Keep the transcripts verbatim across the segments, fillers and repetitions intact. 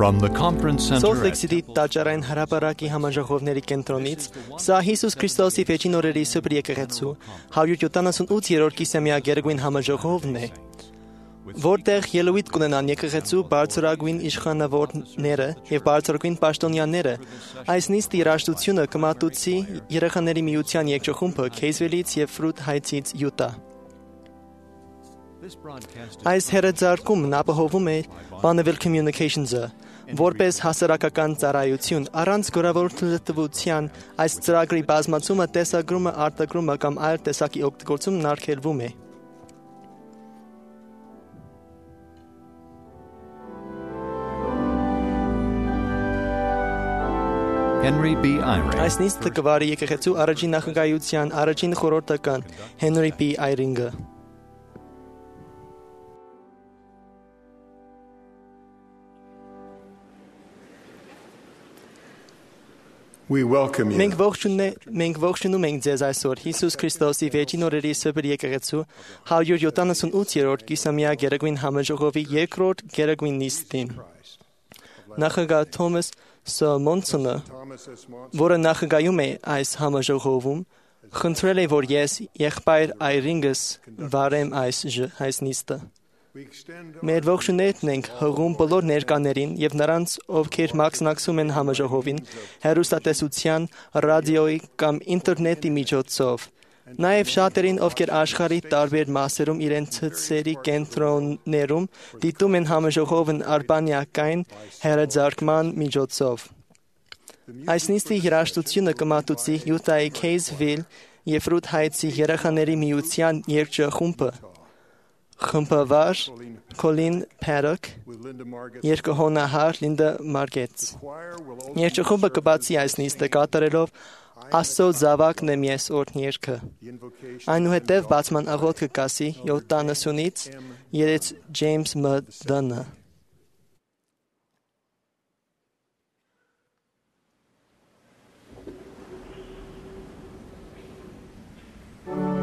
From the conference center Salt Lake City տաճարային հրապարակի համաժողովների կենտրոնից սա Հիսուս Քրիստոսի Վերջին օրերի Սուրբ եկեղեցու հարյուր յոթանասունութ-րդ կիսամյա գերագույն համաժողովն է, որտեղ ելույթ կունենան եկեղեցու բարձրագույն իշխանավորները եւ բարձրագույն պաշտոնյաները։ Այս նիստի երաժշտությունը կմատուցի երեխաների միության երգչախումբը Քեյզվիլից եւ Ֆրութ Հայթսից Յուտա։ Այս հեռարձակումն ապահովում է Bonneville Communications-ը, որպես հասարակական ծառայություն, առանց գորավորության այս ծրագրի բազմացումը, տեսագրումը, արտադրումը կամ այլ տեսակի օգտագործումն արգելվում է։ Henry B. Eyring. Այս նիստը կվարի եկեղեցու առաջին նախագահության առաջին խորհրդական Henry B. Eyring-ը։ We welcome you. Մենք մենք ողջունում ենք ձեզ այսօր Հիսուս Քրիստոսի Վերջին օրերի Սուրբ եկեղեցու հարյուր յոթանասունութ-րդ կիսամյա գերագույն համաժողովի երկրորդ գերագույն նիստին։ Նախագահ Թոմաս Ս. Մոնսոնը, որը նախագահում է այս համաժողովում, խնդրել է, որ ես եղբայր Այրինգս վարեմ այս այս նիստը։ Մեր ողջուններն ենք հղում բոլոր ներկաներին եւ նրանց, ովքեր մասնակցում են համաժողովին, հեռուստատեսության, ռադիոյի կամ ինտերնետի միջոցով։ Նաեւ շատերին, ովքեր աշխարհի տարբեր մասերում իրենց ցցերի կենտրոններում դիտում են համաժողովն արբանյակային հեռարձակման միջոցով։ Այս նիստի երաժշտությունը կմատուցի Յուտայի Քեյզվիլ եւ Ֆրութ Հայթսի երեխաների միության երգչախումբը։ Խմբավար Colin Paddock, երկհոնահար Լինդա Մարգետս։ Երգչախումբը կբացի այս նիստը կատարելով Աստծո զավակն եմ ես օրհն երգը։ Այնուհետև բացման աղոթքը կասի յոթանասունից երեք Ջեյմս Մ. Դանը։ He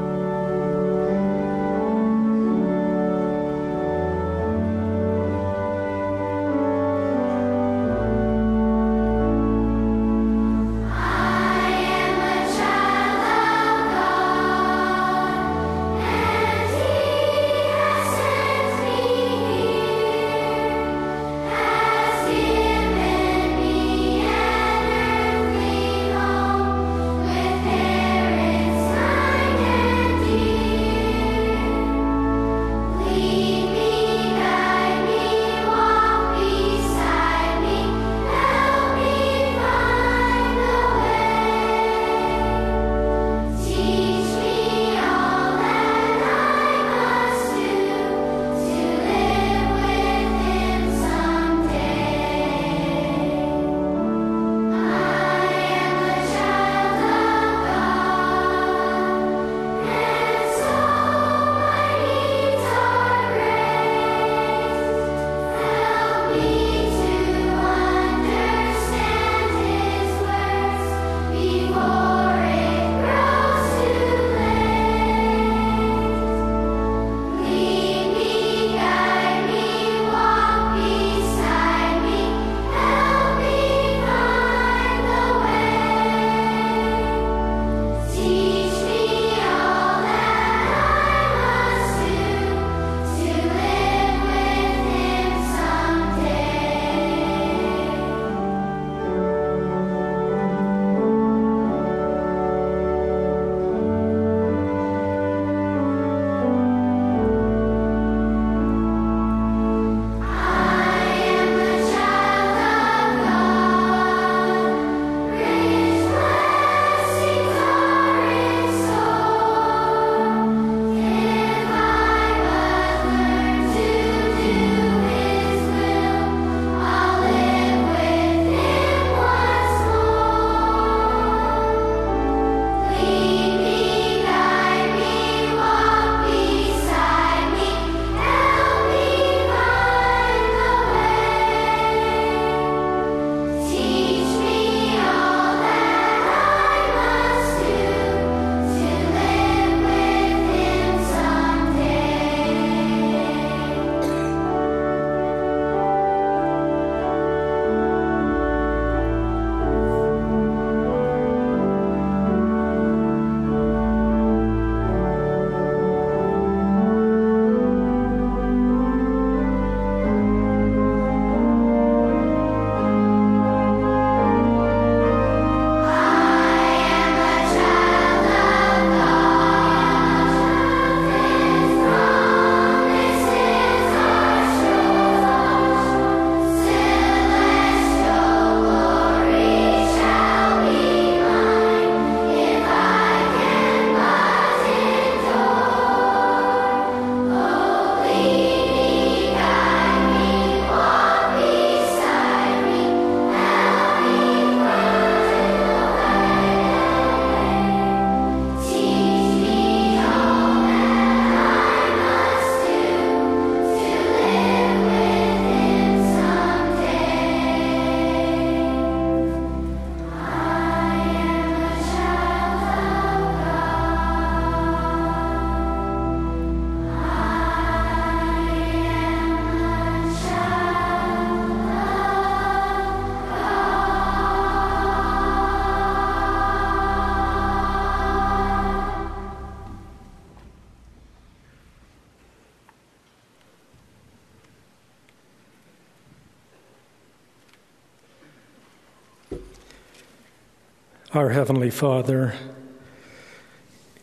Our Heavenly Father,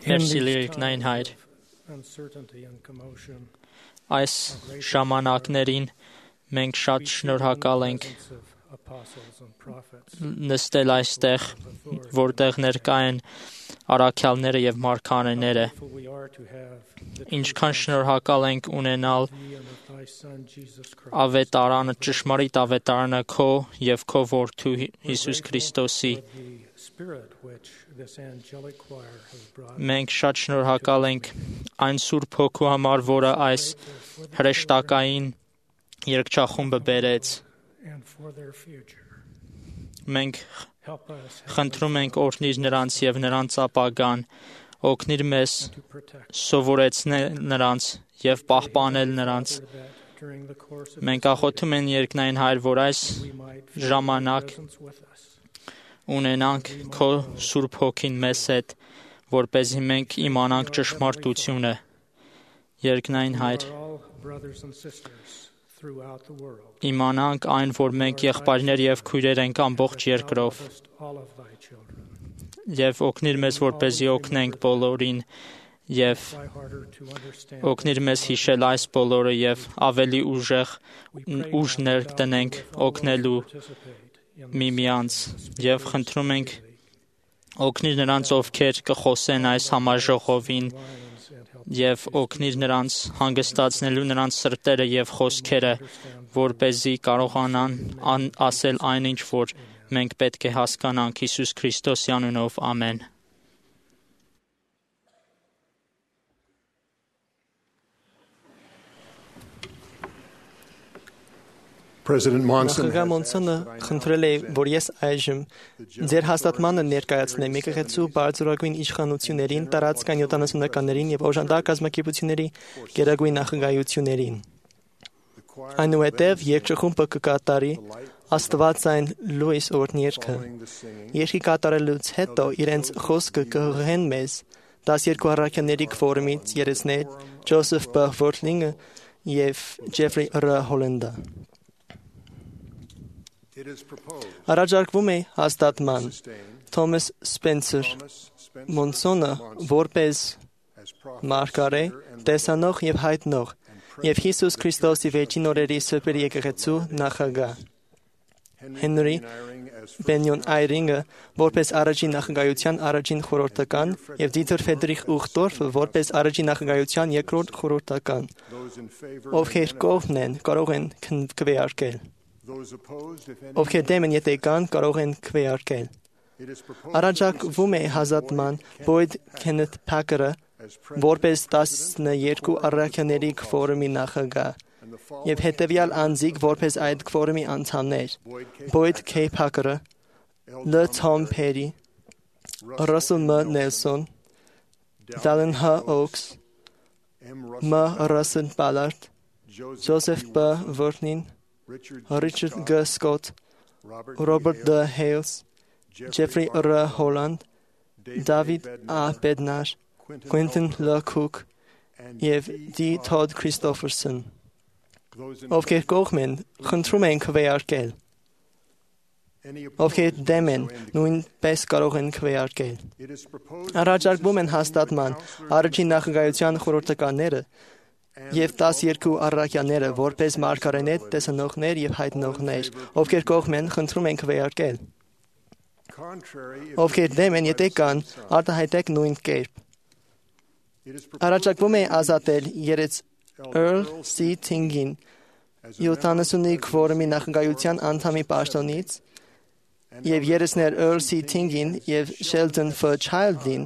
Մեր սիրելի Հայր, uncertainty and commotion, այս ժամանակներին մենք շատ շնորհակալ ենք apostles and prophets, նստել այստեղ, որտեղ ներկա են առաքյալները եւ մարգարեները։ for we are to have the Ինչքան շնորհակալ ենք ունենալ Thee and of Thy Son Jesus Christ, ավետարանը, ճշմարիտ ավետարանը քո եւ քո որդու Հիսուս Քրիստոսի։ the Spirit which this angelic choir has brought. Մենք շատ շնորհակալ ենք այն Սուրբ Հոգու համար, որը այս հրեշտակային երգչախումբը բերեց։ And for their future. Մենք Help us խնդրում ենք օրհնիր նրանց եւ նրանց ապագան, օգնիր մեզ to protect սովորեցնել նրանց եւ պահպանել նրանց։ that during the course of Մենք աղոթում ենք երկնային Հայր, որ այս we might feel ժամանակ Thy presence with us. ունենանք քո Սուրբ Հոգին մեզ հետ, որպեսզի մենք իմանանք ճշմարտությունը։ Երկնային Հայր, We are all brothers and sisters throughout the world. իմանանք այն, որ մենք եղբայրներ եւ քույրեր ենք ամբողջ երկրով, Lovest all of Thy children. եւ օգնիր մեզ, որպեսզի օգնենք բոլորին եւ Try harder to understand. օգնիր մեզ հիշել այս բոլորը եւ ավելի ուժեղ ուժ ներդնենք օգնելու Participate in միմյանց եւ խնդրում ենք օգնիր նրանց, ովքեր կխոսեն այս համաժողովին lines and help եւ օգնիր նրանց հանգստացնելու նրանց սրտերը եւ խոսքերը, որպեսզի կարողանան ան, ասել այնինչ, որ մենք պետք է հասկանանք Հիսուս Քրիստոսի անունով, ամեն։ President Monson Նախագահ Մոնսոնը խնդրել է, որ ես այժմ ձեր հաստատմանը ներկայացնեմ եկեղեցու բարձրագույն իշխանություններին, տարածքային յոթանասունականներին եւ օժանդակ կազմակերպությունների գերագույն նախագահություններին։ Այնուհետև երկչխումբը կկատարի Աստվածային լույս օրհներգը։ Երկի կատարելուց հետո իրենց խոսքը կհղեն մեզ տասներկու առաքյալների քվորումից երեսներ Ջոզեֆ Բ. Վորթլինգը եւ Ջեֆրի Ռ. Հոլանդը։ It is proposed Առաջարկվում է հաստատման Թոմաս Սպենսեր Մոնսոնը որպես as prophet մարգարե, տեսանող եւ հայտնող եւ Հիսուս Քրիստոսի վերջին օրերի սրբերի եկեղեցու նախագահ Հենրի Բենյոն Այրինգը որպես առաջին նախագահության առաջին խորհրդական եւ Դիթեր Ֆեդրիխ Ուխտորֆը որպես առաջին նախագահության երկրորդ խորհրդական, those in favor, ովքեր կողմն են, կարող են քվեարկել, those opposed, if any. ովքեր դեմ են, եթե կան, կարող են քվեարկել։ It is proposed Առաջարկվում է հաստատման Բոյդ Քենեթ Փակերը as որպես տասներկու առաքյալների քվորումի նախագահ and the fall եւ հետեւյալ անձիկ որպես այդ քվորումի անդամներ Բոյդ Քեյ Փակերը, Լ. Թոմ Փերի, Ռասել Մ. Նելսոն, Դալեն Հ. Օքս, M. Մ. Ռասել Բալարդ, Ջոզեֆ Բ. Վորթնին, Richard Ռիչարդ Գ. Սկոտ, Robert Ռոբերտ Դ. Հեյլս, Ջեֆրի Ռ. Հոլանդ, Դավիթ Ա. Բեդնար, Quentin L. Cook եւ D. Todd Christopherson, those in ովքեր կողմ են, խնդրում են քվեարկել, any ովքեր դեմ են, նույնպես կարող են քվեարկել։ it is proposed Առաջարկվում են հաստատման առաջին նախագահության խորհրդականները եւ տասներկու առաքյալները որպես մարգարեներ, տեսանողներ եւ հայտնողներ, ովքեր կողմ են, խնդրում են քվեարկել, contrary if ովքեր դեմ են, եթե կան, արտահայտեք նույն կերպ։ it is proposed Առաջարկվում է ազատել երեց Earl C. Tingin յոթանասունի քվորումի նախագահության անդամի պաշտոնից եւ երեսներ Earl C. Tingin եւ Sheldon F. Childin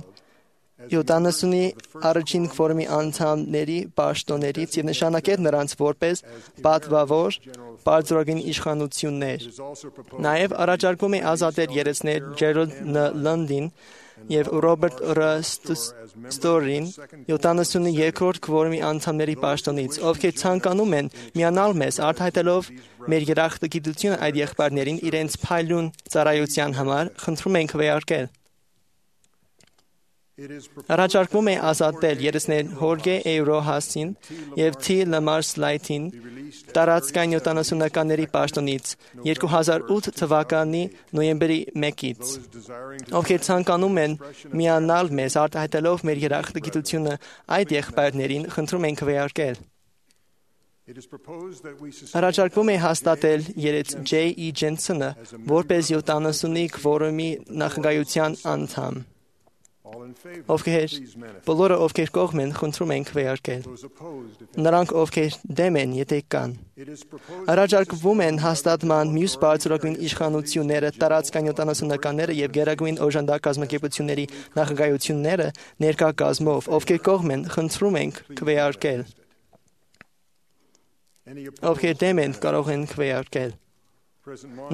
յոթանասունի առաջին քվորումի անդամների պաշտոններից եւ նշանակել նրանց որպես պատվավոր բարձրագույն իշխանություններ։ is also proposed Նաեւ առաջարկվում է ազատել երեսներ Ջերալդ Ն. Լանդին եւ Ռոբերտ Ռ. Ստորին յոթանասունի երկրորդ քվորումի անդամների պաշտոնից, ովքեր ցանկանում են միանալ մեզ արտահայտելով մեր երախտագիտությունը այդ եղբայրներին իրենց փայլուն ծառայության համար, խնդրում ենք քվեարկել։ Առաջարկվում է ազատել երեսնեհորգե Էյրոհասին և Թի Լմարսլայթին տարածքային յոթանասունականների պաշտոնից երկու հազար ութ թվականի նոյեմբերի մեկից, ովքեր ցանկանում են միանալ մեզ արտահայտելով մեր երախտագիտությունը այդ եղբայրներին, խնդրում ենք քվեարկել։ Առաջարկվում է հաստատել երեց Ջեյ E. Ջենսոնը որպես յոթանասունի քվորումի նախագահության անդամ։ Ովքեր բոլորը ովքեր կողմ են, խնդրում ենք քվեարկել։ Նրանք ովքեր դեմ են, եթե կան։ Առաջարկվում են հաստատման մյուս բարձրագույն իշխանությունները, տարածքային յոթանասունականները և գերագույն օժանդակ կազմակերպությունների նախագահությունները ներկա կազմով, ովքեր կողմ են, խնդրում ենք քվեարկել։ Ովքեր դեմ են, կարող են քվեարկել։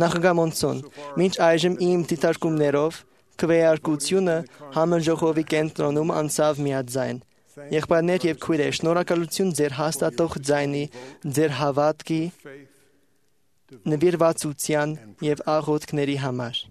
Նախագահ Մոնսոն, մինչ այժմ իմ դիտարկումներով քվեարկությունը համաժողովի կենտրոնում անցավ միաձայն։ Եղբայրներ և քույրեր, շնորհակալություն ձեր հաստատող ձայնի, ձեր հավատքի, նվիրվածության և աղոթքների համար։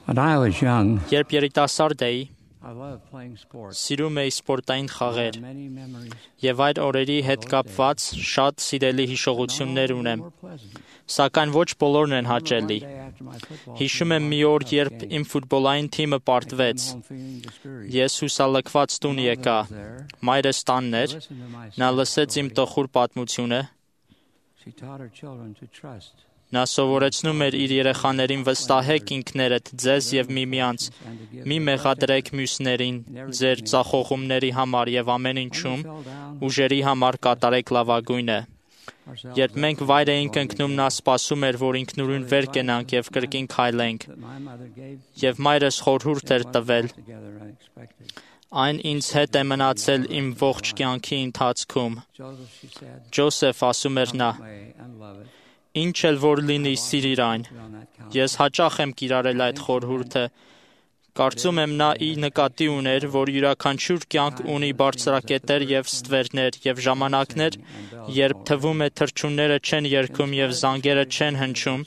When I was young, Երբ երիտասարդ էի, I loved playing sports. սիրում էի սպորտային I խաղեր had many memories. եւ այդ օրերի հետ կապված շատ սիրելի հիշողություններ ունեմ, More pleasant. սակայն ոչ բոլորն են հաճելի։ One day after my football Հիշում եմ մի օր, երբ իմ ֆուտբոլային թիմը պարտվեց, home feeling discouraged. ես հուսալքված տուն եկա, մայրս տանն էր, Listen to my նա լսեց իմ տխուր պատմությունը, She taught her children to trust նա սովորեցնում էր իր երեխաներին վստահեք ինքներդ ձեզ եւ միմյանց, and to give մի մեղադրեք մյուսներին ձեր ծախողումների համար եւ ամեն ինչում ուժերի համար կատարեք լավագույնը։ ourselves Երբ մենք վայր էինք ընկնում, նա սպասում էր, որ ինքնուրույն վեր կենանք եւ կրկին քայլենք, that my mother gave եւ մայրս խորհուրդ էր տվել։ together unexpected. Այն ինձ հետ է մնացել իմ ողջ կյանքի ընթացքում։ Joseph, she said, Ջոսեֆ, ասում էր նա, way and love it. ինչ էլ որ լինի, սիրիր այն։ On that count. Ես հաճախ եմ կիրառել այդ խորհուրդը։ Կարծում եմ նա ի նկատի ուներ, որ յուրաքանչյուր կյանք ունի բարձրակետեր եւ ստվերներ եւ ժամանակներ, երբ թվում է թռչունները չեն երգում եւ զանգերը չեն հնչում,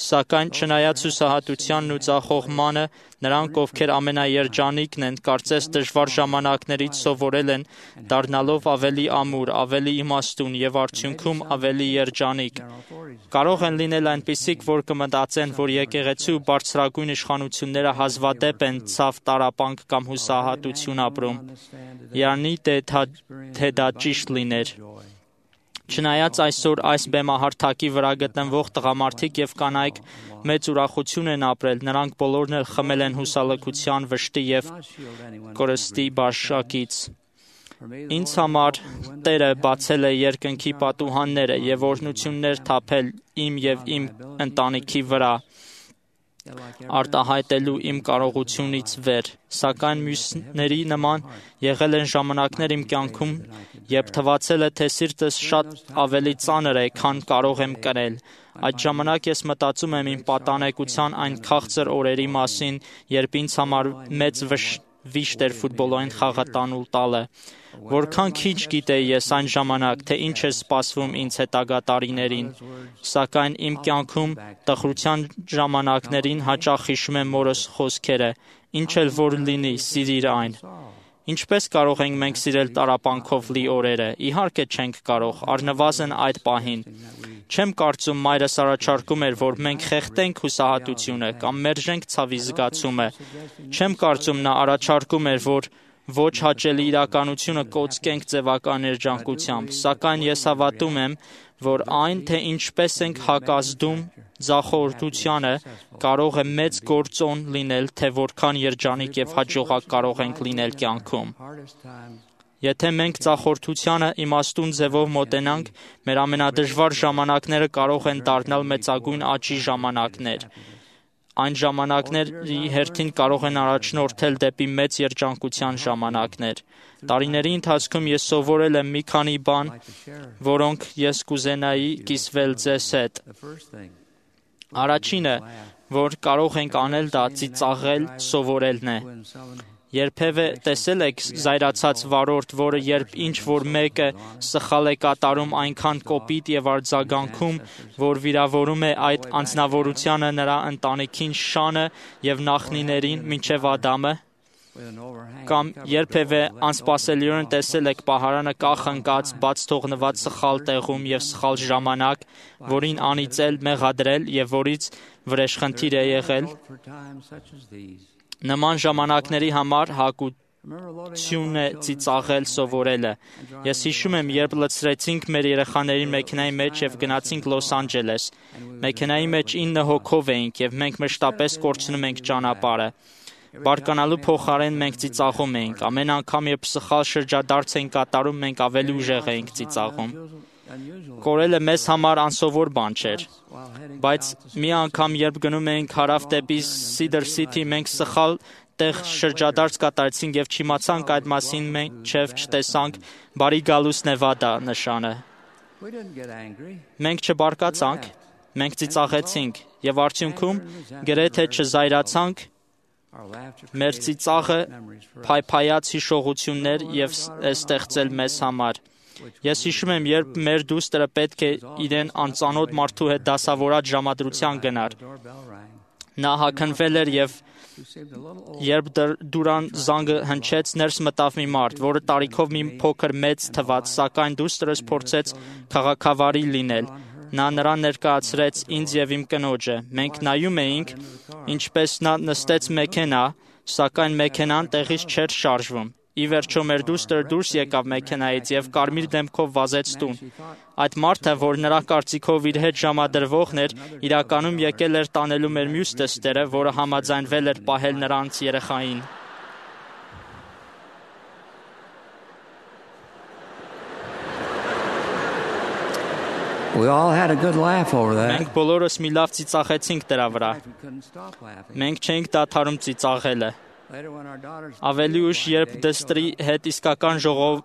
սակայն չնայած հուսահատությանն ու ծախողմանը, նրանք, ովքեր ամենաերջանիկն են, կարծես դժվար ժամանակներից սովորել են, դառնալով ավելի ամուր, ավելի իմաստուն եւ արդյունքում ավելի երջանիկ։ Կարող են լինել այնպիսիք, որ կմտածեն, որ եկեղեցու բարձրագույն իշխանությունները հազվադեպ են ցավ տարապանք կամ հուսահատություն ապրում։ Յանի թե դա ճիշտ լիներ։ Չնայած այսօր այս բեմահարթակի վրա գտնվող տղամարդիկ եւ կանայք մեծ ուրախություն են ապրել, նրանք բոլորն էլ խմել են հուսալքության, վշտի եւ կորստի բաշակից։ Ինձ համար Տերը բացել է երկնքի պատուհանները եւ օրհնություններ թափել իմ եւ իմ ընտանիքի վրա, արտահայտելու իմ կարողությունից վեր, սակայն մյուսների նման եղել են ժամանակներ իմ կյանքում, երբ թվացել է, թե սիրտս շատ ավելի ծանր է, քան կարող եմ կրել։ Այդ ժամանակ ես մտածում եմ իմ պատանեկության այն քաղցր օրերի մասին, երբ ինձ համար մեծ վիշտ էր ֆուտբոլային խաղը տանուլ տալը։ Որքան քիչ գիտեի ես այն ժամանակ, թե ինչ է սպասվում ինձ հետագա տարիներին, սակայն իմ կյանքում տխրության ժամանակներին հաճախ հիշում եմ մորս խոսքերը, ինչ էլ որ լինի, սիրիր այն։ Ինչպես կարող ենք մենք սիրել տարապանքով լի օրերը։ Իհարկե չենք կարող, առնվազն այդ պահին։ Չեմ կարծում մայրս առաջարկում էր, որ մենք խեղդենք հուսահատությունը կամ մերժենք ցավի զգացումը։ Չեմ կարծում նա առաջարկում էր, որ ոչ հաճելի իրականությունը կոծկենք ձևական երջանկությամբ, սակայն ես հավատում եմ, որ այն, թե ինչպես ենք հակազդում ձախորդությանը, կարող է մեծ գործոն լինել, թե որքան երջանիկ եւ հաջողակ կարող ենք լինել կյանքում։ Եթե մենք ձախորդությանը իմաստուն ձևով մոտենանք, մեր ամենադժվար ժամանակները կարող են դառնալ մեծագույն աճի ժամանակներ։ Այն ժամանակների հերթին կարող են առաջնորդել դեպի մեծ երջանկության ժամանակներ։ Տարիների ընթացքում ես սովորել եմ մի քանի բան, որոնք ես կուզենայի կիսվել ձեզ հետ։ Առաջինը, որ կարող ենք անել, դա ծիծաղել սովորելն է։ Երբևէ տեսել եք զայրացած վարորդ, որը երբ ինչ-որ մեկը սխալ է կատարում այնքան կոպիտ եւ արձագանքում, որ վիրավորում է այդ անձնավորությանը, նրա ընտանիքին, շանը եւ նախնիներին մինչեւ Ադամը, կամ երբևէ անսպասելիորեն տեսել եք պահարանը կախնկած, բաց թողնված սխալ տեղում եւ սխալ ժամանակ, որին անիծել, մեղադրել եւ որից վրեժխնդիր է եղել։ Նման ժամանակների համար հակություն է ծիծաղել սովորելը։ Ես հիշում եմ, երբ լցրեցինք մեր երեխաների մեքենայի մեջ եւ գնացինք Լոս Անջելես։ Մեքենայի մեջ ինը հոգով էինք եւ մենք մշտապես կորցնում ենք ճանապարհը։ Բարկանալու փոխարեն մենք ծիծաղում էինք։ Ամեն անգամ, երբ սխալ շրջադարձ էինք կատարում, մենք ավելի ուժեղ էինք ծիծաղում։ Կորելը մեզ համար անսովոր բան չէր, բայց մի անգամ, երբ գնում էինք հարավ դեպի Սիդր Սիթի, մենք սխալ տեղ շրջադարձ կատարեցինք եւ չիմացանք այդ մասին, մինչեւ չտեսանք բարի գալուս Նևադա նշանը։ Մենք չբարկացանք, մենք ծիծաղեցինք եւ արդյունքում գրեթե չզայրացանք, մեր ծիծաղը փայփայած հիշողություններ եւ է ստեղծել մեզ համար։ Ես հիշում եմ, երբ մեր դուստրը պետք է իրեն անծանոթ մարդու հետ դասավորած ժամադրության գնար։ Նա հագնվել էր եւ երբ դուրան զանգը հնչեց, ներս մտավ մի մարդ, որը տարիքով մի փոքր մեծ թվաց, սակայն դուստրս փորձեց քաղաքավարի լինել։ Նա նրան ներկայացրեց ինձ եւ իմ կնոջը։ Մենք նայում էինք, ինչպես նա նստեց մեքենա, սակայն մեքենան տեղից չէր շարժվում։ Ի վերջո մեր դուստրը դուրս եկավ մեքենայից եւ կարմիր դեմքով վազեց տուն։ Այդ մարդը, որ նրա կարծիքով իր հետ ժամադրվողն էր, իրականում եկել էր տանելու մեր մյուս դստերը, որը համաձայնվել էր պահել նրանց երեխային։ We all had a good laugh over that. Մենք բոլորս մի լավ ծիծաղեցինք դրա վրա։ We couldn't stop laughing. Մենք չէինք դադարում ծիծաղելը։ Later, when our daughters Ավելի ուշ, երբ դստրի հետ իսկական ժողով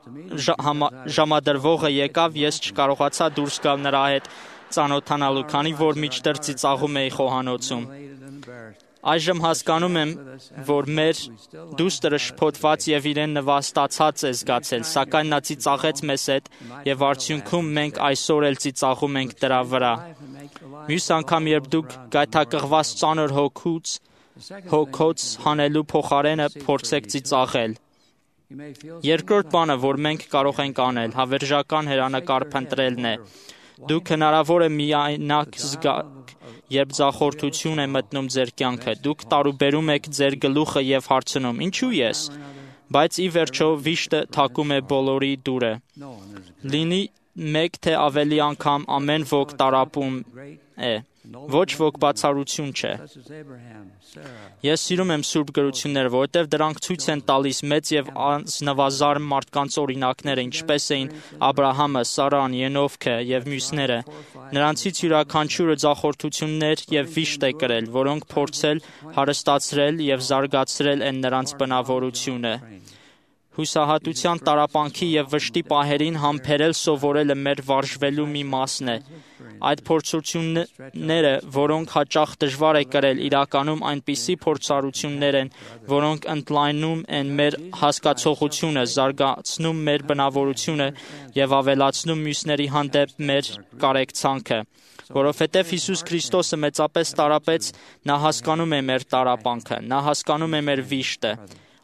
ժ- հama- ժամադրվողը եկավ, ես չկարողացա դուրս գալ նրա հետ ծանոթանալու, քանի որ մինչդեռ ծիծաղում էի խոհանոցում։ elated and embarrassed. Այժմ հասկանում եմ, որ մեր դուստրը շփոթված եւ իրեն նվաստացած է զգացել, սակայն նա ծիծաղեց մեզ հետ եւ արդյունքում մենք այսօր էլ ծիծաղում ենք դրա վրա։ Մյուս անգամ, երբ դուք գայթակղված ծանր հոգուց հոգոց հանելու փոխարենը փորձեք ծիծաղել։ You may feel Երկրորդ բանը, որ մենք կարող ենք անել, հավերժական հերանեկար փնտրելն է։ Դուք հնարավոր է միայնակ զգաք, երբ ձախորդություն է մտնում ձեր կյանքը։ Դուք տարուբերում եք ձեր գլուխը եւ հարցնում. ինչու ես։ Բայց ի վերջո վիշտը թակում է բոլորի դուրը։ no one is a Լինի մեկ թե ավելի անգամ ամեն ոք տարապում great է, ոչ ոք բացառություն չէ։ such as Abraham, Sarah, Ես սիրում եմ սուրբ գրությունները, որովհետև դրանք ցույց են տալիս մեծ եւ անձնավազարմ մարդկանց օրինակները, ինչպես էին Աբրահամը, Սարան, Ենովքը եւ մյուսները։ Նրանցից յուրաքանչյուրը ձախորդություններ եւ վիշտ է կրել, որոնք փորձել, հարստացրել եւ զարգացրել են նրանց բնավորությունը։ Հուսահատության տարապանքի եւ վշտի պահերին համբերել սովորելը մեր վարժվելու մի մասն է։ Այդ փորձությունները, որոնք հաճախ դժվար է կրել, իրականում այնպիսի փորձառություններ են, որոնք ընդլայնում են մեր հասկացողությունը, զարգացնում մեր բնավորությունը եւ ավելացնում մյուսների հանդեպ մեր կարեկցանքը։ Որովհետև Հիսուս Քրիստոսը մեծապես տարապեց, նա հասկանում է մեր տարապանքը, նա հասկանում է մեր վիշտը։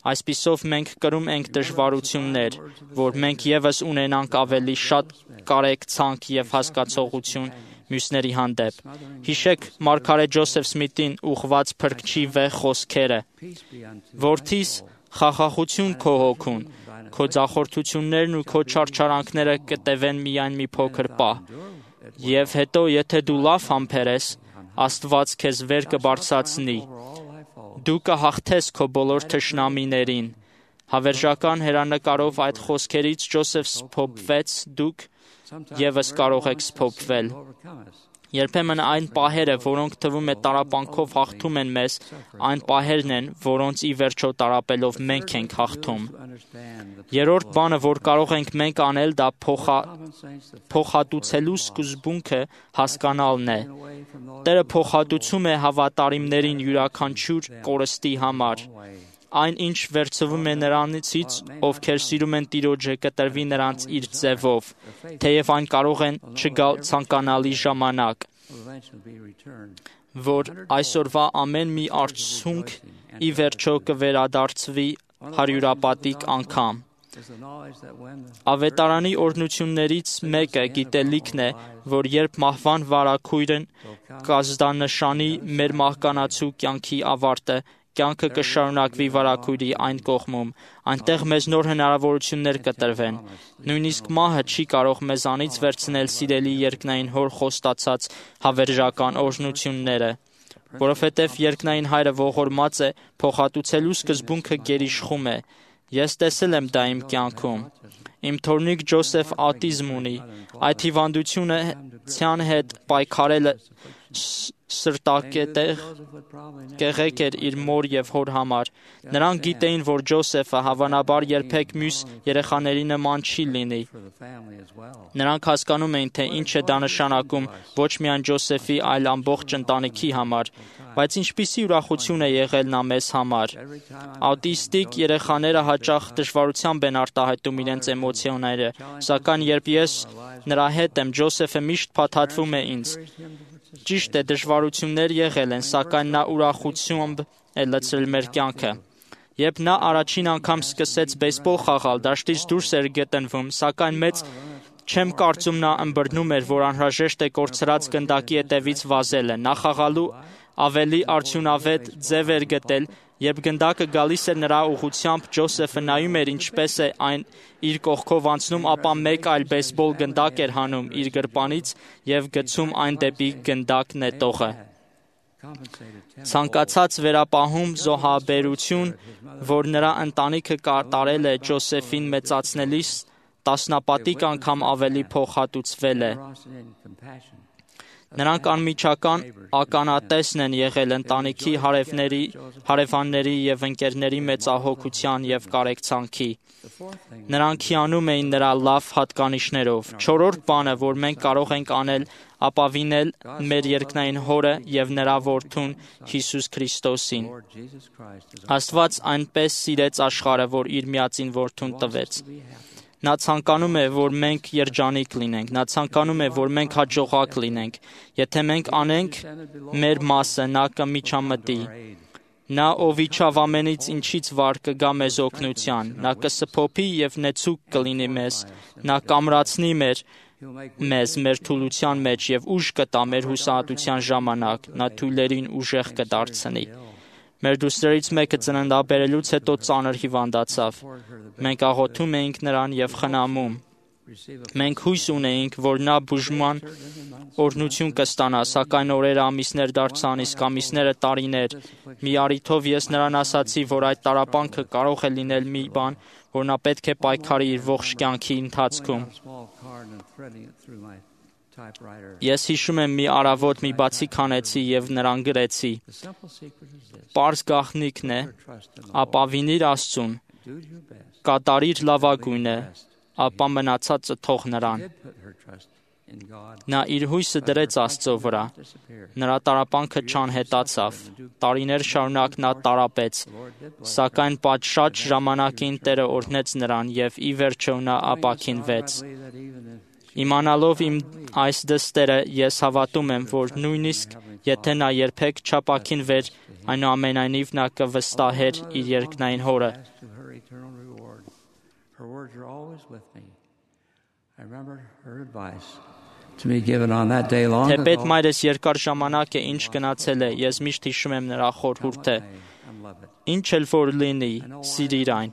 Այսպիսով մենք կրում ենք դժվարություններ, որ մենք եւս ունենանք ավելի շատ կարեկցանք եւ հասկացողություն մյուսների հանդեպ։ Հիշեք Մարգարետ Ջոսեֆ Սմիթին ուղված փրկչի վեհ խոսքերը. peace be unto you. Որդիս, խաղաղություն քո հոգուն, քո ձախորդություններն ու քո չարչարանքները կտևեն միայն մի փոքր պահ։ Եվ հետո, եթե դու լավ համբերես, Աստված քեզ վեր կբարձրացնի։ Դու կհաղթես քո բոլոր թշնամիներին։ Հավերժական հերանեկարով այդ խոսքերից Ջոսեֆ սփոփվեց, դուք եւս կարող եք սփոփվել։ Երբեմն այն պահերը, որոնք թվում է տարապանքով հաղթում են մեզ, այն պահերն են, որոնց ի վերջո տարապելով մենք ենք հաղթում։ Երրորդ բանը, որ կարող ենք մենք անել, դա փոխա, փոխհատուցելու սկզբունքը հասկանալն է։ Տերը փոխհատուցում է հավատարիմներին յուրաքանչյուր կորստի համար։ Այն, ինչ վերցվում է նրանցից, ովքեր սիրում են Տիրոջը, կտրվի նրանց իր ձևով, թեև այն կարող են չգալ ցանկանալի ժամանակ, որ այսօրվա ամեն մի արդյունք ի վերջո կվերադարձվի հարյուրապատիկ անգամ։ Ավետարանի օրհնություններից մեկը գիտելիքն է, որ երբ մահվան վարագույրն կազդանշանի մեր մահկանացու կյանքի ավարտը, կյանքը կշարունակվի վարագույրի այն կողմում, այնտեղ մեզ նոր հնարավորություններ կտրվեն։ Նույնիսկ մահը չի կարող մեզանից վերցնել սիրելի երկնային հոր խոստացած հավերժական օրհնությունները, որովհետև երկնային հայրը ողորմած է, փոխհատուցելու սկզբունքը գերիշխում է։ Ես տեսել եմ դա իմ կյանքում։ Իմ թորնիկ Ջոսեֆ աուտիզմ ունի։ Այդ հիվանդությունը ցյան հետ պայքարելը սրտակետեղ կեղեկ էր իր մոր և հոր համար։ Նրանք գիտեին, որ Ջոսեֆը հավանաբար երբեք մյուս երեխաների նման չի լինի։ Նրանք հասկանում էին, թե ինչ է դա նշանակում ոչ միայն Ջոսեֆի, այլ ամբողջ ընտանիքի համար։ Բայց ինչպիսի ուրախություն է եղել նա մեզ համար։ Աուտիստիկ երեխաները հաճախ դժվարությամբ են արտահայտում իրենց էմոցիաները, սակայն երբ ես նրա հետ եմ, Ջոսեֆը միշտ փաթաթվում է ինձ։ Ճիշտ է, դժվարություններ եղել են, սակայն նա ուրախությամբ է լցրել մեր կյանքը։ Երբ նա առաջին անգամ սկսեց բեյսբոլ խաղալ, դաշտից դուրս էր գտնվում, սակայն մեծ չեմ կարծում նա ըմբռնում էր, որ անհրաժեշտ է կորցրած գնդակի հետևից վազելը։ Նա խաղալու ավելի արդյունավետ ձև էր գտել, երբ գնդակը գալիս էր նրա ուղղությամբ, Ջոսեֆը նայում էր ինչպես է այն իր կողքով անցնում, ապա մեկ այլ բեյսբոլ գնդակ էր հանում իր գրպանից և գցում այն դեպի գնդակ նետողը։ Ցանկացած վերապահում զոհաբերություն, որ նրա ընտանիքը կատարել է Ջոսեֆին մեծացնելիս, տասնապատիկ անգամ ավելի փոխհատուցվել է։ Նրանք անմիջական ականատեսն են եղել ընտանիքի հարևների, հարևանների և ընկերների մեծահոգության և կարեկցանքի։ Նրանք հիանում էին նրա լավ հատկանիշներով։ Չորրորդ բանը, որ մենք կարող ենք անել, ապավինել մեր երկնային Հորը և նրա Որդուն Հիսուս Քրիստոսին։ Աստված այնպես սիրեց աշխարհը, որ իր միածին Որդուն տվեց։ Նա ցանկանում է, որ մենք երջանիկ լինենք։ Նա ցանկանում է, որ մենք հաջողակ լինենք։ Եթե մենք անենք մեր մասը, նա կմիջամտի։ Նա, ով իջավ ամենից ինչից վար, կգա մեզ օգնության։ Նա կսփոփի և նեցուկ կլինի մեզ։ Նա կամրացնի մեր մեզ մեր թուլության մեջ և ուժ կտա մեր հուսահատության ժամանակ։ Նա թույլերին ուժեղ կդարձնի։ Մեր դուստրերից մեկը ծննդաբերելուց հետո ծանր հիվանդացավ։ Մենք աղոթում էինք նրան և խնամում։ Մենք հույս ունեինք, որ նա բուժման օրհնություն կստանա, սակայն օրերը ամիսներ դարձան, իսկ ամիսները տարիներ։ Մի առիթով ես նրան ասացի, որ այդ տառապանքը կարող է լինել մի բան, որ նա պետք է պայքարի իր ողջ կյանքի ընթացքում։ Ես հիշում եմ մի առավոտ մի բացիկ հանեցի և նրան գրեցի. «Պարզ գաղտնիքն է, ապավինիր Աստծուն, կատարիր լավագույնը, ապա մնացածը թող նրան»։ Նա իր հույսը դրեց Աստծո վրա։ Նրա տառապանքը չանհետացավ։ Տարիներ շարունակ նա տառապեց, սակայն պատշաճ ժամանակին Տերը օրհնեց նրան և ի վերջո նա ապաքինվեց։ Իմանալով իմ այս դստերը, ես հավատում եմ, որ նույնիսկ եթե նա երբեք չապաքինվեր, այնուամենայնիվ նա կվստահեր իր երկնային Հորը։ Թեպետ մայրս երկար ժամանակ է ինչ գնացել է, ես միշտ հիշում եմ նրա խորհուրդը. ինչ էլ որ լինի, սիրիր այն։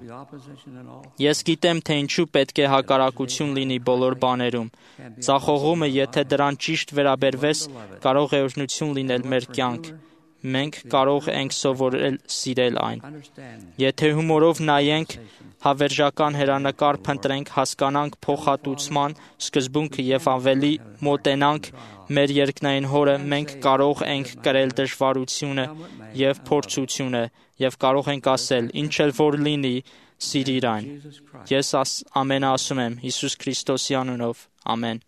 Ես գիտեմ, թե ինչու պետք է հակառակություն լինի բոլոր բաներում։ Ձախողումը, եթե դրան ճիշտ վերաբերվես, կարող է օրհնություն լինել մեր կյանք։ Մենք կարող ենք սովորել սիրել այն։ Եթե հումորով նայենք, հավերժական հեռանկար փնտրենք, հասկանանք փոխհատուցման սկզբունքը և ավելի մոտենանք մեր երկնային Հորը, մենք կարող ենք կրել դժվարությունը և փորձությունը և կարող ենք ասել. ինչ էլ որ լինի, սիրիր այն։ Ես ամենը ասում եմ Հիսուս Քրիստոսի անունով։ Ամեն։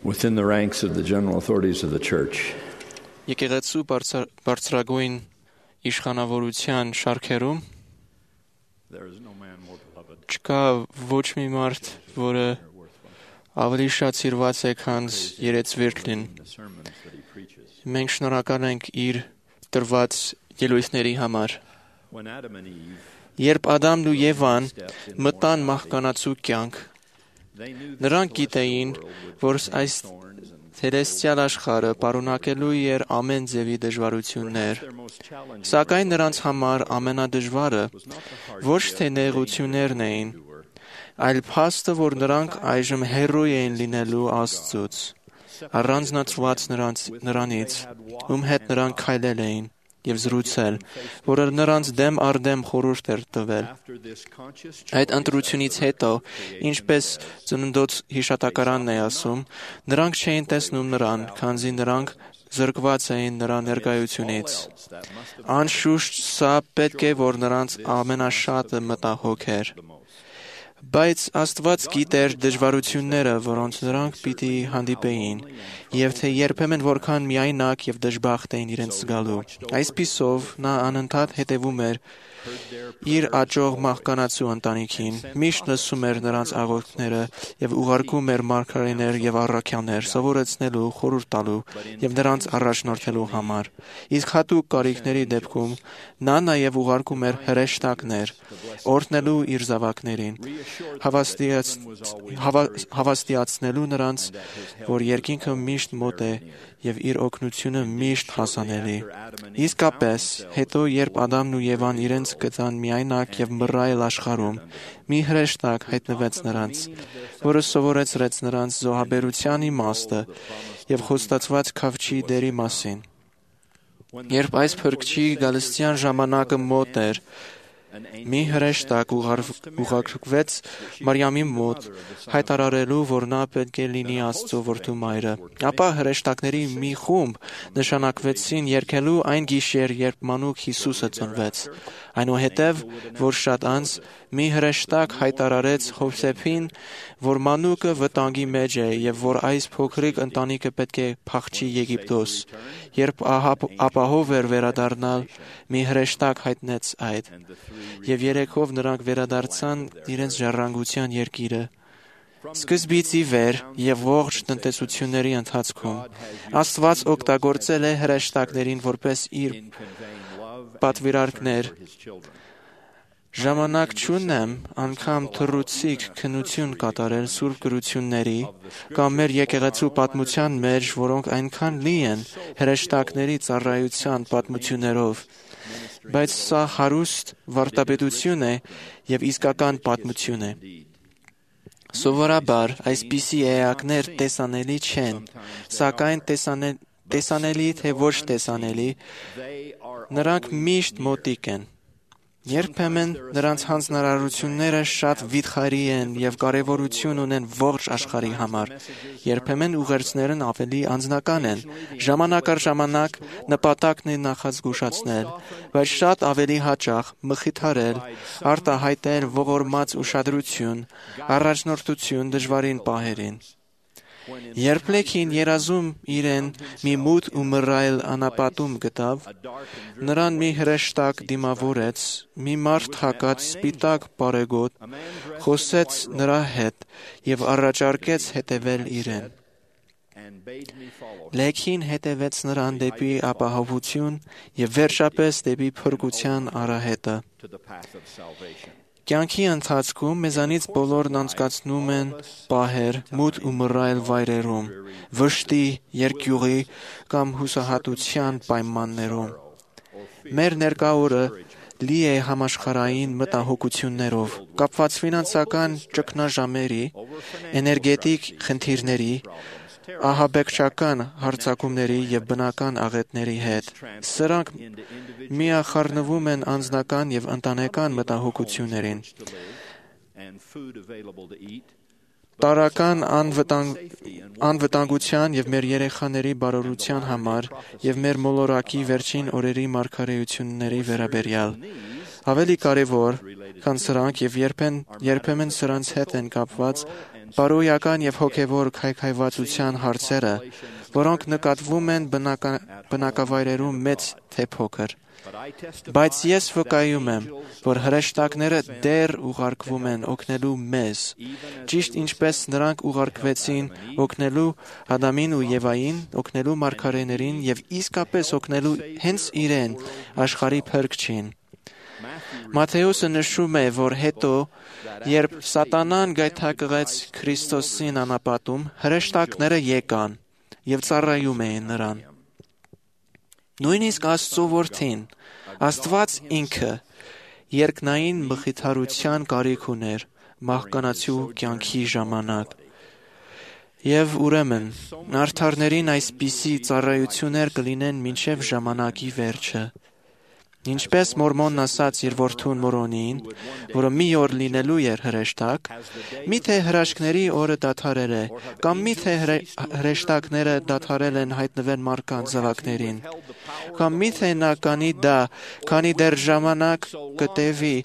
Within the ranks of the general authorities of the church, Եկեղեցու բարձրագույն իշխանավորության շարքերում չկա ոչ մի մարդ, որը ավելի շատ սիրված է, քան երեցվերտլին։ Մենք շնորհակալ ենք իր տրված ելույթների համար։ Երբ Ադամն ու Եվան մտան մահկանացու կյանք, նրանք գիտեին, որ այս Թերեստիալ աշխարհը պարունակելու էր ամեն ձևի դժվարություններ, սակայն նրանց համար ամենադժվարը ոչ թե նեղություններն էին, այլ փաստը, որ նրանք այժմ հեռու էին լինելու Աստծուց, առանձնացված նրանց, նրանից, ում հետ նրանք քայլել էին։ եւ զրուցել, որը նրանց դեմ առ դեմ խորհուրդ էր տվել։ Այդ ընտրությունից հետո, ինչպես ծննդոց հիշատակարանն է ասում, նրանք չէին տեսնում նրան, քանզի նրանք զրկված էին նրա ներկայությունից։ Անշուշտ սա պետք է որ նրանց ամենաշատը մտահոգ էր։ Բայց Աստված գիտեր դժվարությունները, որոնց նրանք պիտի հանդիպեին, եւ թե երբեմն որքան միայնակ եւ դժբախտ էին իրենց զգալու։ Այսպիսով նա անընդհատ հետևում էր իր աճող մահկանացու ընտանիքին, միշտ լսում էր նրանց աղոթքները եւ ուղարկում էր մարգարեներ եւ առաքյալներ սովորեցնելու, խորհուրդ տալու եւ նրանց առաջնորդելու համար։ Իսկ հատուկ կարիքների դեպքում նա նաեւ ուղարկում էր հրեշտակներ, օրհնելու իր զավակներին, հավաստիաց, հավա, հավաստիացնելու նրանց, որ երկինքը միշտ մոտ է եւ իր օգնությունը միշտ հասանելի։ Իսկապես, հետո երբ Ադամն ու Եվան իրենց գտան միայնակ եւ մռայլ աշխարհում, մի հրեշտակ հայտնվեց նրանց, որը սովորեցրեց նրանց զոհաբերության իմաստը եւ խոստացված քավչի դերի մասին։ Երբ այս փրկչի գալստյան ժամանակը մոտ էր, մի հրեշտակ ուղարկվեց Մարիամի մոտ, հայտարարելու, որ նա պետք է լինի Աստծո որդու մայրը։ Ապա հրեշտակների մի խումբ նշանակվեցին երգելու այն գիշեր, երբ մանուկ Հիսուսը ծնվեց։ Այնուհետև, որ շատ անց, մի հրեշտակ հայտարարեց Հովսեփին, որ մանուկը վտանգի մեջ է եւ որ այս փոքրիկ ընտանիքը պետք է փախչի Եգիպտոս։ Երբ ապահով էր վերադառնալ, մի հրեշտակ հայտնեց այդ, եւ երեքով նրանք վերադարձան իրենց ժառանգության երկիրը։ Սկզբից ի վեր եւ ողջ տնտեսությունների ընթացքում Աստված օգտագործել է հրեշտակներին որպես իր պատվիրակներ։ Ժամանակ չունեմ անգամ թռուցիկ քննություն կատարել սուրբ գրությունների կամ մեր եկեղեցու պատմության մեջ, որոնք այնքան լի են հրեշտակների ծառայության պատմություններով, բայց սա հարուստ վարդապետություն է եւ իսկական պատմություն է։ Սովորաբար այսպիսի էակներ տեսանելի չեն, սակայն տեսանել, տեսանելի թե ոչ տեսանելի, նրանք միշտ մոտիկ են։ Երբեմն նրանց հանձնարարությունները շատ վիթխարի են եւ կարեւորություն ունեն ողջ աշխարհի համար։ Երբեմն ուղերձներն ավելի անձնական են։ Ժամանակ առ ժամանակ նպատակն է նախազգուշացնել, բայց շատ ավելի հաճախ մխիթարել, արտահայտել ողորմած ուշադրություն, առաջնորդություն դժվարին պահերին։ Երբ Լեքին երազում իրեն մի մութ ու մռայլ անապատում գտավ, նրան մի հրեշտակ դիմավորեց, մի մարդ հագած սպիտակ բարեգոտ, խոսեց նրա հետ եւ առաջարկեց հետևել իրեն։ Լեքին հետևեց նրան դեպի ապահովություն եւ վերջապես դեպի փրկության արահետը։ Կյանքի ընթացքում մեզանից բոլորն անցկացնում են պահեր մութ ու մռայլ վայրերում, վշտի, երկյուղի կամ հուսահատության պայմաններում։ Մեր ներկա օրը լի է համաշխարհային մտահոգություններով, կապված ֆինանսական ճգնաժամերի, էներգետիկ խնդիրների, ահաբեկչական հարձակումների եւ բնական աղետների հետ։ Սրանք միախառնվում են անձնական եւ ընտանեկան մտահոգություններին։ Տարական անվտանգ, անվտանգության եւ մեր երեխաների բարօրության համար եւ մեր մոլորակի վերջին օրերի մարգարեությունների վերաբերյալ։ Ավելի կարևոր, քան սրանք եւ երբեն երբեմն սրանց հետ են կապված բարոյական եւ հոգեվոր քայքայվածության հարցերը, որոնք նկատվում են բնական, բնակավայրերում մեծ թե փոքր։ Բայց ես վկայում եմ, որ հրեշտակները դեռ ուղարկվում են օգնելու մեզ, ճիշտ ինչպես նրանք ուղարկվեցին օգնելու Ադամին ու Եվային, օգնելու մարգարեներին եւ իսկապես օգնելու հենց իրեն, աշխարհի փրկչին։ Մատթեոսը նշում է, որ հետո, երբ Սատանան գայթակղեց Քրիստոսին անապատում, հրեշտակները եկան եւ ծառայում էին նրան։ Նույնիսկ Աստծո որդին, Աստված ինքը, երկնային մխիթարության կարիք ուներ մահկանացու կյանքի ժամանակ։ Եվ ուրեմն, արդարներին այսպիսի ծառայություններ կլինեն մինչև ժամանակի վերջը։ Ինչպես Մորմոնն ասաց իր որդուն Մորոնին, որը մի օր լինելու էր հրեշտակ, միթե հրաշքների օրը դադարել է, կամ միթե հրեշտակները դադարել են հայտնվել մարդկանց զավակներին, կամ միթե նա կանի դա, քանի դեռ ժամանակ կտևի,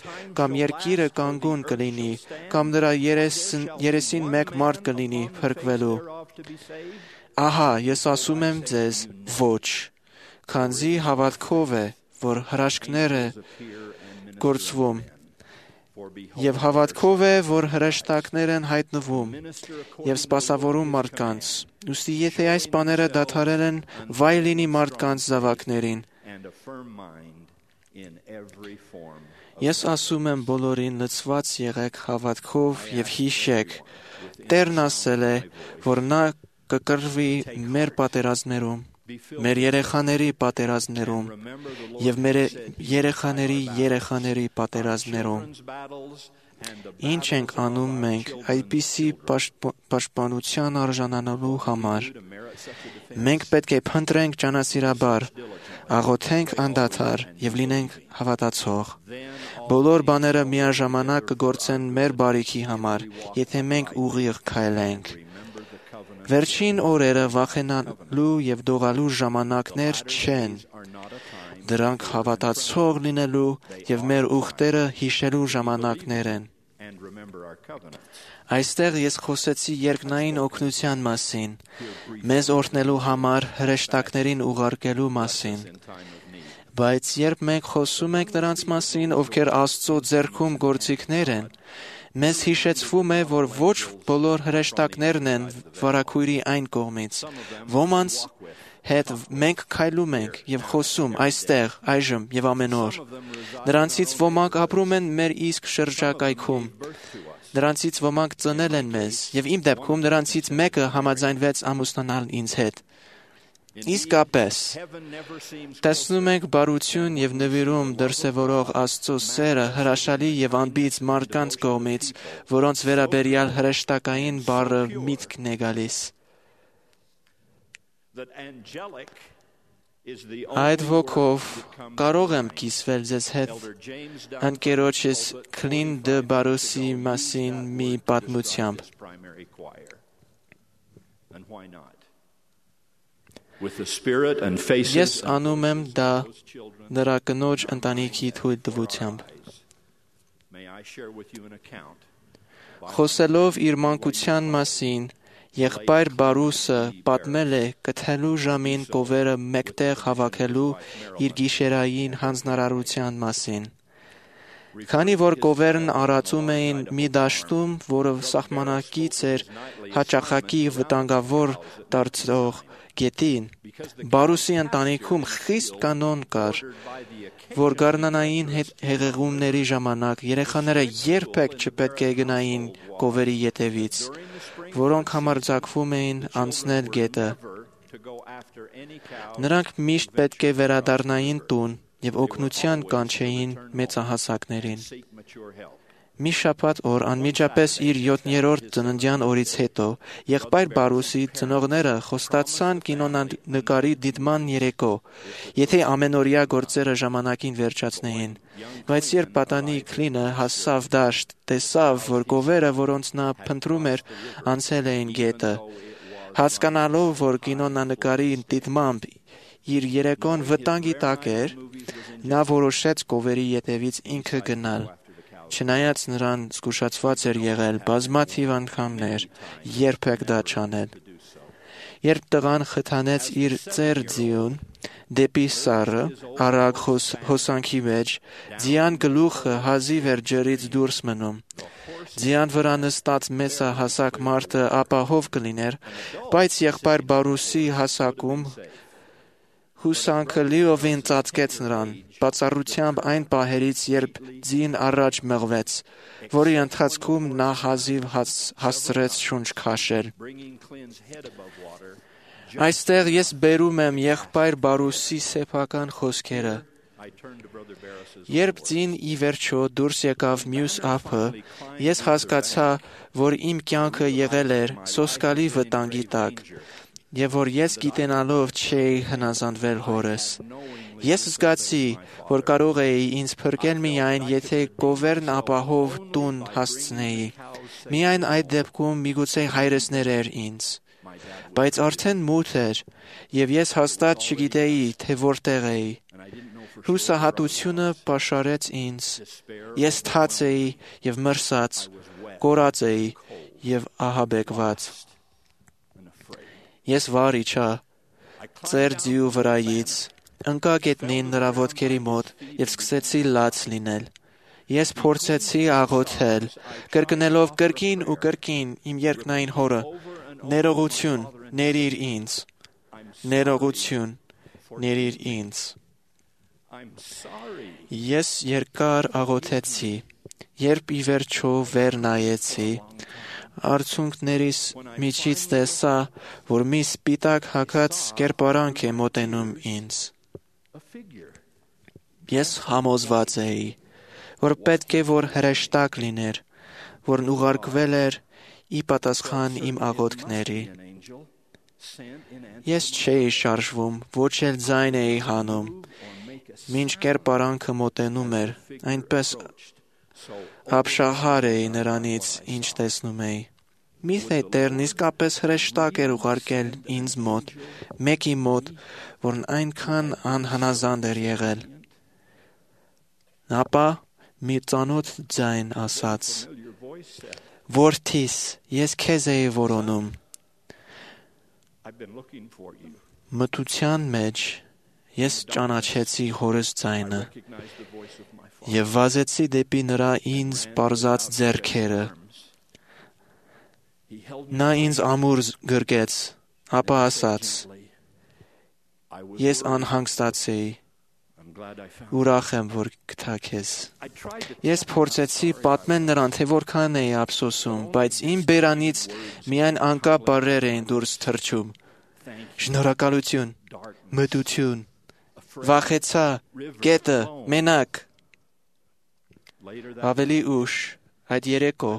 կամ երկիրը կանգուն կլինի, կամ նրա երեսին մեկ մարդ կլինի փրկվելու։ Ահա, ես ասում եմ ձեզ, ոչ, քանզի հավատքով է, որ հրաշքները գործվում, եւ հավատքով է, որ հրեշտակներ են հայտնվում եւ սպասավորում մարդկանց։ Ուստի եթե այս բաները դադարել են, վայ լինի մարդկանց զավակներին։ Ես ասում եմ բոլորին, լցված եղեք հավատքով եւ հիշեք, Տերն ասել է, որ նա կկրվի մեր պատերազմներում, մեր երեխաների պատերազմներում եւ մեր երեխաների երեխաների պատերազմներում։ Ինչ ենք անում մենք այդպիսի պաշտպանության արժանանալու համար։ Մենք պետք է փնտրենք ճանասիրաբար, աղոթենք անդադար եւ լինենք հավատացող։ Բոլոր բաները միաժամանակ կգործեն մեր բարիքի համար, եթե մենք ուղիղ քայլենք։ Վերջին օրերը վախենալու եւ դողալու ժամանակներ չեն։ Դրանք հավատացող լինելու եւ մեր ուխտերը հիշելու ժամանակներ են։ Այստեղ ես խոսեցի երկնային օգնության մասին, մեզ օրհնելու համար հրեշտակներին ուղարկելու մասին։ Բայց երբ մենք խոսում ենք նրանց մասին, ովքեր Աստծո ձեռքում գործիքներ են, մեզ հիշեցվում է, որ ոչ բոլոր հրեշտակներն են վարագույրի այն կողմից։ Ոմանց հետ մենք քայլում ենք եւ խոսում այստեղ, այժմ եւ ամեն օր։ Նրանցից ոմանք ապրում են մեր իսկ շրջակայքում։ Նրանցից ոմանք ծնել են մեզ, եւ իմ դեպքում նրանցից մեկը համաձայնվեց ամուսնանալ ինձ հետ։ Իսկապես, տեսնում ենք բարություն եւ նվիրում դրսևորող Աստծո սերը հրաշալի եւ անբիծ մարդկանց կողմից, որոնց վերաբերյալ հրեշտակային բառը միտքն է գալիս։ Այդ ոգով կարող եմ կիսվել ձեզ հետ ընկերոջս Քլին դը Բարոսի մասին մի պատմությամբ։ Ես անում եմ դա նրա կնոջ ընտանիքի թույլտվությամբ։ Խոսելով իր մանկության մասին, եղբայր Բարուսը պատմել է կթելու ժամին կովերը մեկտեղ հավաքելու իր գիշերային հանձնարարության մասին։ Քանի որ կովերն արածում էին մի դաշտում, որը սահմանակից էր հաճախակի վտանգավոր դարձող գետին, Բարուսի ընտանիքում խիստ կանոն կար, որ գարնանային հեղեղումների ժամանակ երեխաները երբեք չպետք է գնային կովերի ետևից, որոնք համարձակվում էին անցնել գետը։ Նրանք միշտ պետք է վերադառնային տուն եւ օգնության կանչեին մեծահասակներին։ Մի շաբաթ օր անմիջապես իր յոթերորդ ծննդյան օրից հետո եղբայր Բարուսի ծնողները խոստացան կինոնանկարի դիտման երեկո, եթե ամենօրյա գործերը ժամանակին վերջացնեին։ Բայց երբ պատանի Քլինը հասավ դաշտ, տեսավ, որ կովերը, որոնց նա փնտրում էր, անցել էին գետը։ Հասկանալով, որ կինոնանկարի դիտմամբ իր երեկոն վտանգի տակ էր, նա որոշեց կովերի ետևից ինքը գնալ։ Չնայած նրան զգուշացված էր եղել բազմաթիվ անգամներ, երբեք դա չանել։ Երբ տղան խթանեց իր ծեր ձիուն դեպի սառը, արագ հոսանքի մեջ, ձիան գլուխը հազիվ էր ջրից դուրս մնում։ Ձիան վրա նստած մեծահասակ մարդը ապահով կլիներ, բայց եղբայր Բարուսի հասակում հուսանքը լիովին ծածկեց նրան, բացառությամբ այն պահերից, երբ ձին առաջ մղվեց, որի ընթացքում նա հազիվ հասցրեց շունչ քաշել։ Այստեղ ես բերում եմ եղբայր Բարուսի սեփական խոսքերը։ Երբ ձին ի վերջո դուրս եկավ մյուս ափը, ես հասկացա, որ իմ կյանքը եղել էր սոսկալի վտանգի տակ, եւ որ ես գիտենալով չէի հնազանդվել հորս։ Ես զգացի, որ կարող էի ինձ փրկել միայն, եթե գովերն ապահով տուն հասցնեի։ Միայն այդ դեպքում միգուցե հայրս ներեր ինձ։ Բայց արդեն մութ էր, եւ ես հաստատ չգիտեի, թե որտեղ էի։ Հուսահատությունը պաշարեց ինձ։ Ես թաց էի եւ մրսած, կորած էի եւ ահաբեկված։ Ես վար իջա ծեր ձիու վրայից, ընկա գետնին նրա ոտքերի մոտ եւ սկսեցի լաց լինել։ Ես փորձեցի աղոթել, կրկնելով կրկին ու կրկին իմ երկնային հորը. ներողություն, ներիր ինձ, ներողություն, ներիր ինձ։ Ես երկար աղոթեցի, երբ ի վերջո վեր նայեցի, արցունքներիս միջից տեսա, որ մի սպիտակ հագած կերպարանք է մոտենում ինձ։ Ես համոզված էի, որ պետք է որ հրեշտակ լիներ, որն ուղարկվել էր ի պատասխան իմ աղոթքների։ Ես չէի շարժվում, ոչ էլ ձայն էի հանում, մինչ կերպարանքը մոտենում էր, այնպես ապշահար էի նրանից, ինչ տեսնում էի։ Միթե Տերն իսկապես հրեշտակ էր ուղարկել ինձ մոտ, մեկի մոտ, որն այնքան անհնազանդ էր եղել։ Ապա մի ծանոթ ձայն ասաց. Որդիս, ես քեզ էի որոնում։ Մթության մեջ ես ճանաչեցի հորս ձայնը եւ վազեցի դեպի նրա ինձ պարզած ձեռքերը։ Նա ինձ ամուր գրկեց, ապա ասաց. Ես անհանգստացեի, ուրախ եմ, որ գտա քեզ։ Ես փորձեցի պատմել նրան, թե որքան էի ափսոսում, բայց իմ բերանից միայն անկապ բառեր էին դուրս թռչում։ Շնորհակալություն, մտություն, վախեցա, գետը, մենակ։ Ավելի ուշ, այդ երեկո,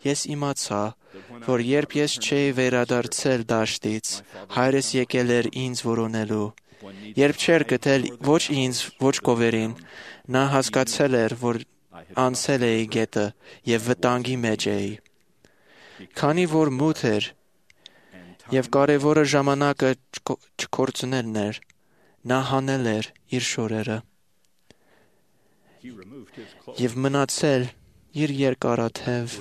ես իմացա, որ երբ ես չէի վերադարձել դաշտից, հայրս եկել էր ինձ որոնելու։ Երբ չէր գտել ոչ ինձ, ոչ գովերին, նա հասկացել էր, որ անցել էի գետը եւ վտանգի մեջ էի։ Քանի որ մութ էր եւ կարեւորը ժամանակը չկորցնելն էր, նա հանել էր իր շորերը եւ մնացել իր երկարաթև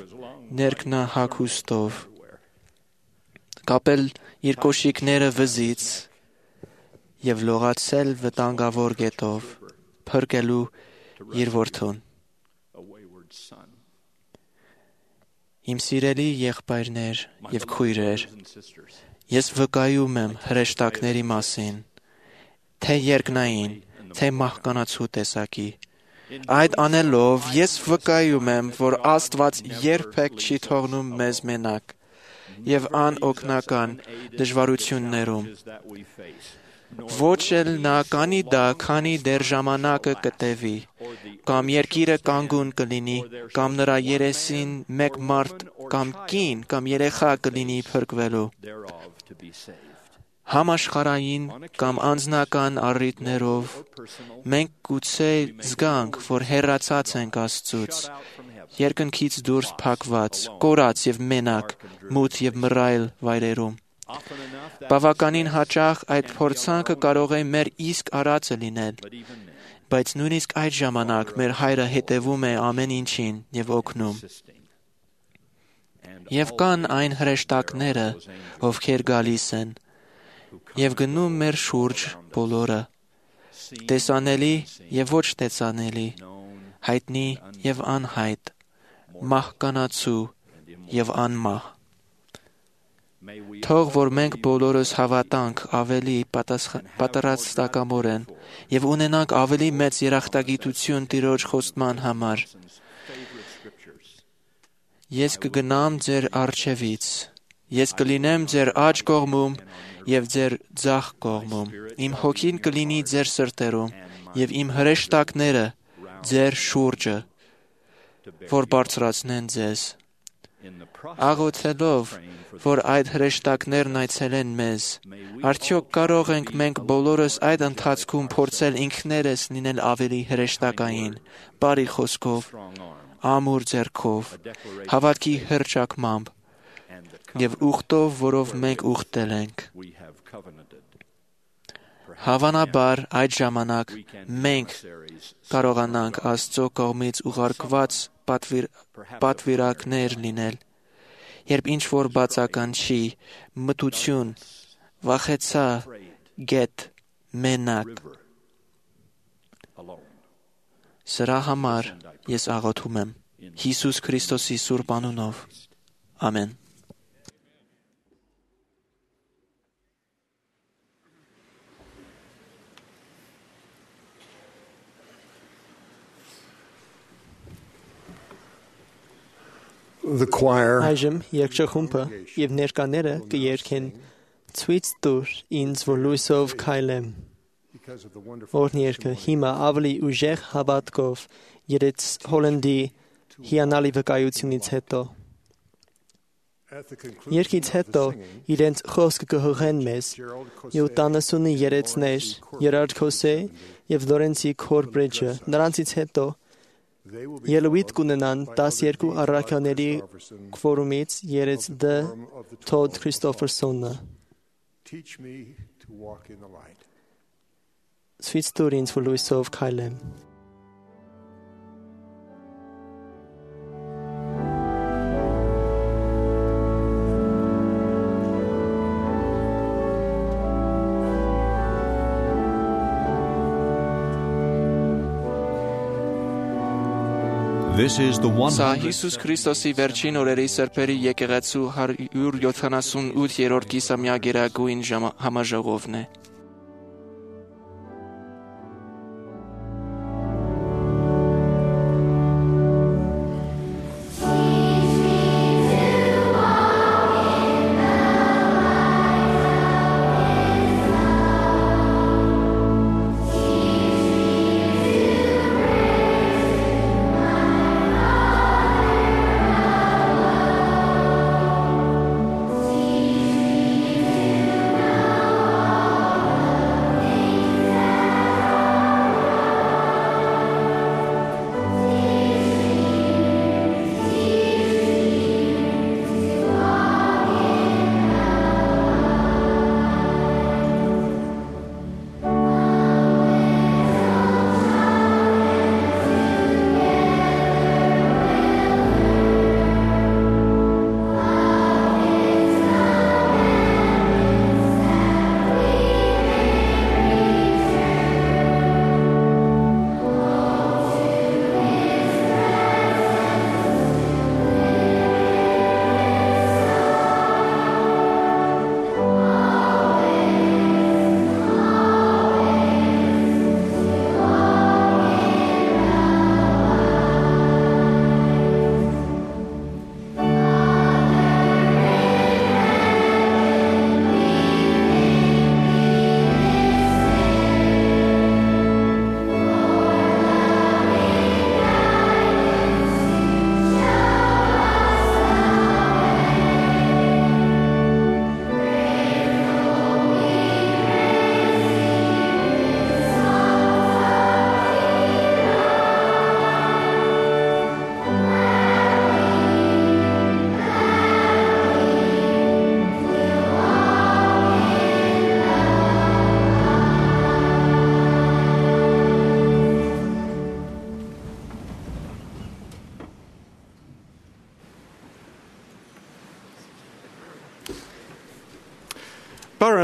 ներքնահագուստով, կապել իր կոշիկները վզից եւ լողացել վտանգավոր գետով, փրկելու իր որդուն։ Իմ սիրելի եղբայրներ եւ քույրեր, ես վկայում եմ հրեշտակների մասին, թե երկնային, թե մահկանացու տեսակի։ Այդ անելով ես վկայում եմ, որ Աստված երբեք չի թողնում մեզ մենակ եւ անօգնական դժվարություններում։ Ոչ էլ նա կանի դա, քանի դեռ ժամանակը կտևի, կամ երկիրը կանգուն կլինի, կամ նրա երեսին մեկ մարդ կամ կին կամ երեխա կլինի փրկվելու։ Համաշխարհային կամ անձնական առիթներով մենք գուցե զգանք, որ հեռացած ենք Աստծուց, երկնքից դուրս փակված, կորած եւ մենակ, մութ եւ մռայլ վայրերում։ Բավականին հաճախ այդ փորձանքը կարող է մեր իսկ արածը լինել, բայց նույնիսկ այդ ժամանակ մեր Հայրը հետևում է ամեն ինչին եւ օգնում։ Եվ կան այն հրեշտակները, ովքեր գալիս են եւ գնում մեր շուրջ բոլորը, տեսանելի եւ ոչ տեսանելի, հայտնի եւ անհայտ, մահկանացու եւ անմահ։ Թող որ մենք բոլորս հավատանք ավելի պատրաստակամորեն եւ ունենանք ավելի մեծ երախտագիտություն Տիրոջ խոստման համար։ Ես կգնամ ձեր առջևից, ես կլինեմ ձեր աջ կողմում եւ ձեր ձախ կողմում, իմ հոգին կլինի ձեր սրտերում եւ իմ հրեշտակները ձեր շուրջը, որ բարձրացնեն ձեզ։ աղոթելով, որ այդ հրեշտակներն այցելեն մեզ, արդյոք կարող ենք մենք բոլորս այդ ընթացքում փորձել ինքներս լինել ավելի հրեշտակային, բարի խոսքով, ամուր ձեռքով, հավատքի հռչակմամբ և ուխտով, որով մենք ուխտել ենք։ Հավանաբար այդ ժամանակ մենք կարողանանք Աստծո կողմից ուղարկված պատվիր, պատվիրակներ լինել, երբ ինչ-որ բացականչի, մտություն, վախեցա, գետ, մենակ։ Սրա համար ես աղոթում եմ Հիսուս Քրիստոսի սուրբ անունով։ Ամեն։ The choir Այժմ երգչախումբը եւ ներկաները կերգեն ցույց տուր ինձ որ լույսով քայլեմ։ Որն երգը հիմա ավելի ուժեղ հավատքով երեց Հոլանդի հիանալի վկայությունից հետո։ Երգից հետո իրենց խոսքը կհղեն մեզ յոթանասունի երեցներ Երարդ Քոսե եւ Լորենցի Քորբրեջը, նրանցից հետո ելույթ կունենան տասներկու առաքյալների քվորումից երեց Դ. Թոդ Քրիստոֆերսոնը։ Ցույց տուր ինձ որ լույսով քայլեմ։ Սա Հիսուս Քրիստոսի վերջին օրերի սրբերի եկեղեցու հարյուր յոթանասունութերորդ կիսամյա գերագույն համաժողովն է։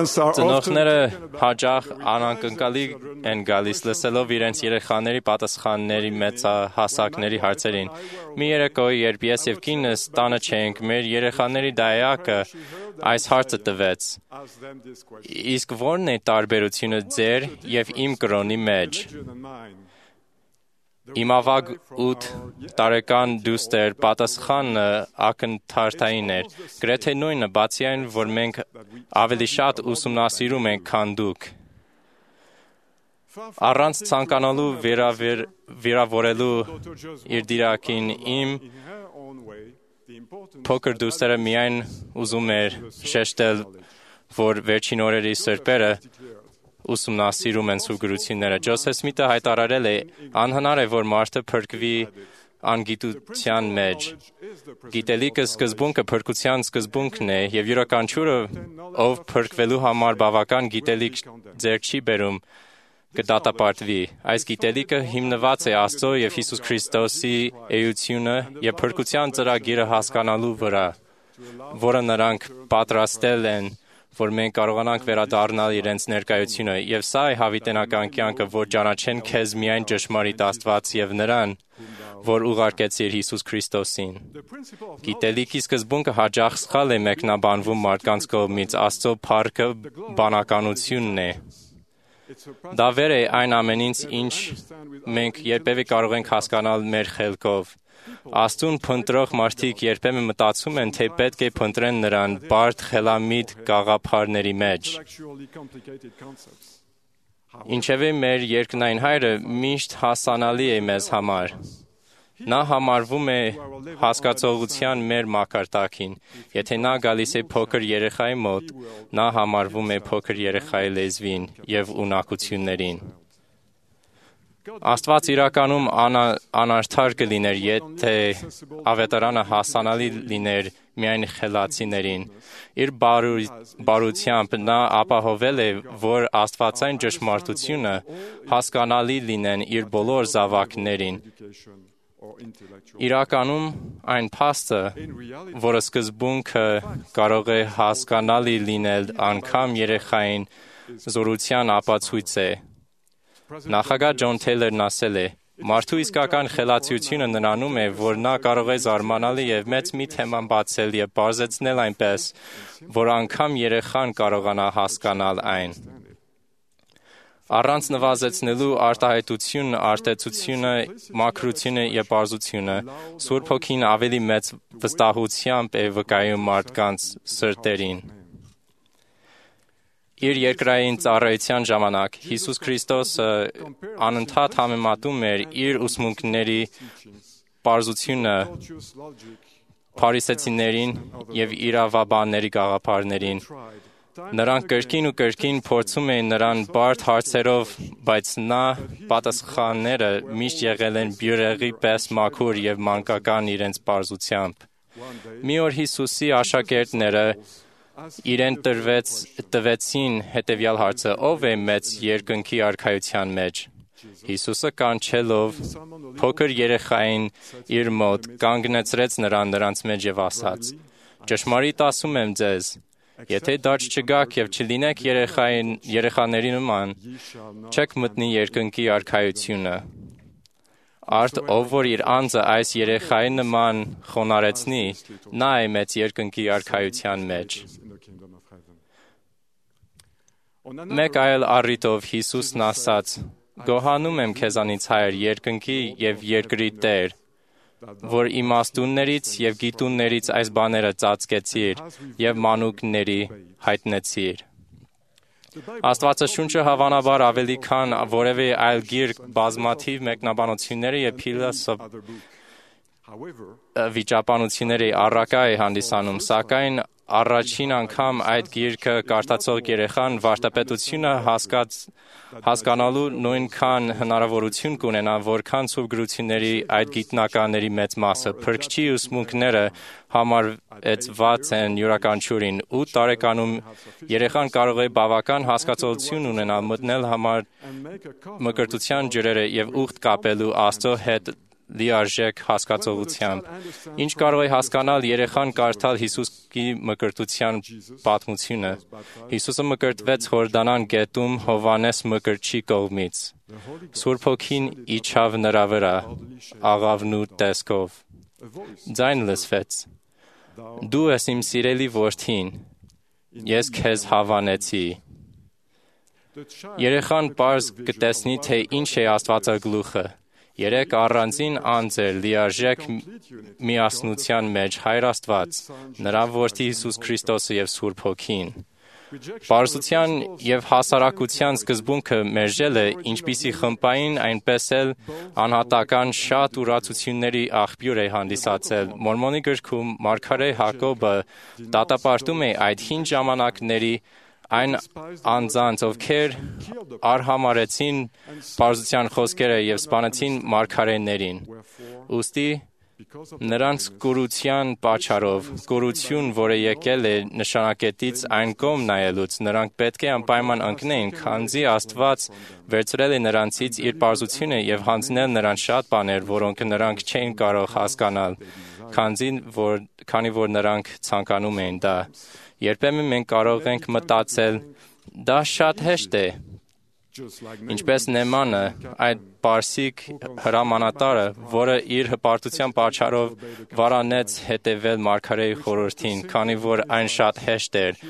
Ծնողները հաճախ անակնկալի են գալիս լսելով իրենց երեխաների պատասխանների մեծահասակների հարցերին։ Մի երեկո, երբ ես եւ կինս տանը չէինք, մեր երեխաների դայակը այս հարցը տվեց. իսկ ո՞րն է տարբերությունը ձեր եւ իմ կրոնի մեջ։ Իմ ավագ ութ տարեկան դուստր պատասխանը ակնթարթային էր, գրեթե նույնը, բացի այն, որ մենք ավելի շատ ուսումնասիրում ենք, քան դուք։ Առանց ցանկանալու վերավեր, վերավորելու իր դիրակին իմ փոքր դուստերը միայն ուզում էր շեշտել, որ վերջին օրերի սրբերը ուսումնասիրում են սուրգրությունները։ Ջոսեֆ Սմիթը հայտարարել է. անհնար է, որ մարդը փրկվի անգիտության մեջ։ Գիտելիքը սկզբունքը փրկության սկզբունքն է, եւ յուրաքանչյուրը, ով փրկվելու համար բավական գիտելիք ձեռք չի բերում, կդատապարտվի։ Այս գիտելիքը հիմնված է Աստծո եւ Հիսուս Քրիստոսի էությունը եւ փրկության ծրագիրը հասկանալու վրա, որը նրանք պատրաստել են, որ մենք կարողանանք վերադառնալ իրենց ներկայությունը, եւ սա է հավիտենական կյանքը, որ ճանաչեն քեզ միայն ճշմարիտ Աստված եւ նրան, որ ուղարկեցիր Հիսուս Քրիստոսին։ Գիտելիքի սկզբունքը հաճախ սխալ է մեկնաբանվում մարդկանց կողմից, Աստծո փառքը բանականությունն է։ Դա վեր է այն ամենից, ինչ մենք երբևէ կարող ենք հասկանալ մեր խելքով։ Աստծուն փնտրող մարդիկ երբեմն մտածում են, թե պետք է փնտրեն նրան բարդ խելամիտ գաղափարների մեջ։ Ինչևէ մեր երկնային Հայրը միշտ հասանալի է մեզ համար։ Նա համարվում է հասկացողության մեր մակարդակին։ Եթե նա գալիս է փոքր երեխայի մոտ, նա համարվում է փոքր երեխայի լեզվին եւ ունակություններին։ Աստված իրականում անա, անարդար կլիներ, եթե ավետարանը հասանալի լիներ միայն խելացիներին։ Իր բարու, բարությամբ նա ապահովել է, որ աստվածային ճշմարտությունը հասկանալի լինեն իր բոլոր զավակներին։ Իրականում այն փաստը, որը սկզբունքը կարող է հասկանալի լինել անգամ երեխային, զորության ապացույց է։ Նախագահ Ջոն Թեյլերն ասել է. «Մարդու իսկական խելացիությունը նրանում է, որ նա կարող է զարմանալի եւ մեծ մի թեման բացել եւ բարձեցնել այնպես, որ անգամ երեխան կարողանա հասկանալ այն»։ Առանց նվազեցնելու արտահայտությունը, արտեցությունը, մաքրությունը եւ պարզությունը, Սուրբ Հոգին ավելի մեծ վստահությամբ է վկայում մարդկանց սրտերին։ Իր երկրային ծառայության ժամանակ Հիսուս Քրիստոսը անընդհատ համեմատում էր իր ուսմունքների պարզությունը փարիսեցիներին եւ իրավաբանների գաղափարներին։ Նրանք կրկին ու կրկին փորձում էին նրան բարդ հարցերով, բայց նա պատասխանները միշտ եղել են բյուրեղի պես մաքուր եւ մանկական իրենց պարզությամբ։ Մի օր Հիսուսի աշակերտները իրեն տրվեց, տվեցին հետևյալ հարցը. ով է մեծ երկնքի արքայության մեջ։ Հիսուսը կանչելով փոքր երեխային իր մոտ կանգնեցրեց նրան նրանց մեջ եւ ասաց. ճշմարիտ ասում եմ ձեզ, եթե դարձ չգաք եւ չլինեք երեխային, երեխաների նման, չեք մտնի երկնքի արքայությունը։ Արդ ով որ իր անձը այս երեխայի նման խոնարեցնի, նա է մեծ երկնքի արքայության մեջ։ Մեկ այլ առիթով Հիսուսն ասաց. գոհանում եմ քեզանից Հայր, երկնքի եւ երկրի Տեր, որ իմաստուններից եւ գիտուններից այս բաները ծածկեցիր եւ մանուկների հայտնեցիր։ Աստվածաշունչը հավանաբար ավելի քան որևէ այլ գիրք բազմաթիվ մեկնաբանությունները եւ փիլիսոփ վիճապանությունների առարկա է հանդիսանում, սակայն առաջին անգամ այդ գիրքը կարդացող երեխան վարդապետությունը հասկաց, հասկանալու նույնքան հնարավորություն կունենա, որքան սուրբգրությունների այդ գիտնականների մեծ մասը։ Փրկչի ուսմունքները համարեցված են յուրաքանչյուրին։ ութ տարեկանում երեխան կարող է բավական հասկացողություն ունենալ, մտնել համար մկրտության ջրերը եւ ուխտ կապելու Աստծո հետ լիարժեք հասկացողությամբ։ Ինչ կարող է հասկանալ երեխան կարդալ Հիսուսի մկրտության պատմությունը։ Հիսուսը մկրտվեց Հորդանան գետում Հովհաննես մկրտչի կողմից։ Սուրբ Հոգին իջավ նրա վրա աղավնու տեսքով։ Ձայն լսվեց. Դու ես իմ սիրելի որդին, ես քեզ հավանեցի։ Երեխան պարզ կտեսնի, թե ինչ է Աստվածագլուխը։ Երեք առանձին անձեր լիարժեք միասնության մեջ Հայր Աստված, նրա որդի Հիսուս Քրիստոսը եւ Սուրբ Հոգին։ Պարզության եւ հասարակության սկզբունքը մերժելը, ինչպիսի խմբային, այնպես էլ անհատական շատ ուրացությունների աղբյուր է հանդիսացել։ Մորմոնի գրքում Մարգարե Հակոբը դատապարտում է այդ հին ժամանակների այն անձանց, ովքեր արհամարեցին պարզության խոսքերը եւ սպանեցին մարգարեներին։ Ուստի նրանց կուրության պատճառով, կուրություն, որը եկել է նշանակետից այն կողմ նայելուց, նրանք պետք է անպայման ընկնեին, քանզի Աստված վերցրել է նրանցից իր պարզությունը եւ հանձնել նրանց շատ բաներ, որոնք նրանք չէին կարող հասկանալ, քանզի որ քանի որ նրանք ցանկանում էին դա։ Երբեմն մենք կարող ենք մտածել, դա շատ հեշտ է, ինչպես Նեմանը, այդ պարսիկ հրամանատարը, որը իր հպարտության պատճառով վարանեց հետևել մարգարեի խորհրդին, քանի որ այն շատ հեշտ էր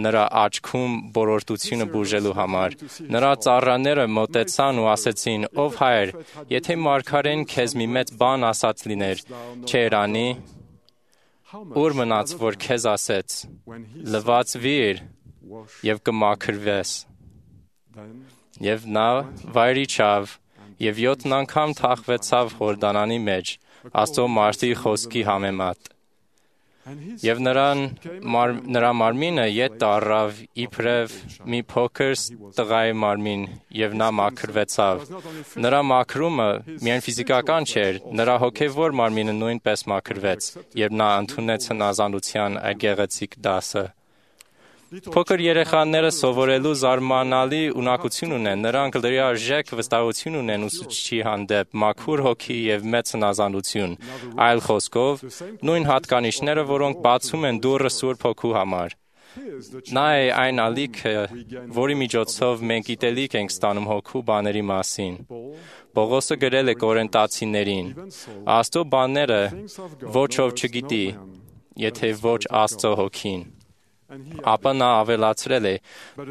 նրա աչքում բորոտությունը բուժելու համար։ Նրա ծառաները մոտեցան ու ասեցին. «Ով հայր, եթե մարգարեն քեզ մի մեծ բան ասած լիներ, չէր անի, ուր մնաց, որ քեզ ասեց. լվացվիր եւ կմաքրվես»։ Եվ նա վայր իջավ եւ յոթ անգամ թաղվեցավ Հորդանանի մեջ, Աստծո մարդի խոսքի համեմատ։ Եվ նրան մար, նրա մարմինը ետ տարավ իբրև մի փոքր տղայի մարմին, եւ նա մաքրվեցավ։ Նրա մաքրումը միայն ֆիզիկական չէր, նրա հոգեվոր մարմինը նույնպես մաքրվեց, երբ նա ընդունեց հնազանդության այդ գեղեցիկ դասը։ Փոքր երեխաները սովորելու զարմանալի ունակություն ունեն, նրանք լիարժեք վստահություն ունեն ուսուցչի հանդեպ, մաքուր հոգի եւ մեծ հնազանդություն։ Այլ խոսքով, նույն հատկանիշները, որոնք բացում են դուռը Սուրբ Հոգու համար։ Նա է այն ալիքը, որի միջոցով մենք գիտելիք ենք ստանում Հոգու բաների մասին։ Պողոսը գրել է Կորինթացիներին. «Աստծո բաները ոչ ով չգիտի, եթե ոչ Աստծո Հոգին»։ Ապա նա ավելացրել է,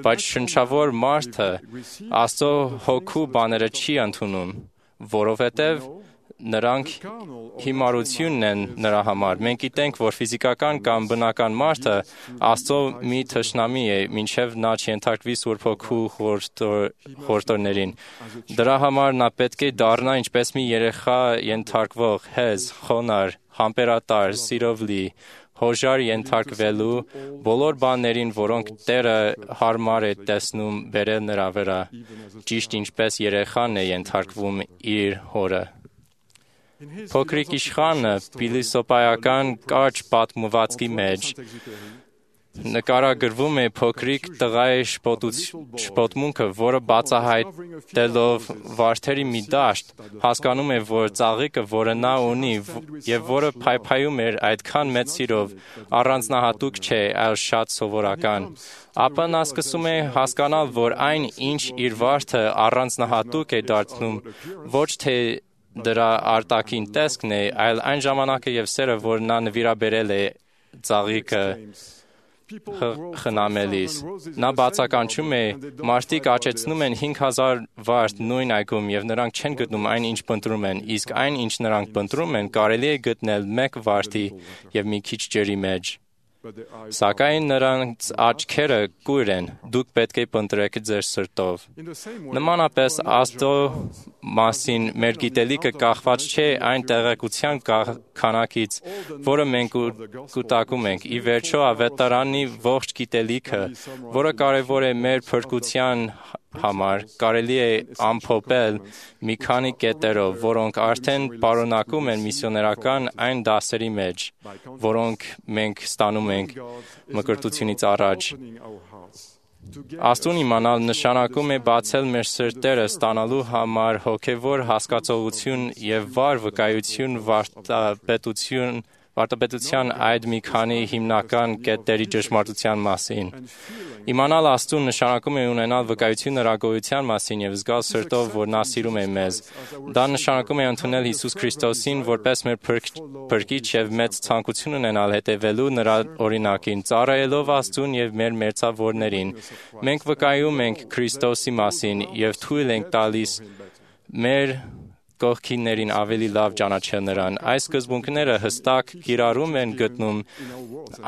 բայց շնչավոր մարդը Աստծո Հոգու բաները չի ընդունում, որովհետև նրանք հիմարությունն են նրա համար։ Մենք գիտենք, որ ֆիզիկական կամ բնական մարդը Աստծո մի թշնամի է, մինչև նա չենթարկվի Սուրբ Հոգու խորհուրդներին։ Դրա համար նա պետք է դառնա ինչպես մի երեխա ենթարկվող, հեզ, խոնարհ, համբերատար, սիրով լի, հոժար ենթարկվելու բոլոր բաներին, որոնք Տերը հարմար է տեսնում բերել նրա վրա, ճիշտ ինչպես երեխան է ենթարկվում իր հորը։ Փոքրիկ իշխանը փիլիսոփայական կարճ պատմվածքի մեջ նկարագրվում է փոքրիկ տղայի շպոտմունքը, որը բացահայտելով վարդերի մի դաշտ, հասկանում է, որ ծաղիկը, որը նա ունի եւ որը փայփայում էր այդքան մեծ սիրով, առանձնահատուկ չէ, այլ շատ սովորական։ Ապա նա սկսում է հասկանալ, որ այն, ինչ իր վարդը առանձնահատուկ է դարձնում, ոչ թե դրա արտաքին տեսքն է, այլ այն ժամանակը եւ սերը, որ նա նվիրաբերել է ծաղիկը խնամելիս։ Նա բացականչում է, մարդիկ աճեցնում են հինգ հազար վարդ նույն այգում եւ նրանք չեն գտնում այն, ինչ փնտրում են, իսկ այն, ինչ նրանք փնտրում են, կարելի է գտնել մեկ վարդի եւ մի քիչ ջրի մեջ։ Սակայն նրանց աչքերը կույր են, դուք պետք է փնտրեք ձեր սրտով։ Նմանապես Աստծո մասին մեր գիտելիքը կախված չէ այն տեղեկության քանակից, որը մենք կուտակում ենք։ Ի վերջո ավետարանի ողջ գիտելիքը, որը կարևոր է մեր փրկության համար, կարելի է ամփոփել մի քանի կետերով, որոնք արդեն պարունակում են միսիոներական այն դասերի մեջ, որոնք մենք ստանում ենք մկրտությունից առաջ։ Աստծուն իմանալ նշանակում է բացել մեր սրտերը ստանալու համար հոգևոր հասկացողություն եւ վառ վկայություն վարդապետություն Վարդապետության այդ մի քանի հիմնական կետերի ճշմարտության մասին։ Իմանալ Աստծուն նշանակում է ունենալ վկայություն նրա գոյության մասին եւ զգալ սրտով, որ նա սիրում է մեզ։ Դա նշանակում է ընդունել Հիսուս Քրիստոսին որպես մեր փրկիչ եւ մեծ ցանկություն ունենալ հետևելու նրա օրինակին, ծառայելով Աստծուն եւ մեր մերձավորներին։ Մենք վկայում ենք Քրիստոսի մասին եւ թույլ ենք տալիս մեր կողքիներին ավելի լավ ճանաչել նրան։ Այս սկզբունքները հստակ կիրառում են գտնում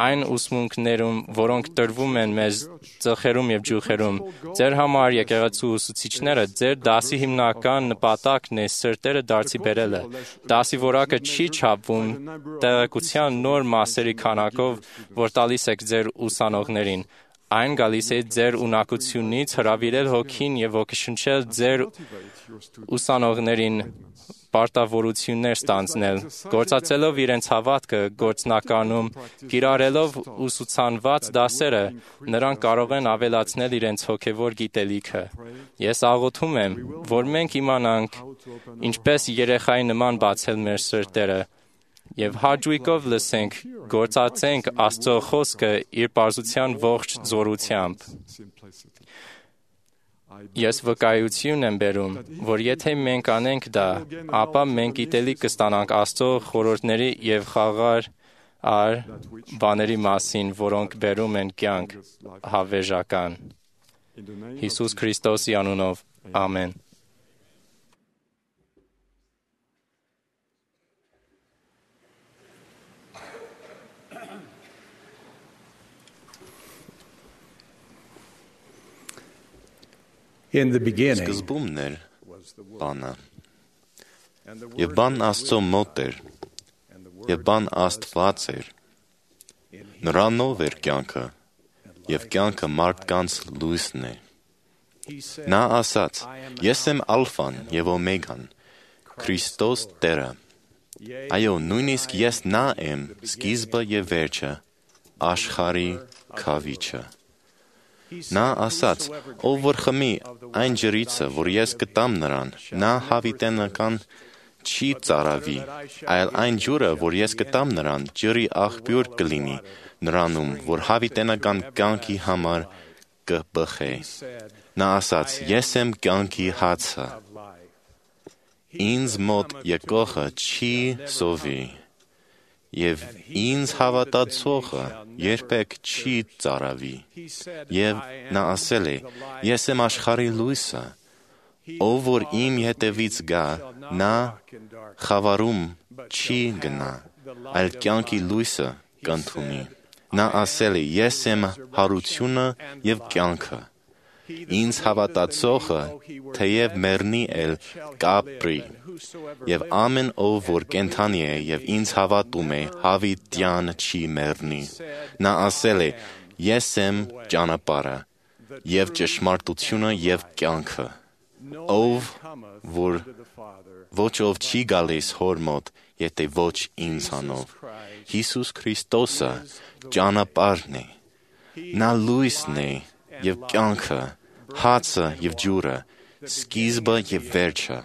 այն ուսմունքներում, որոնք տրվում են մեզ ծխերում եւ ջուխերում։ Ձեր համար եկեղեցու ուսուցիչները, ձեր դասի հիմնական նպատակն է սրտերը դարձի բերելը։ Դասի որակը չի չափվում տեղեկության նոր մասերի քանակով, որ տալիս եք ձեր ուսանողներին։ Այն գալիս է ձեր ունակությունից հրավիրել հոգին եւ ոգեշնչել ձեր ուսանողներին պարտավորություններ ստանձնել, գործածելով իրենց հավատքը գործնականում, կիրառելով ուսուցանված դասերը, նրանք կարող են ավելացնել իրենց հոգևոր գիտելիքը։ Ես աղոթում եմ, որ մենք իմանանք ինչպես երեխայի նման բացել մեր սրտերը եւ հաճույքով լսենք, գործածենք Աստծո խոսքը իր պարզության ողջ զորությամբ։ Ես վկայություն եմ բերում, որ եթե մենք անենք դա, ապա մենք գիտելիք կստանանք Աստծո խորհուրդների եւ խաղաղ ար բաների մասին, որոնք բերում են կյանք հավերժական։ Հիսուս Քրիստոսի անունով, ամեն։ In the beginning, Սկզբումն էր բանը, և բան Աստծո մոտ էր, և բան Աստված էր, նրանով էր կյանքը, և կյանքը մարդկանց լույսն է։ Նա ասաց, ես եմ ալֆան և օմեգան, Քրիստոս Տերը, այո, նույնիսկ ես նա եմ, սկիզբը և վերջը, աշխարհի քավիչը։ Նա ասաց, ով որ խմի այն ջրիցը, որ ես կտամ նրան, նա հավիտենական չի ծարավի, այլ այն ջուրը, որ ես կտամ նրան, ջրի աղբյուր կլինի նրանում, որ հավիտենական կյանքի համար կբխե։ Նա ասաց, ես եմ կյանքի հացը, ինձ մոտ եկողը չի սովի, և ինձ հավատացողը երբեք չի ծարավի։ Եվ նա ասել է, ես եմ աշխարհի լույսը, ով որ իմ հետևից գա, նա խավարում չի գնա, այլ կյանքի լույսը կընդունի։ Նա ասել է, ես եմ հարությունը և կյանքը, ինձ հավատացողը թեև մեռնի էլ կապրի, և ամեն ով որ կենդանի է և ինձ հավատում է, հավիտյան չի մեռնի։ Նա ասել է, ես եմ ճանապարհը և ճշմարտությունը և կյանքը, ով որ ոչ ով չի գալիս հոր մոտ, եթե ոչ ինձանով։ Հիսուս Քրիստոսը ճանապարհն է, նա լույսն է և կյանքը, հացը և ջուրը, սկիզբը և վերջը,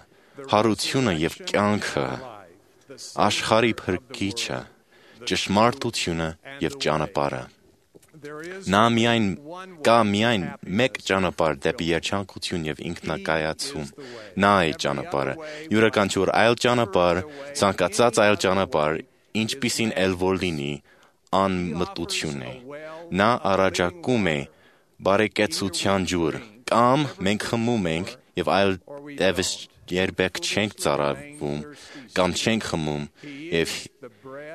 հարությունը և կյանքը, աշխարհի փրկիչը, ճշմարտությունը և ճանապարհը։ Նա միայն կա միայն մեկ ճանապարհ դեպի երջանկություն և ինքնակայացում։ Նա է ճանապարհը։ Յուրաքանչյուր այլ ճանապարհ, ցանկացած այլ ճանապարհ, ինչպիսին էլ որ լինի, անմտություն է։ Նա առաջարկում է բարեկեցության ջուր, կամ մենք խմում ենք և այլևս երբեք չենք ծարավում, կամ չենք խմում և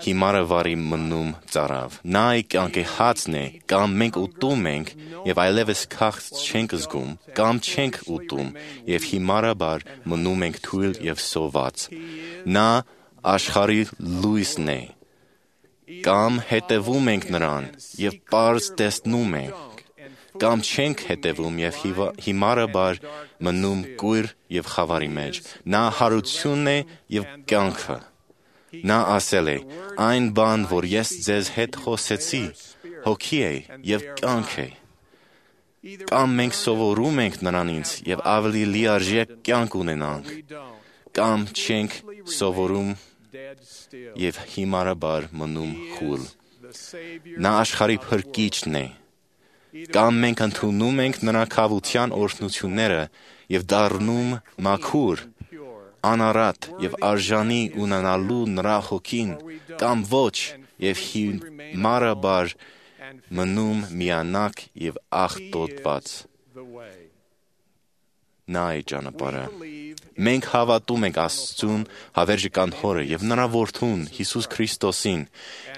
հիմարը վարի մնում ծարավ։ Նա է կյանքի հացն է, կամ մենք ուտում ենք և այլևս քաղց չենք զգում, կամ չենք ուտում և հիմարաբար մնում ենք թույլ և սոված։ Նա աշխարհի լույսն է, կամ հետևում ենք նրան և պարզ տեսնում ենք, կամ չենք հետևում և հիմարաբար մնում կույր և խավարի մեջ։ Նա հարությունն է և կյանքը։ Նա ասել է, այն բան, որ ես ձեզ հետ խոսեցի, հոգի է և կյանք է։ Կամ մենք սովորում ենք նրանից և ավելի լիարժեք կյանք ունենանք, կամ չենք սովորում և հիմարաբար մնում խուլ։ Նա աշխարհի փրկիչն է, կամ մենք ընդունում ենք նրա քավության օրհնությունները և դառնում մաքուր, անարատ և արժանի ունենալու նրա հոգին, կամ ոչ և հիմարաբար մնում միանակ և աղտոտված։ նա է ճանապարհը։ Մենք հավատում ենք Աստծուն, հավերժական Հորը եւ նրա Որդուն Հիսուս Քրիստոսին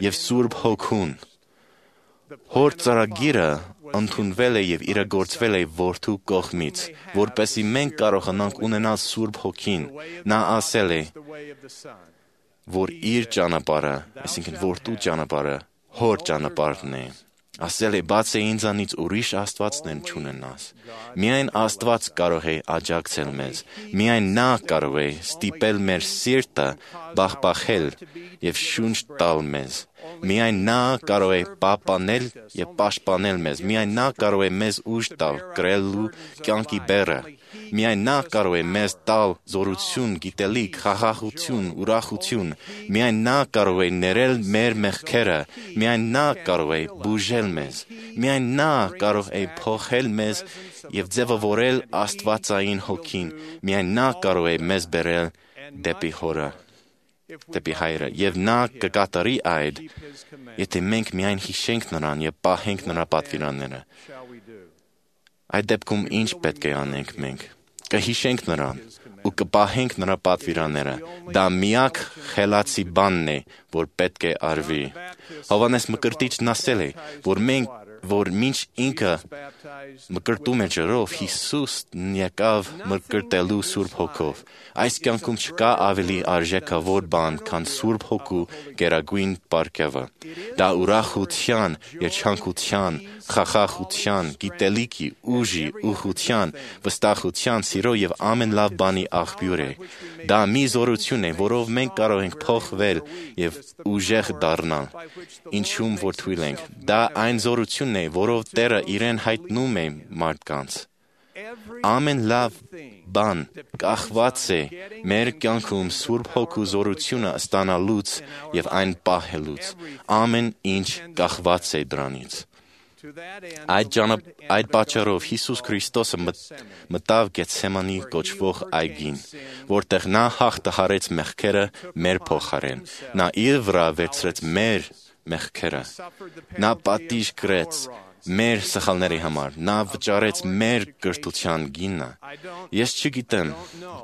եւ Սուրբ Հոգուն։ Հոր ծրագիրը ընդունվել է եւ իրագործվել է Որդու կողմից, որպեսզի մենք կարողանանք ունենալ Սուրբ Հոգին։ Նա ասել է, որ իր ճանապարհը, այսինքն Որդու ճանապարհը, Հոր ճանապարհն է։ Ասել է, բաց է ինձանից ուրիշ աստվածներ չունենաս։ Միայն Աստված կարող է աջակցել մեզ։ Միայն նա կարող է ստիպել մեր սիրտը բախբախել եւ շունչ տալ մեզ։ Միայն նա կարող է պահպանել եւ պաշտպանել մեզ։ Միայն նա կարող է մեզ ուժ տալ կրելու կյանքի բեռը։ Միայն նա կարող է մեզ տալ զորություն, գիտելիք, խաղաղություն, ուրախություն։ Միայն նա կարող է ներել մեր մեղքերը։ Միայն նա կարող է բուժել մեզ։ Միայն նա կարող է փոխել մեզ եւ ձևավորել Աստվածային Հոգին։ Միայն նա կարող է մեզ բերել դեպի Հորը, դեպի Հայրը, եւ նա կկատարի այդ, եթե մենք միայն հիշենք նրան եւ պահենք նրա պատվիրանները։ Այդ դեպքում ինչ պետք է անենք մենք։ Կհիշենք նրան ու կպահենք նրա պատվիրանները։ Դա միակ խելացի բանն է, որ պետք է արվի։ Հովհաննես Մկրտիչն ասել է, որ մենք որ մինչ ինքը մկրտում է ջրով, Հիսուսն եկավ մկրտելու Սուրբ Հոգով։ Այս կյանքում չկա ավելի արժեքավոր բան, քան Սուրբ Հոգու գերագույն պարգևը։ Դա ուրախության, երջանկության, խաղաղության, գիտելիքի, ուժի, ուխության, վստահության, սիրո եւ ամեն լավ բանի աղբյուր է։ Դա մի զորություն է, որով մենք կարող ենք փոխվել եւ ուժեղ դառնալ, ինչում որ թույլ ենք։ Դա այն զորությունն է, որով Տերը իրեն հայտնում է մարդկանց։ Ամեն լավ բան կախված է մեր կյանքում Սուրբ Հոգու զորությունը ստանալուց եւ այն պահելուց։ Ամեն ինչ կախված է դրանից։ Այդ ճանապ այդ պատճառով Հիսուս Քրիստոսը մտավ Գեթսեմանի կոչվող այգին, որտեղ նա հաղթահարեց մեղքերը մեր փոխարեն։ Նա իր վրա վերցրեց մեր մեղքերը։ Նա պատիժ կրեց մեր սխալների համար։ Նա վճարեց մեր կրթության գինը։ Ես չգիտեմ,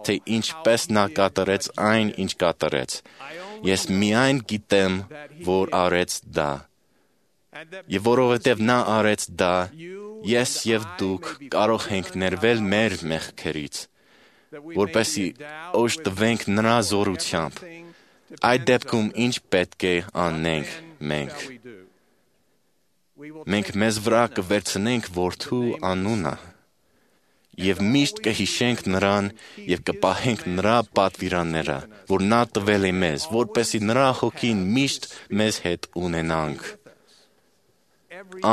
թե ինչպես նա կատարեց այն, ինչ կատարեց։ Ես միայն գիտեմ, որ արեց դա։ Եվ որովհետև նա արեց դա, ես եւ դուք կարող ենք ներվել մեր մեղքերից, որպեսզի օժտվենք նրա զորությամբ։ Այդ դեպքում ինչ պետք է անենք մենք։ Մենք մեզ վրա կվերցնենք Որդու անունը եւ միշտ կհիշենք նրան եւ կպահենք նրա պատվիրանները, որ նա տվել է մեզ, որպեսզի նրա հոգին միշտ մեզ հետ ունենանք։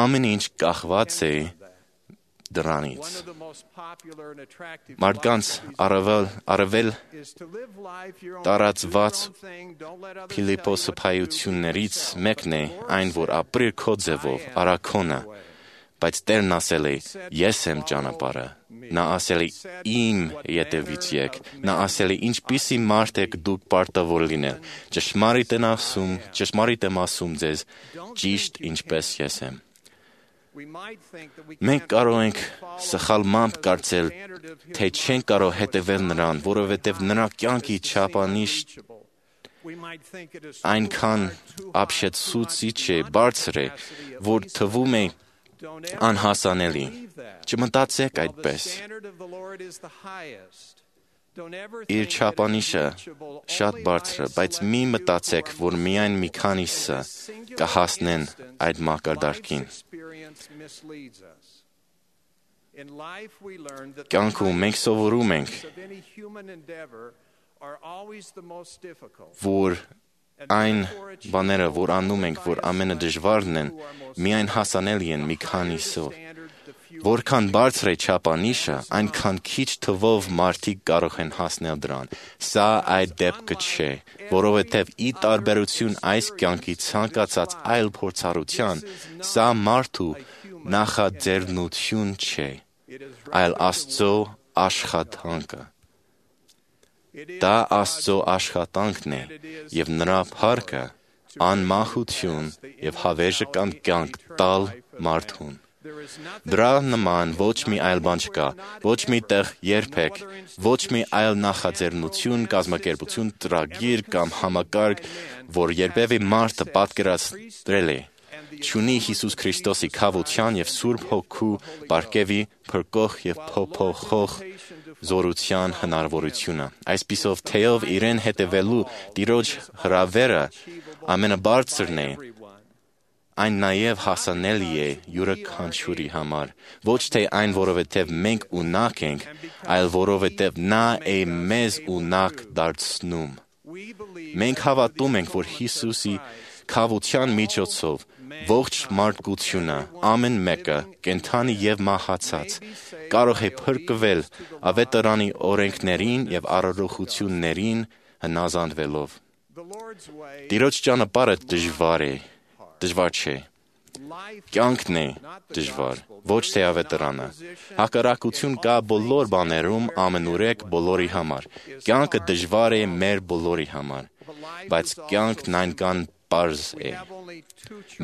Ամեն ինչ կախված է դրանից։ Մարդկանց առավել, առավել տարածված փիլիսոփայություններից մեկն է այն, որ ապրիր քո ձևով, արաքոնը, բայց Տերն ասել է, ես եմ ճանապարհը։ Նա ասել է, իմ ետևից եք։ Նա ասել է, ինչպիսի մարդ եք դուք պարտավոր լինել։ Ճշմարիտ եմ ասում, ճշմարիտ եմ ասում ձեզ, ճիշտ ինչպես ես եմ։ Մենք կարող ենք սխալմամբ կարծել, թե չենք կարող հետևել նրան, որովհետև նրա կյանքի չափանիշ այնքան ապշեցուցիչ է, բարձր է, որ թվում է անհասանելի։ Չմտածեք այդպես։ Իր չափանիշը շատ բարձր է, բայց մի մտածեք, որ միայն մի քանիսը կհասնեն այդ մակարդակին։ Կյանքում մենք սովորում ենք, որ այն բաները, որ անում ենք, որ ամենադժվարն են, միայն հասանելի են մի քանիսով։ Որքան բարձր է չափանիշը, այնքան քիչ թվով մարդիկ կարող են հասնել դրան։ Սա այդ դեպքը չէ, որովհետև ի տարբերություն այս կյանքի ցանկացած այլ փորձառության, սա մարդու նախաձեռնություն չէ, այլ Աստծո աշխատանքը։ Դա Աստծո աշխատանքն է, եւ նրա փառքը անմահություն եւ հավերժական կյանք տալ մարդուն։ Դրա նման ոչ մի այլ բան չկա, ոչ մի տեղ երբեք, ոչ մի այլ նախաձեռնություն, կազմակերպություն, ծրագիր կամ համակարգ, որ երբևէ մարդը պատկերացրել է, չունի Հիսուս Քրիստոսի քավության եւ Սուրբ Հոգու պարգևի փրկող եւ փոփոխող զորության հնարավորությունը։ Այսպիսով, թեև իրեն հետևելու Տիրոջ հրավերը ամենաբարձրն է, այն նաև հասանելի է յուրաքանչյուրի համար, ոչ թե այն, որովհետև մենք ունակ ենք, այլ որովհետև նա է մեզ ունակ դարձնում։ Մենք հավատում ենք, որ Հիսուսի քավության միջոցով ողջ մարդկությունը, ամեն մեկը, կենդանի եւ մահացած, կարող է փրկվել ավետարանի օրենքներին եւ առողջություններին հնազանդվելով։ Տիրոջ ճանապարհը դժվար է, դժվար չէ։ Կյանքն է դժվար, ոչ թե ավետարանը։ Հակառակություն կա բոլոր բաներում ամենուրեք բոլորի համար։ Կյանքը դժվար է մեր բոլորի համար, բայց կյանքն այնքան պարզ է։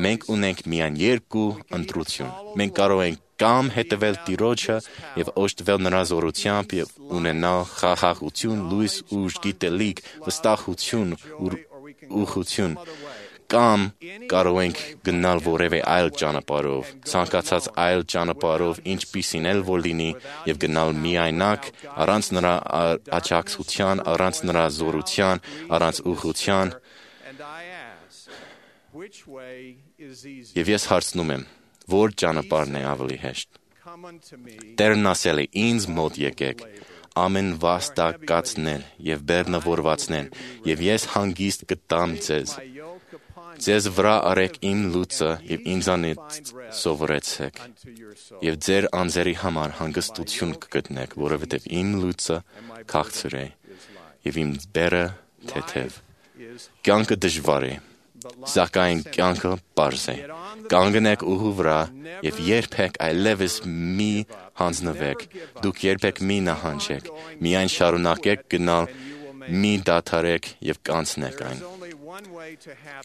Մենք ունենք միայն երկու ընտրություն։ Մենք կարող ենք կամ հետևել Տիրոջը եւ օժտվել նրա զորությամբ եւ ունենալ խաղաղություն, լույս, ուժ, գիտելիք, վստահություն, ուղղություն, կամ կարող ենք գնալ որևէ այլ ճանապարհով, ցանկացած այլ ճանապարհով, ինչպիսին էլ որ լինի, եւ գնալ միայնակ, առանց նրա աջակցության, առանց նրա զորության, առանց ուղղության։ Եվ ես հարցնում եմ, որ ճանապարհն է ավելի հեշտ։ Տերն ասել է, ինձ մոտ եկեք, ամեն վաստակածներ եւ բեռնավորվածներ, եւ ես հանգիստ կտամ ձեզ։ Ձեզ վրա արեք իմ լուծը եւ ինձանից սովորեցեք, եւ ձեր անձերի համար հանգստություն կգտնեք, որովհետեւ իմ լուծը քաղցր է եւ իմ բեռը թեթև։ Կյանքը դժվար է, սակայն կյանքը պարզ է։ Կանգնեք ուղու վրա եւ երբեք այլևս մի հանձնվեք, դուք երբեք մի նահանջեք, միայն շարունակեք գնալ, մի դադարեք եւ կանցնեք այն։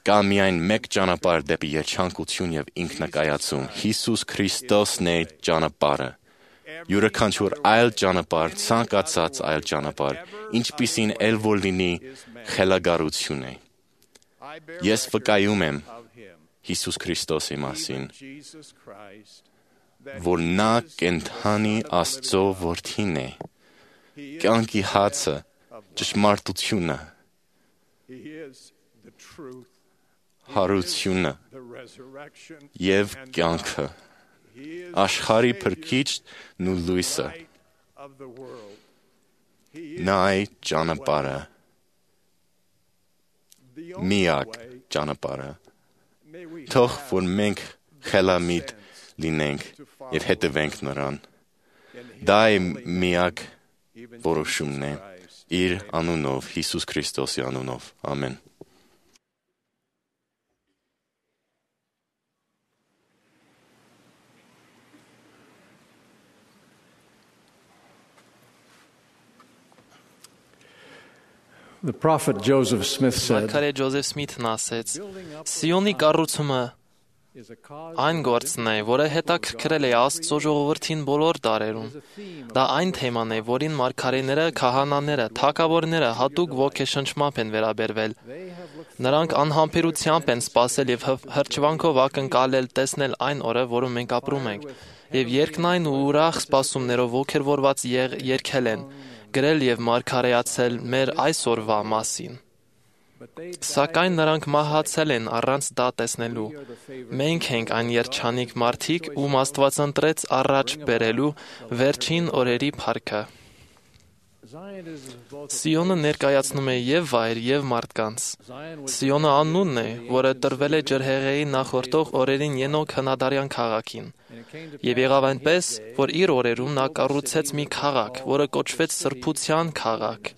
Կա միայն մեկ ճանապարհ դեպի երջանկություն եւ ինքնակայացում։ Հիսուս Քրիստոսն է ճանապարհը։ Յուրաքանչյուր այլ ճանապարհ, ցանկացած այլ ճանապարհ, ինչպիսին էլ որ լինի, խելագարություն է։ Ես վկայում եմ Հիսուս Քրիստոսի մասին, որ նա կենդանի Աստծո որդին է, կյանքի հացը, ճշմարտությունը, հարությունը եւ կյանքը, աշխարհի փրկիչն ու լույսը, նա է ճանապարհը, միակ ճանապարհը։ Թող որ մենք խելամիտ լինենք եւ հետևենք նրան։ Դա է միակ որոշումն է իր անունով, Հիսուս Քրիստոսի անունով։ Ամեն։ The prophet Joseph Smith said, Մարգարե Ջոզեֆ Սմիթն ասեց. Սիոնի կառուցումը այն գործն է, որը հետաքրքրել է Աստծո ժողովրդին բոլոր դարերում։ Դա այն թեման է, որին մարգարեները, քահանաները, թագավորները հատուկ ոգեշնչմամբ են վերաբերվել։ Նրանք անհամբերությամբ են սպասել եւ հրճվանքով ակնկալել տեսնել այն օրը, որում մենք ապրում ենք, եւ երկնային ու ուրախ սպասումներով ոգևորված երգել են, գրել եւ մարգարեացել մեր այսօրվա մասին։ Սակայն նրանք մահացել են առանց դա տեսնելու։ Մենք ենք այն երջանիկ մարդիկ, ում Աստված ընտրեց առաջ բերելու վերջին օրերի փառքը։ Սիոնը ներկայացնում է եւ վայր, եւ մարդկանց։ Սիոնը անունն է, որը տրվել է ջրհեղեղի նախորդող օրերին Ենոք հնադարյան քաղաքին։ Եվ եղավ այնպես, որ իր օրերում նա կառուցեց մի քաղաք, որը կոչվեց Սրբության քաղաք,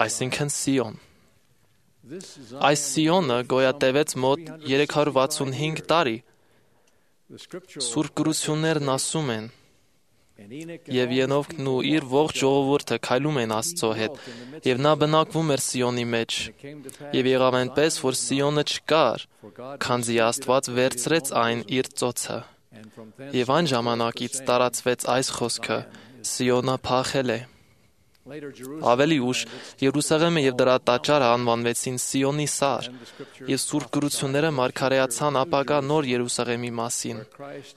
այսինքն Սիոն։ Այս Սիոնը գոյատևեց մոտ երեք հարյուր վաթսունհինգ տարի։ Սուրբ գրություններն ասում են, եւ Ենովքն ու իր ողջ ժողովուրդը քայլում են Աստծո հետ, եւ նա բնակվում էր Սիոնի մեջ։ Եվ եղավ այնպես, որ Սիոնը չկար, քանզի Աստված վերցրեց այն իր ծոցը։ Եվ այն ժամանակից տարածվեց այս խոսքը. Սիոնը փախել է։ Ավելի ուշ Երուսաղեմը եւ դրա տաճարը անվանվեցին Սիոնի սար, եւ Սուրբ գրությունները մարգարեացան ապագա նոր Երուսաղեմի մասին,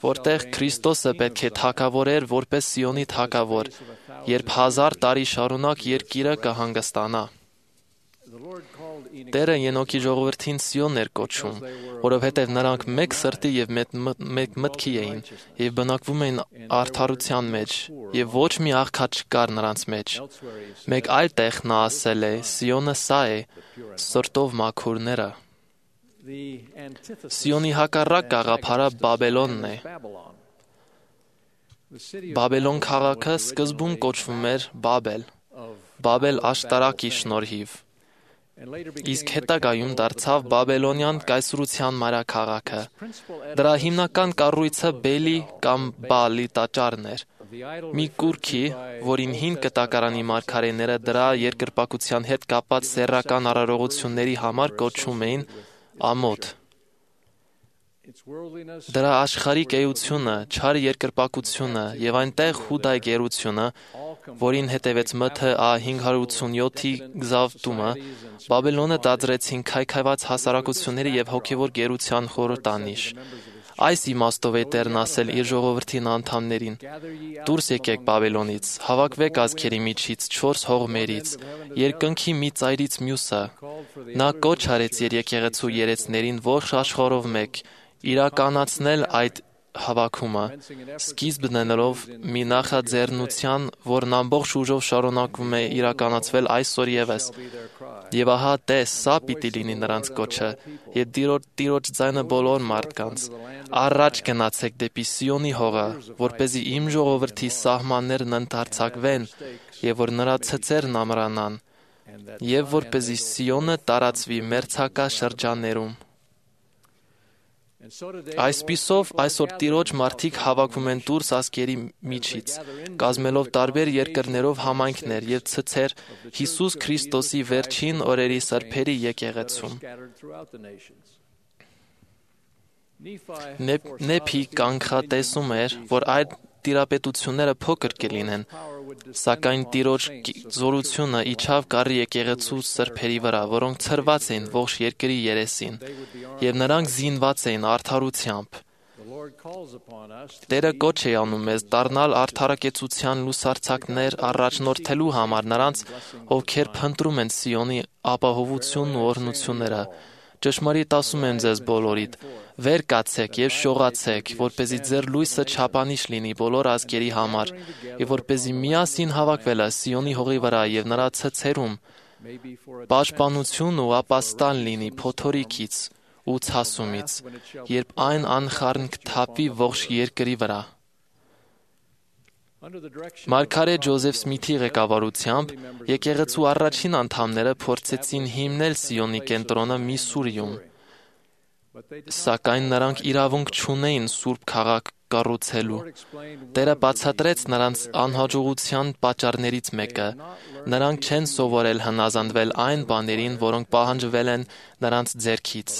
որտեղ Քրիստոսը պետք է թագավորեր որպես Սիոնի թագավոր, երբ հազար տարի շարունակ երկիրը կհանգստանա։ Տերը Ենոքի ժողովրդին Սիոն էր կոչում, որովհետև նրանք մեկ սրտի եւ մեկ մտքի էին, եւ բնակվում էին արդարության մեջ, եւ ոչ մի աղքատ չկար նրանց մեջ։ Մեկ այլ տեղ նա ասել է. Սիոնը սա է, սրտով մաքուրները։ Սիոնի հակառակ գաղափարը Բաբելոնն է։ Բաբելոն քաղաքը սկզբում կոչվում էր Բաբել, Բաբել աշտարակի շնորհիվ։ Իսկ հետագայում դարձավ Բաբելոնյան կայսրության մայրաքաղաքը։ Դրա հիմնական կառույցը Բելի կամ Բալի տաճարն էր։ Մի կուռքի, որին հին կտակարանի մարգարեները դրա երկրպագության հետ կապված սեռական արարողությունների համար կոչում էին Ամոթ։ Դրա աշխարհիկ էությունը, չար երկրպագությունը եւ այնտեղ Հուդայի գերությունը, որին հետևեց Մ Թ Ա հինգ հարյուր ութսունյոթի գզավտումը, Բաբելոնը դարձրեցին քայքայված հասարակությունների եւ հոգեվոր գերության խորհրդանիշ։ Այս իմաստով է Տերն ասել իր ժողովրդին անդամներին. «Դուրս եկեք Բաբելոնից, հավաքվեք ազգերի միջից, չորս հողմերից, երկնքի մի ծայրից մյուսը»։ Նա կոչ արեց իր եկեղեցու երեցներին ողջ աշխարհով մեկ իրականացնել այդ հավաքումը, սկիզբ դնելով մի նախաձեռնության, որն ամբողջ ուժով շարունակվում է իրականացվել այսօր ևս։ Եվ ահա տես, սա պիտի լինի նրանց կոչը, եւ Տիրոջ ձայնը բոլոր մարդկանց. «Առաջ գնացեք դեպի Սիոնի հողը, որպեսզի իմ ժողովրդի սահմաններն ընդարձակվեն, եւ որ նրա ցցերն ամրանան, եւ որպեսզի Սիոնը տարածվի մերձակա շրջաններում»։ Այսպիսով այսօր Տիրոջ մարդիկ հավաքվում են դուրս ազգերի միջից, կազմելով տարբեր երկրներով համայնքներ եւ ցցեր Հիսուս Քրիստոսի վերջին օրերի սրբերի եկեղեցում։ Նեփի կանխատեսում էր, որ այդ տիրապետությունները փոքր կլինեն, սակայն Տիրոջ զորությունը իջավ գառի եկեղեցու սրբերի վրա, որոնք ցրված էին ողջ երկրի երեսին, եւ նրանք զինված էին արդարությամբ։ Տերը կոչ է անում մեզ դառնալ արդարակեցության լուսարձակներ առաջնորդելու համար նրանց, ովքեր փնտրում են Սիոնի ապահովությունն ու օրհնությունները։ Ճշմարիտ ասում եմ ձեզ բոլորիդ, վեր կացեք եւ շողացեք, որպեսզի ձեր լույսը չափանիշ լինի բոլոր ազգերի համար, եւ որպեսզի միասին հավաքվելը Սիոնի հողի վրա եւ նրա ցցերում պաշտպանություն ու ապաստան լինի փոթորիկից ու ցասումից, երբ այն անխառն կթափվի ողջ երկրի վրա։ Մարգարե Ջոզեֆ Սմիթի ղեկավարությամբ եկեղեցու առաջին անդամները փորձեցին հիմնել Սիոնի կենտրոնը Միսսուրիում, սակայն նրանք իրավունք չունեին սուրբ քաղաք կառուցելու։ Տերը բացատրեց նրանց անհաջողության պատճառներից մեկը. նրանք չեն սովորել հնազանդվել այն բաներին, որոնք պահանջվել են նրանց ձեռքից,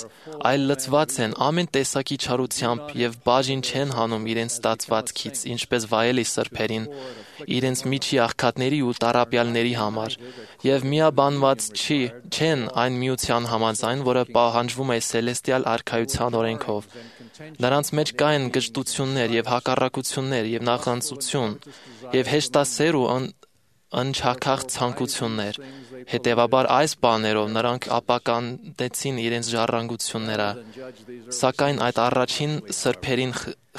այլ լցված են ամեն տեսակի չարությամբ եւ բաժին չեն հանում իրենց ստացվածքից, ինչպես վայելի սրբերին, իրենց միջի աղքատների ու տառապյալների համար, եւ միաբանված չի, չեն այն միության համաձայն, որը պահանջվում է Սելեստիալ արքայության օրենքով։ Նրանց մեջ կային գժտություններ եւ հակառակություններ եւ նախանձություն եւ հեշտասեր ու անչաքախ ցանկություններ։ Հետևաբար այս բաներով նրանք ապականեցին իրենց ժառանգությունները։ Սակայն այդ առաջին սրբերին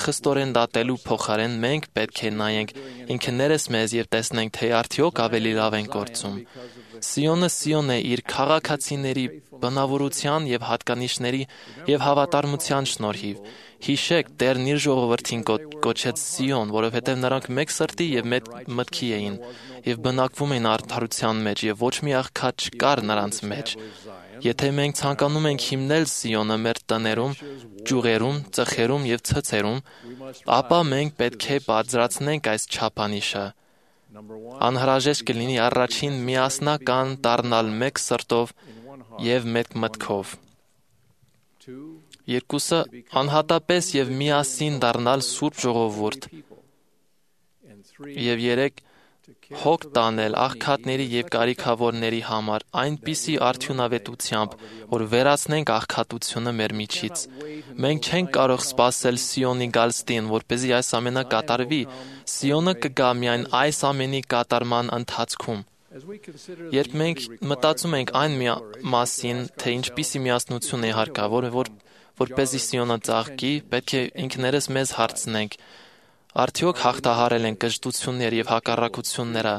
խստորեն դատելու փոխարեն մենք պետք է նայենք ինքներս մեզ եւ տեսնենք, թե արդյոք ավելի լավ ենք գործում։ Սիոնը Սիոն է իր քաղաքացիների բնավորության եւ հատկանիշների եւ հավատարմության շնորհիվ։ Հիշեք, Տերն իր ժողովրդին կոչեց Սիոն, որովհետեւ նրանք մեկ սրտի եւ մեկ մտքի էին եւ բնակվում էին արդարության մեջ եւ ոչ մի աղքատ չկար նրանց մեջ։ Եթե մենք ցանկանում ենք հիմնել Սիոնը մեր տներում, ճյուղերում, ծխերում եւ ցցերում, ապա մենք պետք է բարձրացնենք այս չափանիշը։ Անհրաժեշտ կլինի առաջին միասնական դառնալ մեկ սրտով եւ մեկ մտքով։ երկուսը անհատապես եւ միասին դառնալ Սուրբ Ժողովուրդ, եւ երեք հոգ տանել աղքատների եւ կարիքավորների համար այնպիսի արդյունավետությամբ, որ վերացնենք աղքատությունը մեր միջից։ Մենք չենք կարող սպասել Սիոնի գալստին, որպեսզի այս ամենը կատարվի։ Սիոնը կգա միայն այս ամենի կատարման ընթացքում։ Երբ մենք մտածում ենք այն մասին, թե ինչպիսի միասնություն է հարկավոր, որ որպեսզի Սիոնը ծաղկի, պետք է ինքներս մեզ հարցնենք. Արդյոք հաղթահարել ենք կժտություններ եւ հակառակությունները,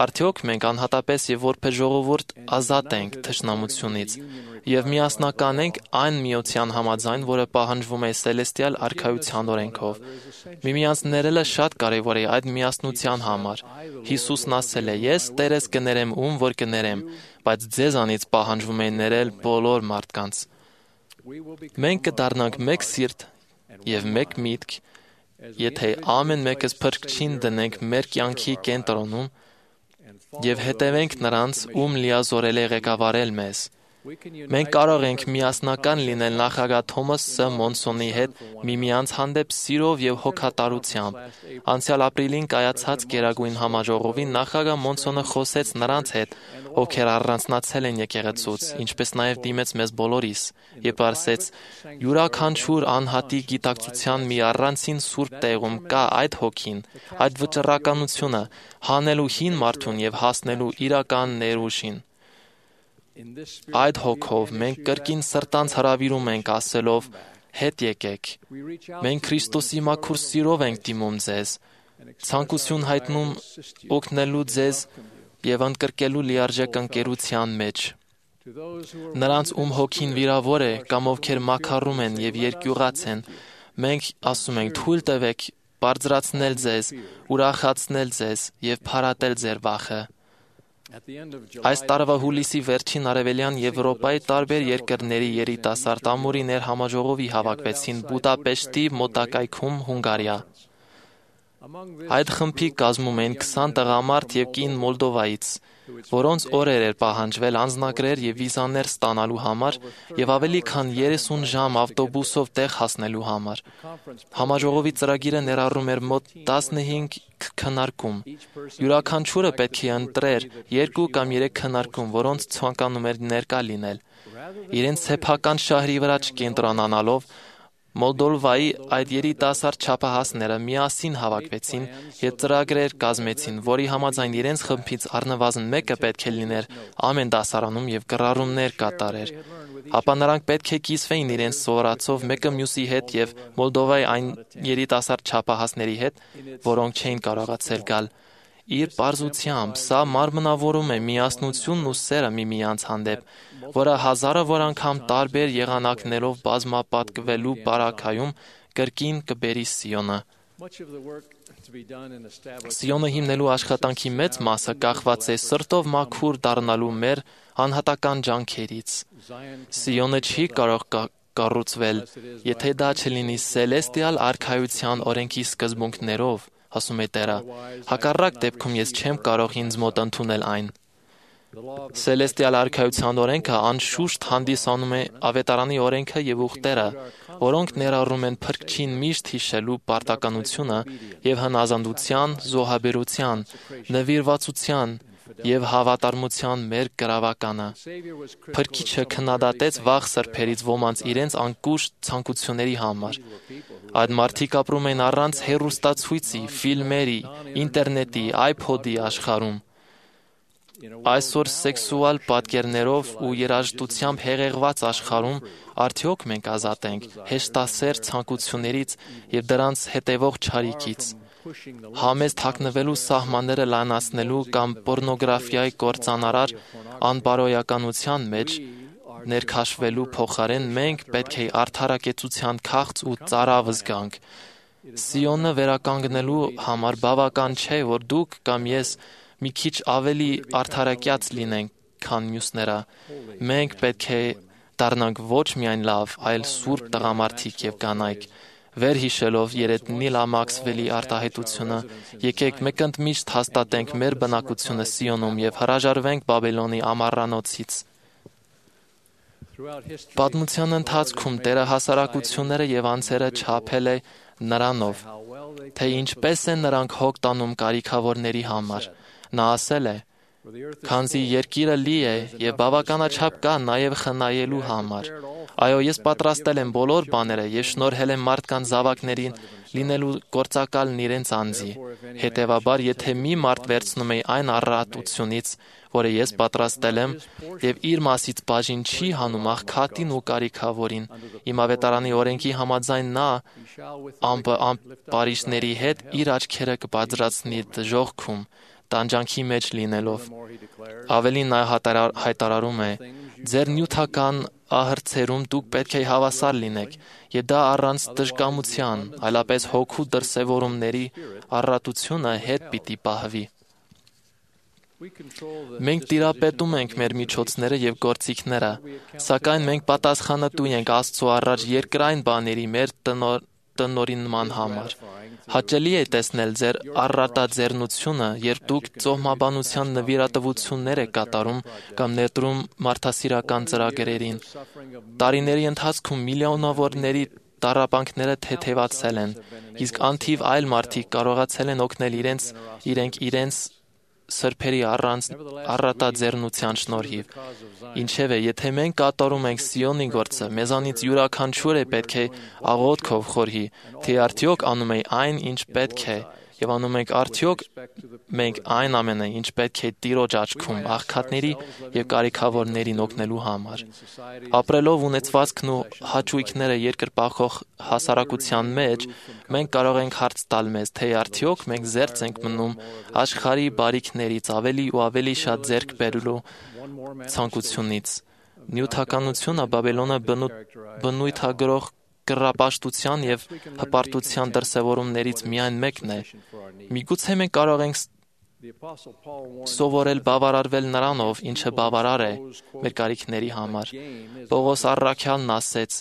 արդյոք մենք անհատապես եւ որպես ժողովուրդ ազատ ենք թշնամությունից եւ միասնական ենք այն միության համաձայն, որը պահանջվում է Սելեստիալ արքայության օրենքով։ Միմյանց ներելը շատ կարեւոր է այդ միասնության համար։ Հիսուսն ասել է. «Ես Տերես կներեմ ում որ կներեմ, բայց ձեզանից պահանջվում է ներել բոլոր մարդկանց»։ Մենք կդառնանք մեկ սիրտ եւ մեկ միտք, եթե ամեն մեկս փրկչին դնենք մեր կյանքի կենտրոնում եւ հետևենք նրանց, ում լիազորել է ղեկավարել մեզ։ Մենք կարող ենք միասնական լինել նախագահ Թոմաս Ս. Մոնսոնի հետ միմյանց հանդեպ սիրով եւ հոգատարությամբ։ Անցյալ ապրիլին կայացած Գերագույն համաժողովին նախագահ Մոնսոնը խոսեց նրանց հետ, ովքեր առանձնացել են եկեղեցուց, ինչպես նաև դիմեց մեզ բոլորիս, եւ ասեց. «Յուրաքանչյուր անհատի գիտակցության մի առանցին սուրբ տեղում կա այդ հոգին, այդ վճռականությունը, հանելու հին մարդուն եւ հասնելու իրական ներուժին։ Այդ հոգով մենք կրկին սրտանց հրավիրում ենք ասելով. հետ եկեք։ Մենք Քրիստոսի մաքուր սիրով ենք դիմում ձեզ, ցանկություն հայտնում օգնելու ձեզ եւ ընդգրկելու լիարժեք ընկերության մեջ։ Նրանց, ում հոգին վիրավոր է կամ ովքեր մաքարում են եւ երկյուղած են, մենք ասում ենք. թույլ տվեք բարձրացնել ձեզ, ուրախացնել ձեզ եւ փարատել ձեր վախը։ Այս տարվա հուլիսի վերջին արևելյան Եվրոպայի տարբեր երկրների երիտասարդ ամորիներ համաժողովի հավաքվեցին Բուդապեշտի մոտակայքում, Հունգարիա։ Այդ խմբի կազմում են քսան տղամարդ եւ կին Մոլդովայից, որոնց օրեր էր պահանջվել անձնագրեր եւ վիզաներ ստանալու համար եւ ավելի քան երեսուն ժամ ավտոբուսով տեղ հասնելու համար։ Համաժողովի ծրագիրը ներառում էր մոտ տասնհինգ քննարկում։ Յուրաքանչյուրը պետք է ընտրեր երկու կամ երեք քննարկում, որոնց ցանկանում էր ներկա լինել։ Իրենց սեփական շահերի վրա չկենտրոնանալով Մոլդովայի այդ երիտասարդ չափահասները միասին հավաքվեցին եւ ծրագրեր կազմեցին, որի համաձայն իրենց խմբից առնվազն մեկը պետք է լիներ ամեն դասարանում եւ կռառումներ կատարեր։ Ապա նրանք պետք է կիսվեին իրենց սովորածով մեկը մյուսի հետ եւ Մոլդովայի այն երիտասարդ չափահասների հետ, որոնք չէին կարողացել գալ։ Իր պարզությամբ սա մարմնավորում է միասնությունն ու սերը միմյանց հանդեպ, որը հազարավոր անգամ տարբեր եղանակներով բազմապատկվելու բարակայում կրկին կբերի Սիոնը։ Սիոնը հիմնելու աշխատանքի մեծ մասը կախված է սրտով մաքուր դառնալու մեր անհատական ջանքերից։ Սիոնը չի կարող կառուցվել, եթե դա չլինի Սելեստիալ արքայության օրենքի սկզբունքներով, ասում է Տերը, հակառակ դեպքում ես չեմ կարող ինձ մոտ ընդունել այն։ Սելեստիալ արքայության օրենքը անշուշտ հանդիսանում է ավետարանի օրենքը եւ ուխտերը, որոնք ներառում են փրկչին միշտ հիշելու պարտականությունը եւ հնազանդության, զոհաբերության, նվիրվածության եւ հավատարմության մեր գրավականը։ Փրկիչը քննադատեց վաղ սրբերից ոմանց իրենց անկուշտ ցանկությունների համար։ Այդ մարդիկ ապրում են առանց հեռուստացույցի, ֆիլմերի, ինտերնետի, iPod-ի աշխարհում։ Այսօր սեքսուալ պատկերներով ու երաժշտությամբ հեղեղված աշխարհում արդյոք մենք ազատ ենք հեշտասեր ցանկություններից եւ դրանց հետևող չարիքից։ Համեստ հագնվելու սահմանները լայնացնելու կամ պոռնոգրաֆիայի կործանարար անբարոյականության մեջ ներքաշվելու փոխարեն մենք պետք է արդարակեցության քաղց ու ծարավ զգանք։ Սիոնը վերականգնելու համար բավական չէ, որ դուք կամ ես մի քիչ ավելի արդարակյաց լինենք, քան մյուսները։ Մենք պետք է դառնանք ոչ միայն լավ, այլ սուրբ տղամարդիկ եւ կանայք։ Վերհիշելով Երետնիլա Մաքսվելի արտահայտությունը, եկեք մեկ ընդմիշտ հաստատենք մեր բնակությունը Սիոնում եւ հրաժարվենք Բաբելոնի ամառանոցից։ Պատմության ընթացքում Տերը հասարակությունները եւ անձերը չափել է նրանով, թե ինչպես են նրանք հոգ տանում կարիքավորների համար։ Նա ասել է. «Քանզի երկիրը լի է եւ բավականաչափ կա նաեւ խնայելու համար։ Այո, ես պատրաստել եմ բոլոր բաները եւ շնորհել եմ մարդկանց զավակներին լինելու գործակալն իրենց անձի։ Հետևաբար, եթե մի մարդ վերցնում է այն առատությունից, որը ես պատրաստել եմ, եւ իր մասից բաժին չի հանում աղքատին ու կարիքավորին, իմ ավետարանի օրենքի համաձայն նա ամպարիշների հետ իր աչքերը կբարձրացնի դժոխքում, տանջանքի մեջ լինելով»։ Ավելին նա հայտարարում է. «Ձեր նյութական ահռցերում դուք պետք է հավասար լինեք, եւ դա առանց դժկամության, այլապես հոգու դրսևորումների առատությունը հետ պիտի պահվի»։ Մենք տիրապետում ենք մեր միջոցները եւ գործիքները, սակայն մենք պատասխանատու ենք Աստծո առաջ երկրային բաների մեր տնօրինման համար։ Հաճելի է տեսնել ձեր առատաձեռնությունը, երբ դուք ծոհմաբանության նվիրատվություններ եք կատարում կամ ներդրում մարդասիրական ծրագրերին։ Տարիների ընթացքում միլիոնավորների տառապանքները թեթևացել են, իսկ անթիվ այլ մարդիկ կարողացել են օգնել իրենց իրենք իրենց սրբերի առանց առատաձեռնության շնորհիվ։ Ինչևէ, եթե մենք կատարում ենք Սիոնի գործը, մեզանից յուրաքանչյուրը պետք է աղոթքով խորհի, թե արդյոք անում է այն, ինչ պետք է, եւ անում ենք արդյոք մենք այն ամենը, ինչ պետք է Տիրոջ աչքում աղքատների եւ կարիքավորներին օգնելու համար։ Ապրելով ունեցվածքն ու հաճույքները երկրպագող հասարակության մեջ, մենք կարող ենք հարց տալ մեզ, թե արդյոք մենք զերծ ենք մնում աշխարհի բարիքներից ավելի ու ավելի շատ ձեռք բերելու ցանկությունից։ Նյութականությունը Բաբելոնը բնույթագրող կռապաշտության եւ հպարտության դրսևորումներից միայն մեկն է։ Միգուցե մենք կարող ենք սովորել բավարարվել նրանով, ինչը բավարար է մեր կարիքների համար։ Պողոս առաքյալն ասեց.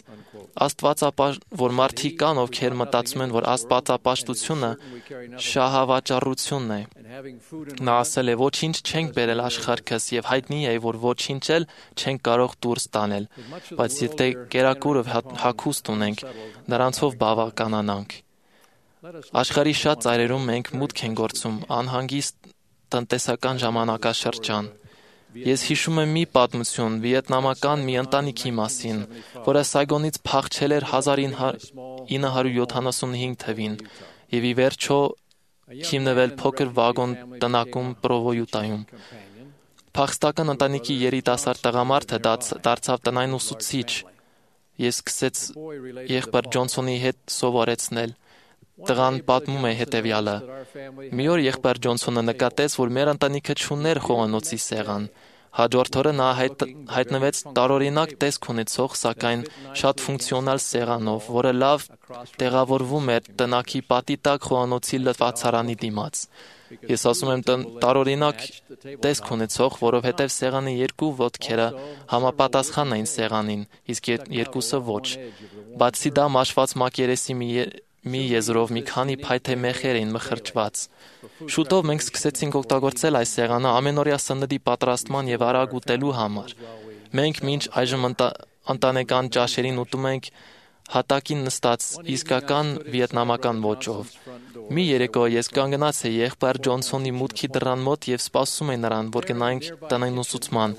որ մարդիկ կան, ովքեր մտածում են, որ աստվածապաշտությունը շահավաճառությունն է։ Նա ասել է. «Ոչինչ չենք բերել աշխարհքս եւ հայտնի է, որ ոչինչ էլ չենք կարող դուրս տանել, բայց եթե կերակուրը հագուստ ունենք, նրանցով բավականանանք»։ Աշխարհի շատ ծայրերում մենք մուտք ենք գործում անհանգիստ տնտեսական ժամանակաշրջան։ Ես հիշում եմ մի պատմություն վիետնամական մի ընտանիքի մասին, որը Սայգոնից փախչել էր հազար ինը հարյուր յոթանասունհինգ թվին եւ ի վերջո հիմնվել փոքր վագոն տնակում Պրովոյուտայում։ Փախստական ընտանիքի երիտասարդ տղամարդը դարձավ տնային ուսուցիչ։ Ես սկսեց եղբայր Ջոնսոնի հետ սովորեցնել։ Տղան պատմում է հետևյալը. «Մի օր եղբայր Ջոնսոնը նկատեց, որ մեր ընտանիքը չուներ խոհանոցի սեղան։ Հաջորդ օրը նա հայտնվեց տարօրինակ տեսք ունեցող, սակայն շատ ֆունկցիոնալ սեղանով, որը լավ տեղավորվում էր տնակի պատի տակ խոհանոցի լվացարանի դիմաց։ Ես ասում եմ տարօրինակ տեսք ունեցող, որովհետև սեղանի երկու ոտքերը համապատասխան էին սեղանին, իսկ երկուսը ոչ։ Բացի դա մաշված մակերեսի մի եզրով մի քանի փայտե մեխեր էին մխրճված։ Շուտով մենք սկսեցինք օգտագործել այս սեղանը ամենօրյա սննդի պատրաստման եւ արագ ուտելու համար։ Մենք մինչ այժմ ընտանեկան ճաշերին ուտում ենք հատակին նստած իսկական վիետնամական ոճով։ Մի երեկո ես կանգնած էի եղբայր Ջոնսոնի մուտքի դռան մոտ եւ սպասում էի նրան, որ գնայինք տնային ուսուցման։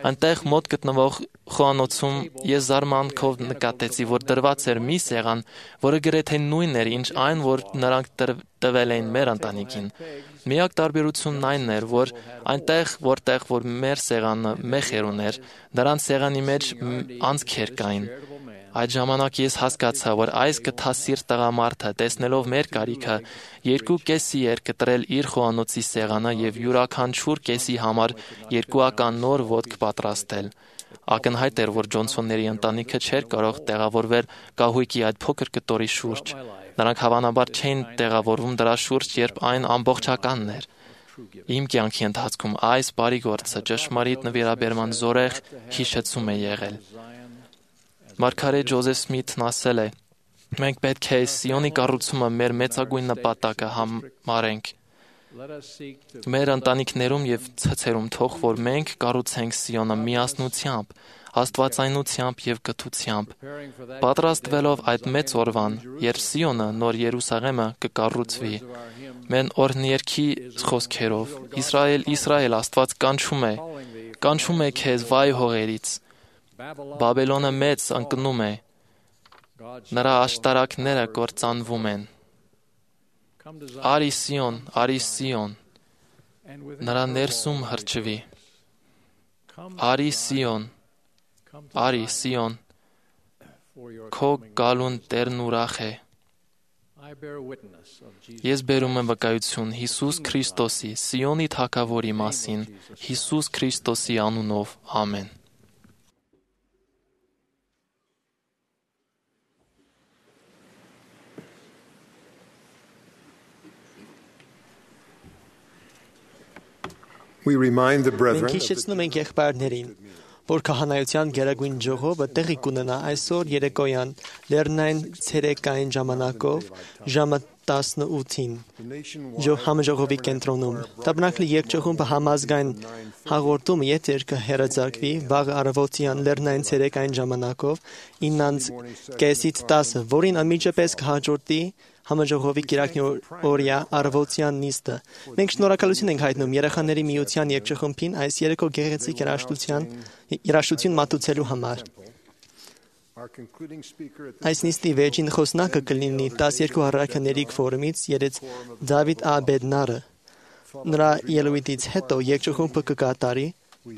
Այնտեղ մոտ գտնվող խոհանոցում ես զարմանքով նկատեցի, որ դրված էր մի սեղան, որը գրեթե նույնն էր, ինչ այն, որ նրանք տվել էին մեր ընտանիքին։ Միակ տարբերությունն այն էր, որ այնտեղ, որտեղ որ մեր սեղանը մեխեր ուներ, նրանց սեղանի մեջ անցքեր կային։ Այդ ժամանակ ես հասկացա, որ այս գթասիրտ տղամարդը, տեսնելով մեր կարիքը, երկու կեսի էր կտրել իր խոհանոցի սեղանը եւ յուրաքանչյուր կեսի համար երկուական նոր ոտք պատրաստել։ Ակնհայտ էր, որ Ջոնսոնների ընտանիքը չէր կարող տեղավորվել կահույքի այդ փոքր կտորի շուրջ։ Նրանք հավանաբար չէին տեղավորվում դրա շուրջ, երբ այն ամբողջականն էր։ Իմ կյանքի ընթացքում այս բարի գործը ճշմարիտ նվիրաբերման զորեղ հիշեցում է եղել։ Մարգարետ Ջոզեֆ Սմիթն ասել է. «Մենք պետք է Սիոնի կառուցումը մեր մեծագույն նպատակը համարենք։ Մեր ընտանիքներում եւ ցցերում թող որ մենք կառուցենք Սիոնը միասնությամբ, աստվածայնությամբ եւ գթությամբ, պատրաստվելով այդ մեծ օրվան, երբ Սիոնը նոր Երուսաղեմը կկառուցվի։ Մեն օրհներքի խոսքերով Իսրայել, Իսրայել, Աստված կանչում է, կանչում է քեզ վայ հողերից։ Բաբելոնը մեծ ընկնում է, նրա աշտարակները կործանվում են։ Արի Սիոն, արի Սիոն, նրա ներսում հրճվի։ Արի Սիոն, արի Սիոն, քո գալուն Տերն ուրախ է։ Ես բերում եմ վկայություն Հիսուս Քրիստոսի, Սիոնի թագավորի մասին, Հիսուս Քրիստոսի անունով, ամեն։ Մենք հիշեցնում ենք եղբայրներին, որ քահանայության գերագույն ժողովը տեղի կունենա այսօր երեկոյան լեռնային ցերեկային ժամանակով ժամը տասնութին համաժողովի կենտրոնում։ Տաբնակլի երկչողումը համազգային հաղորդումը եթեր կհեռարձակվի վաղ առավոտյան լեռնային ցերեկային ժամանակով իննից կեսից տասը, որին անմիջապես կհաջորդի համաժողովի կիրակնի օրյա առավոտյան նիստը։ Մենք շնորհակալություն ենք հայտնում երեխաների միության երկչխմբին այս երեկո գեղեցիկ երաժշտություն մատուցելու համար։ Այս նիստի վերջին խոսնակը կլինի տասներկու առաքյաների ֆորումից ելած Դավիթ Ա. Բեդնարը։ Նրա ելույթից հետո երկչխմբը կկատարի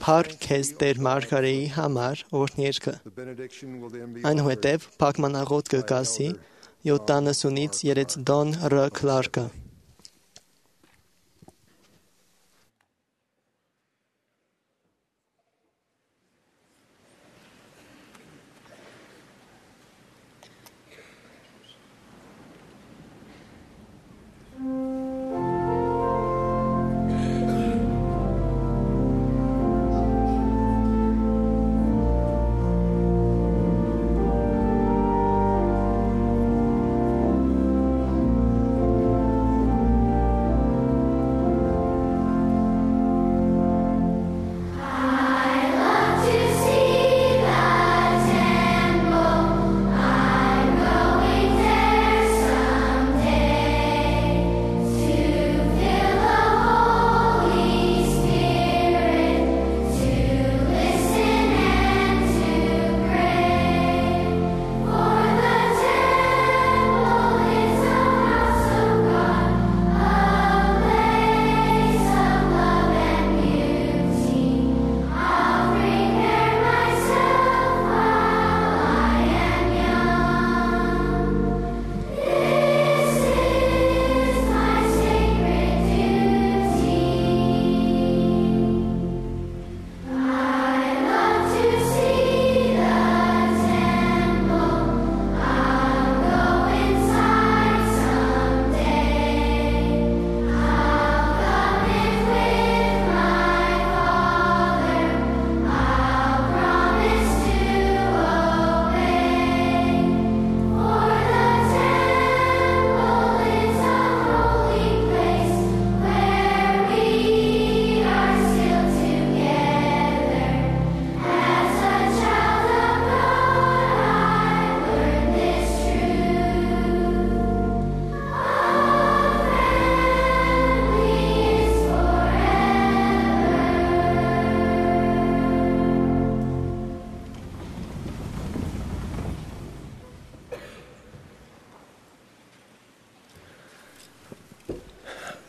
«Փառք քեզ Տեր Մարգարեի համար» օրհներգը։ Այնուհետև փակման աղոթք կկասի յոթանասունից ելած Դոն Ռ. Քլարկը։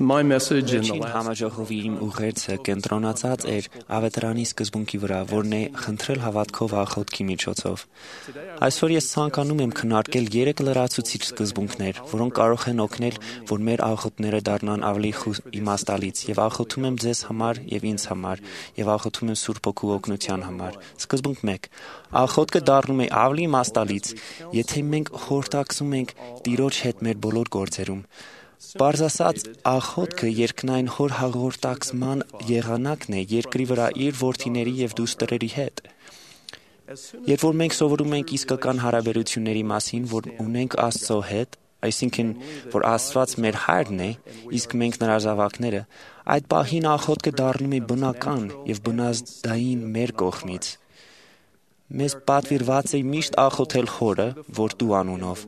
Վերջին համաժողովի իմ ուղերձը կենտրոնացած էր ավետարանի սկզբունքի վրա, որն է խնդրել հավատքով աղոթքի միջոցով։ Այսօր ես ցանկանում եմ քննարկել երեք լրացուցիչ սկզբունքներ, որոնք կարող են օգնել, որ մեր աղոթները դառնան ավելի իմաստալից, եւ աղոթում եմ ձեզ համար եւ ինձ համար, եւ աղոթում եմ Սուրբ Հոգու օգնության համար։ Սկզբունք մեկ. աղոթքը դառնում է ավելի իմաստալից, եթե մենք խորհրդակցում ենք Տիրոջ հետ մեր բոլոր գործերում։ Պարզ ասած, աղոթքը երկնային հոր հաղորդակցման եղանակն է երկրի վրա իր որդիների եւ դուստրերի հետ։ Երբ որ մենք սովորում ենք իսկական հարաբերությունների մասին, որ ունենք Աստծո հետ, այսինքն, որ Աստված մեր Հայրն է, իսկ մենք նրա զավակները, այդ պահին աղոթքը դառնում է բնական եւ բնազդային մեր կողմից։ Մեզ պատվիրված է միշտ աղոթել Հորը, որ Դու անունով։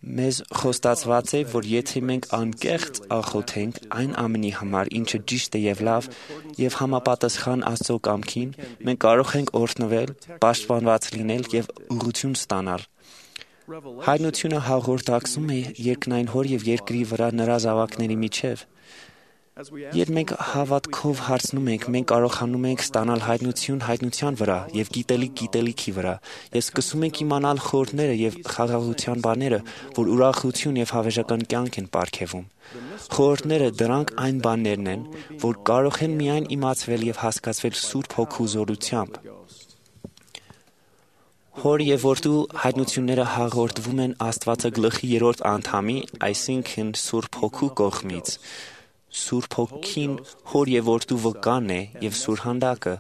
Մեզ խոստացված է, որ եթե մենք անկեղծ աղոթենք այն ամենի համար, ինչը ճիշտ է եւ լավ, եւ համապատասխան Աստծո կամքին, մենք կարող ենք օրհնվել, պաշտպանված լինել եւ ուղղություն ստանալ։ Հայտնությունը հաղորդակցում է երկնային Հոր եւ երկրի վրա նրա զավակների միջև։ Երբ մենք հավատքով հարցնում ենք, մենք կարողանում ենք ստանալ հայտնություն հայտնության վրա եւ գիտելիք գիտելիքի վրա, եւ սկսում ենք իմանալ խորհուրդները եւ խաղաղության բաները, որ ուրախություն եւ հավերժական կյանք են պարգևում։ Խորհուրդները դրանք այն բաներն են, որ կարող են միայն իմացվել եւ հասկացվել Սուրբ Հոգու զորությամբ։ Հոր եւ որդու հայտնությունները հաղորդվում են Աստվածագլխի երրորդ անդամի, այսինքն Սուրբ Հոգու կողմից։ Սուրբ Հոգին Հոր եւ որդու վկան է եւ սուրհանդակը։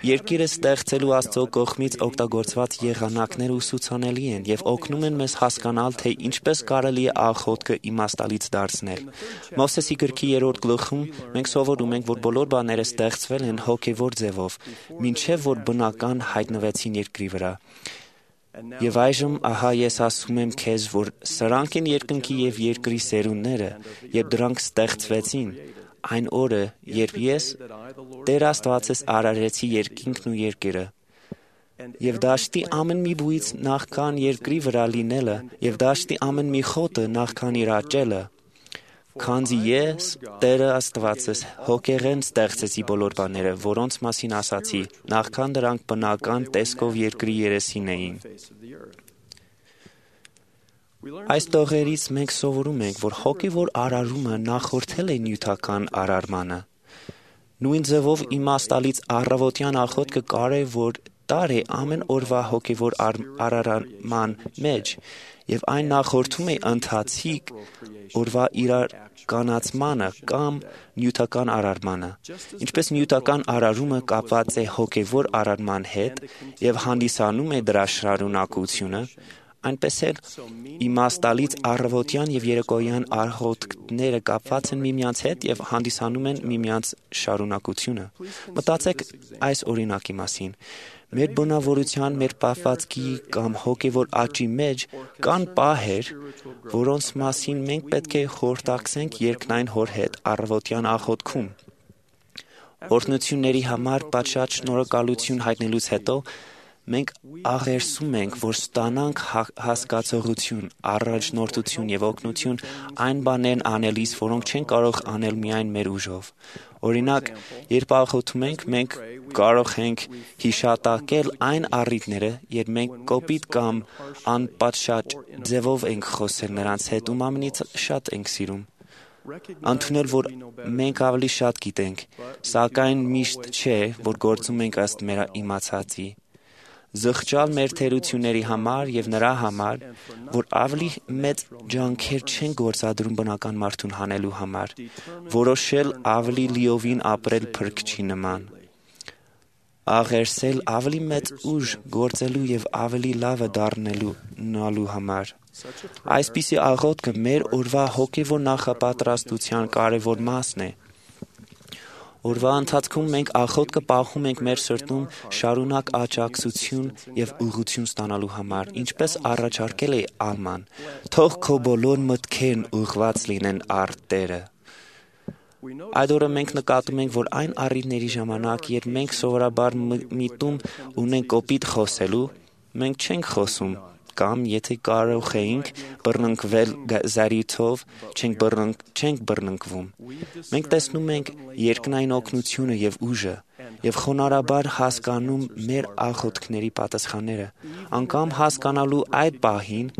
Երկիրը ստեղծելու Աստծո կողմից օգտագործված եղանակները ուսուցանելի են եւ օգնում են մեզ հասկանալ, թե ինչպես կարելի է աղոթքը իմաստալից դարձնել։ Մովսեսի գրքի երրորդ գլխում մենք սովորում ենք, որ բոլոր բաները ստեղծվել են հոգեվոր ձևով, մինչեւ որ բնական հայտնվեցին երկրի վրա։ Եվ այժմ ահա ես ասում եմ քեզ, որ սրանք են երկնքի եւ երկրի սերունդները, երբ դրանք ստեղծվեցին, այն օրը, երբ ես Տեր Աստվածս արարեցի երկինքն ու երկիրը։ Եվ դաշտի ամեն մի բույց նախքան երկրի վրա լինելը, եւ դաշտի ամեն մի խոտը նախքան իր աճելը, քանզի ես Տերը Աստվածս հոգեղեն ստեղծեցի բոլոր բաները, որոնց մասին ասացի, նախքան դրանք բնական տեսքով երկրի երեսին էին։ Այս տողերից մենք սովորում ենք, որ հոգևոր արարումը նախորդել է նյութական արարմանը։ Նույն ձևով իմաստալից առավոտյան աղոթքը կարևոր տար է ամեն օրվա հոգևոր արարման մեջ, եւ այն նախորդում է ընթացիկ օրվա իրականացմանը կամ նյութական արարմանը։ Ինչպես նյութական արարումը կապված է հոգևոր արարման հետ եւ հանդիսանում է դրա շարունակությունը, այնպես էլ իմաստալից առավոտյան եւ երեկոյան աղոթքները կապված են միմյանց հետ եւ հանդիսանում են միմյանց շարունակությունը։ Մտածեք այս օրինակի մասին։ Մեր բնավորության, մեր պահվածքի կամ հոգևոր աճի մեջ կան պահեր, որոնց մասին մենք պետք է խորհրդակցենք երկնային Հոր հետ առավոտյան աղոթքում։ Օրհնությունների համար պատշաճ շնորհակալություն հայտնելուց հետո մենք աղերսում ենք, որ ստանանք հասկացողություն, առաջնորդություն եւ օգնություն այն բաներն անելիս, որոնք չեն կարող անել միայն մեր ուժով։ Օրինակ, երբ աղոթում ենք, մենք կարող ենք հիշատակել այն առիթները, երբ մենք կոպիտ կամ անպատշաճ ձևով ենք խոսել նրանց հետ, ում ամենից շատ ենք սիրում։ Ընդունել, որ մենք ավելի շատ գիտենք, սակայն միշտ չէ, որ գործում ենք ըստ մեր իմացածի։ Զղջալ մեր թերությունների համար եւ նրա համար, որ ավելի մեծ ջանքեր չեն գործադրում բնական մարդուն հանելու համար, որոշել ավելի լիովին ապրել փրկչի նման, աղերսել ավելի մեծ ուժ գործելու եւ ավելի լավը դառնելու նալու համար։ Այսպիսի աղոթքը մեր օրվա հոգեվոր նախապատրաստության կարևոր մասն է։ Օրվա ընթացքում մենք աղոթքը պահում ենք մեր սրտում շարունակ աջակցություն եւ ուղղություն ստանալու համար, ինչպես առաջարկել է Ալման։ Թող քո բոլոր մտքերն ուղղված լինեն առ Տերը։ Այդ օրը մենք նկատում ենք, որ այն առիթների ժամանակ, երբ մենք սովորաբար միտում ունենք կոպիտ խոսելու, մենք չենք խոսում, կամ եթե կարող էինք բռնկվել զարիթով, չենք բռնկ, չենք բռնկվում։ Մենք տեսնում ենք երկնային օգնությունը եւ ուժը եւ խոնարհաբար հասկանում մեր աղոթքների պատասխանները։ Անկամ հասկանալու այդ պահին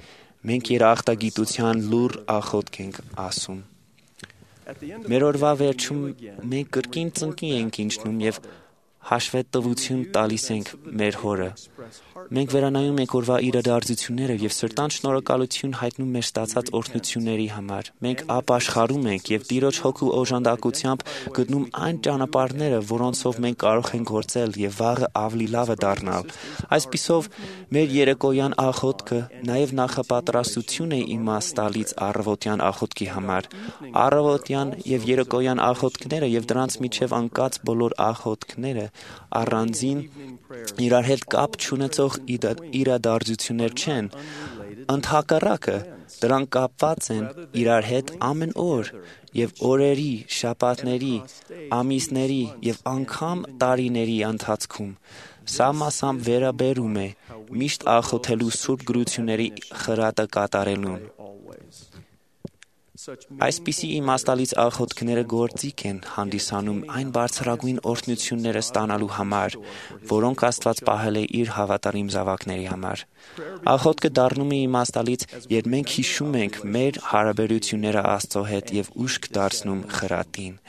մենք երախտագիտության լուր աղոթք ենք ասում։ Մեր օրվա վերջում մենք կրկին ծնկի ենք իջնում եւ հաշվետվություն տալիս ենք մեր հորը։ Մենք վերանայում ենք օրվա իրադարձությունները եւ սրտան շնորհակալություն հայտնում մեր ստացած օրհնությունների համար։ Մենք ապաշխարում ենք եւ Տիրոջ հոգու օժանդակությամբ գտնում այն ճանապարհները, որոնցով մենք կարող ենք գործել եւ վաղը ավելի լավը դառնալ։ Այսպիսով, մեր երեկոյան աղոթքը նաեւ նախապատրաստություն է իմաստ տալիս առավոտյան աղոթքի համար։ Առավոտյան եւ երեկոյան աղոթքները եւ դրանց միջև անկած բոլոր աղոթքները առանձին իրար հետ կապ չունեցող իրադարձություններ չեն, ընդհակառակը դրանք կապված են իրար հետ ամեն օր եւ օրերի, շաբաթների, ամիսների եւ անգամ տարիների ընթացքում։ Սա մասամբ վերաբերում է միշտ աղոթելու սուրբ գրությունների խրատը կատարելուն։ Այսպիսի իմաստալից աղոթքները գործիք են հանդիսանում այն բարձրագույն օրհնությունները ստանալու համար, որոնք Աստված պահել է իր հավատարիմ զավակների համար։ Աղոթքը դառնում է իմաստալից, երբ մենք հիշում ենք մեր հարաբերությունները Աստծո հետ եւ ուշք դարձնում խրատին։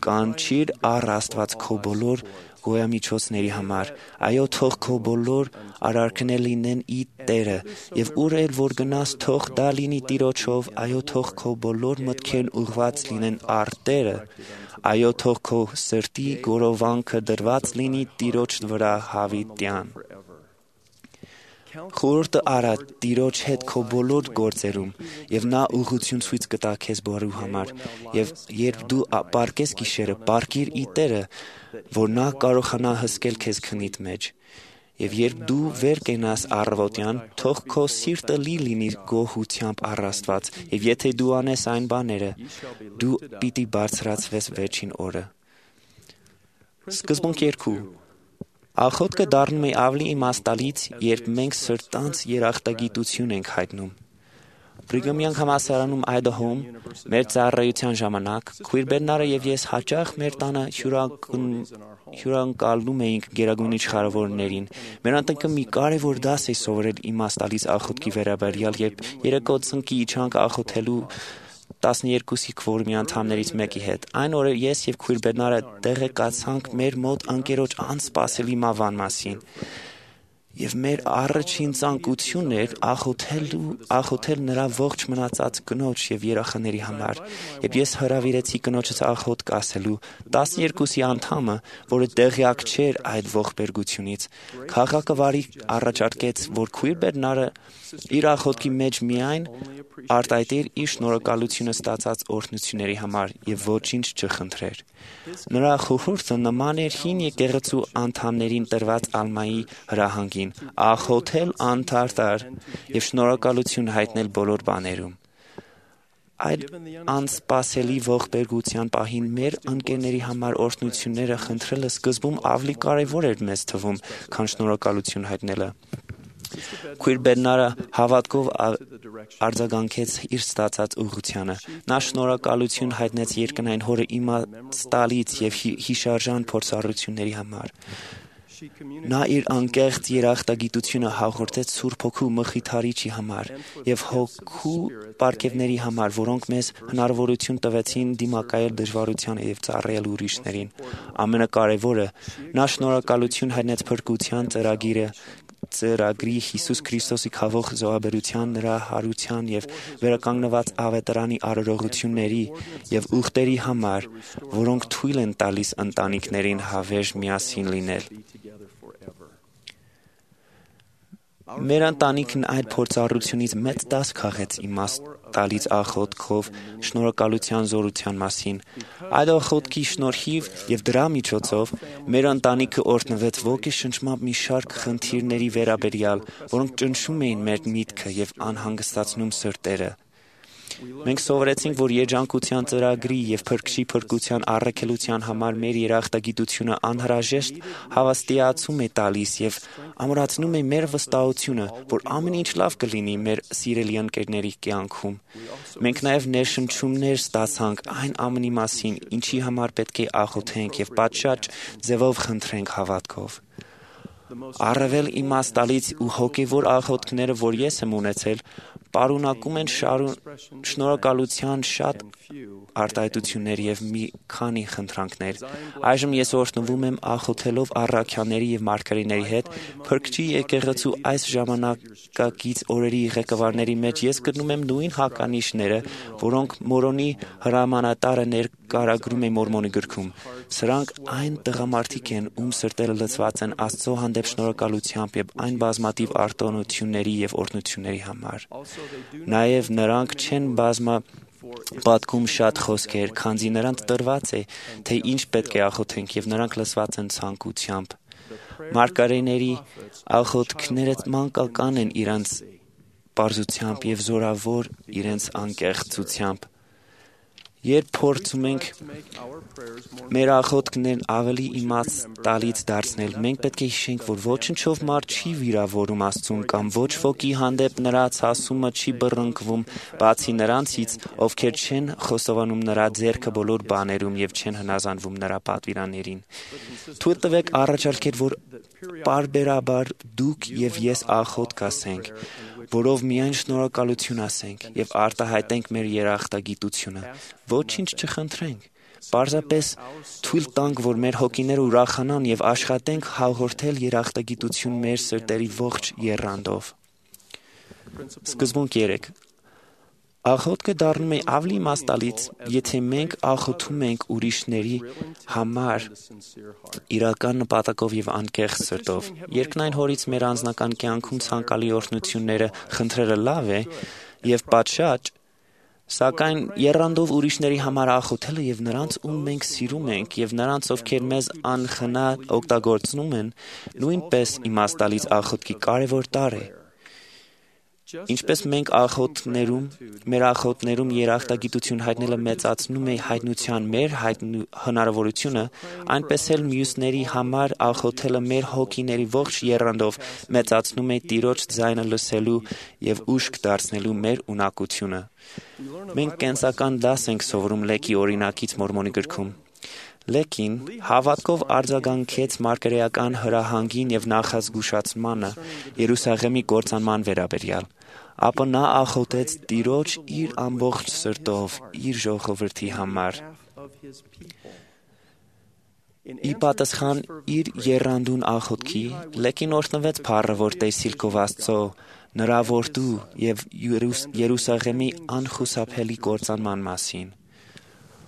Կանչիր առ Աստված քո բոլոր գոյամիջոցների համար, այո, թող քո բոլոր արարքներ լինեն ի Տերը, եւ ուր էլ որ գնաս, թող դա լինի Տիրոջով, այո, թող քո բոլոր մտքերն ուղղված լինեն առ Տերը, այո, թող քո սրտի գորովանքը դրված լինի Տիրոջ վրա հավիտյան։ Խորհուրդը արա Տիրոջ հետ քո բոլոր գործերում, եւ նա ուղղություն ցույց կտա քեզ բոլորու համար, եւ երբ դու պարկես գիշերը, պարկիր ի Տերը, որ նա կարողանա հսկել քեզ քնիդ մեջ։ Եվ երբ դու վեր կենաս առավոտյան, թող քո սիրտը լի լինի գոհությամբ առ Աստված, եւ եթե դու անես այն բաները, դու պիտի բարձրացվես վերջին օրը։ Սկզբունք երկու։ Աղոթքը դառնում է ավելի իմաստալից, երբ մենք սրտանց երախտագիտություն ենք հայտնում։ Բրիգամյան համալսարանում Այդահոում մեր ծառայության ժամանակ քույր Բերնարը եւ ես հաճախ մեր տանը հյուրընկալում էինք գերագույն իշխարավորներին։ Մեր ընտանիքը մի կարևոր դաս է սովորել իմաստալից աղոթքի վերաբերյալ, երբ երեկո ծնկի իջանք աղոթելու տասներկուսի քվորմի անդամներից մեկի հետ։ Այն օրը ես եւ քույր Բերնարը տեղեկացանք մեր մոտ անկերոջ անսպասելի մահվան մասին։ Եվ մեր առաջին ցանկությունն էր աղոթել աղոթել նրա ողջ մնացած կնոջ եւ երեխաների համար։ Եվ ես հրավիրեցի կնոջս աղոթք ասելու տասներկուսի անդամը, որը տեղյակ չէր այդ ողբերգությունից։ Քաղաքը վարի առաջարկեց, որ քույր Բերնարը իր աղոթքի մեջ միայն արտահայտեր իր շնորհակալությունը ստացած օրհնությունների համար եւ ոչինչ չխնդրեր։ Նրա խորհուրդը նման էր հին եկեղեցու անդամներին տրված ալմայի հրահանգին՝ աղոթել անդարտար եւ շնորհակալություն հայտնել բոլոր բաներում։ Այդ անսպասելի ողբերգության պահին մեր ընկերների համար օրհնությունները խնդրելը սկզբում ավելի կարևոր էր մեզ թվում, քան շնորհակալություն հայտնելը։ Քույր Բերնարը հավատքով արձագանքեց իր ստացած ուղղությանը։ Նա շնորհակալություն հայտնեց երկնային հորը իմաստալից եւ հիշարժան փորձառությունների համար։ Նա իր անկեղծ երախտագիտությունը հաղորդեց Սուրբ Հոգու Մխիթարիչի համար եւ հոգու պարգևների համար, որոնք մեզ հնարավորություն տվեցին դիմակայել դժվարությանը եւ ծառայել ուրիշներին։ Ամենակարևորը, նա շնորհակալություն հայտնեց փրկության ծրագիրը ծրագրի Հիսուս Քրիստոսի խաղող զոհաբերության, նրա հարության եւ վերականգնված ավետարանի արարողությունների եւ ուխտերի համար, որոնք թույլ են տալիս ընտանիքներին հավերժ միասին լինել։ Մեր ընտանիքն այդ փորձառությունից մեծ դաս քաղեց իմաստալից աղոթքով շնորհակալության զորության մասին։ Այդ աղոթքի շնորհիվ եւ դրա միջոցով մեր ընտանիքը օրհնվեց ոգեշնչմամբ մի շարք խնդիրների վերաբերյալ, որոնք ճնշում էին մեր միտքը եւ անհանգստացնում սրտերը։ Մենք սովորեցինք, որ երջանկության ծրագրի եւ փրկչի փրկության առաքելության համար մեր երախտագիտությունը անհրաժեշտ հավաստիացում է տալիս եւ ամրացնում է մեր վստահությունը, որ ամեն ինչ լավ կլինի մեր սիրելի ընկերների կյանքում։ Մենք նաեւ ներշնչումներ ստացանք այն ամենի մասին, ինչի համար պետք է աղոթենք եւ պատշաճ ձևով խնդրենք հավատքով։ Առավել իմաստալից ու հոգևոր աղոթքները, որ ես եմ ունեցել, պարունակում են շնորհակալության շատ արտահայտություններ եւ մի քանի խնդրանքներ։ Այժմ ես օրհնվում եմ աղոթելով առաքյալների եւ մարգարեների հետ, Փրկչի եկեղեցու այս ժամանակակից օրերի ղեկավարների մեջ ես գտնում եմ նույն հականիշները, որոնք Մորոնի հրամանատարը ներկայագրում է Մորմոնի գրքում։ Սրանք այն տղամարդիկ են, ում սրտերը լցված են Աստծո հանդեպ շնորհակալությամբ եւ այն բազմաթիվ արտոնությունների եւ օրհնությունների համար։ Նաեւ նրանք չեն բազմա պատկում շատ խոսքեր, քանզի նրանց տրված է, թե ինչ պետք է աղոթենք եւ նրանք լսված են ցանկությամբ։ Մարգարեների աղոթքները մանկական են իրենց պարզությամբ եւ զորավոր իրենց անկեղծությամբ։ Երբ փորձում ենք մեր աղոթքներն ավելի իմաստալից դարձնել, մենք պետք է հիշենք, որ ոչնչով մարդ չի վիրավորում Աստծուն կամ ոչ ոքի հանդեպ նրա ցասումը չի բռնկվում, բացի նրանցից, ովքեր չեն խոստովանում նրա ձեռքը բոլոր բաներում եւ չեն հնազանդվում նրա պատվիրաններին։ Թույլ տվեք առաջարկել, որ պարբերաբար դուք եւ ես աղոթք ասենք, որով միայն շնորհակալություն ասենք եւ արտահայտենք մեր երախտագիտությունը։ Ոչինչ չխնդրենք։ Պարզապես թույլ տանք, որ մեր հոգիները ուրախանան եւ աշխատենք հաղորդել երախտագիտություն մեր սրտերի ողջ եռանդով։ Սկզբունք երեք։ Աղոթքը դառնում է ավելի իմաստալից, եթե մենք աղոթում ենք ուրիշների համար իրական նպատակով եւ անկեղծ սրտով։ Երկնային Հորից մեր անձնական կյանքում ցանկալի օրհնությունները խնդրելը լավ է եւ պատշաճ, սակայն եռանդով ուրիշների համար աղոթելը եւ նրանց, ում մենք սիրում ենք, եւ նրանց, ովքեր մեզ անխնա օգտագործնում են, նույնպես իմաստալից աղոթքի կարևոր տարր է։ Ինչպես մենք աղոթներում, մեր աղոթներում երախտագիտություն հայտնելը մեծացնում է հայտնության մեր հնարավորությունը, այնպես էլ մյուսների համար աղոթելը մեր հոգիների ողջ եռանդով մեծացնում է Տիրոջ ձայնը լսելու եւ ուշք դարձնելու մեր ունակությունը։ Մենք կենսական դաս ենք սովորում Լեկի օրինակից Մորմոնի գրքում։ Լեկին հավատքով արձագանքեց մարգարեական հրահանգին եւ նախազգուշացմանը Երուսաղեմի կործանման վերաբերյալ, ապա նա աղոթեց Տիրոջ իր ամբողջ սրտով իր ժողովրդի համար։ Ի պատասխան իր եռանդուն աղոթքի, Լեկին օրհնվեց փառը, որ տեսիլ քով Աստծո, նրա որդու եւ Երուսաղեմի անխուսափելի կործանման մասին։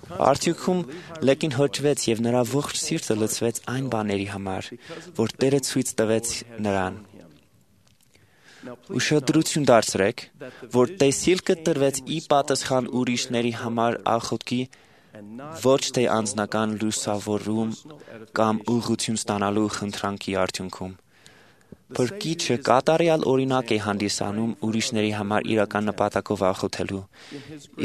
Արդյունքում Լեկին հրճվեց եւ նրա ողջ սիրտը լցվեց այն բաների համար, որ Տերը ցույց տվեց նրան։ Ուշադրություն դարձրեք, որ տեսիլքը տրվեց ի պատասխան ուրիշների համար աղոթքի, ոչ թե անձնական լուսավորում կամ ուղղություն ստանալու խնդրանքի արդյունքում։ Փրկիչը կատարյալ օրինակ է հանդիսանում ուրիշների համար իրական նպատակով աղոթելու։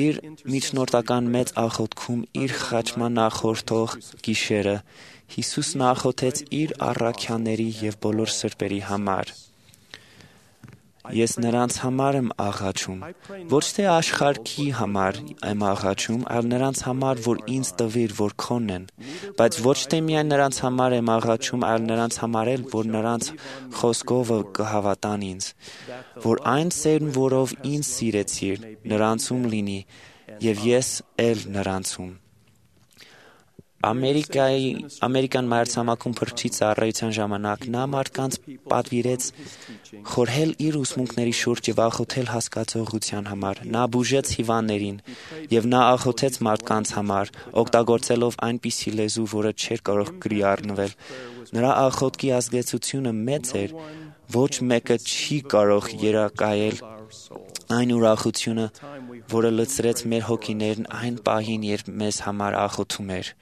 Իր միջնորդական մեծ աղոթքում իր խաչման նախորդող գիշերը Հիսուսն աղոթեց իր առաքյալների եւ բոլոր սրբերի համար։ Ես նրանց համար եմ աղաչում, ոչ թե աշխարհի համար եմ աղաչում, այլ նրանց համար, որ ինձ տվիր, որ քոնն են, բայց ոչ թե միայն նրանց համար եմ աղաչում, այլ նրանց համար էլ, որ նրանց խոսքով կհավատան ինձ, որ այն սերն, որով ինձ սիրեցիր, նրանցում լինի, եւ ես էլ նրանցում։ Ամերիկայի ամերիկան մայրցամաքում փրկչի ծառայության ժամանակ նա մարդկանց պատվիրեց խորհել իր ուսմունքների շուրջ եւ աղոթել հասկացողության համար։ Նա բուժեց հիվանդներին եւ նա աղոթեց մարդկանց համար, օգտագործելով այնպիսի լեզու, որը չէր կարող գրի առնվել։ Նրա աղոթքի ազդեցությունը մեծ էր, ոչ մեկը չի կարող երակայել այն ուրախությունը, որը լցրեց մեր հոգիներն այն պահին, երբ մեզ համար աղոթում էր։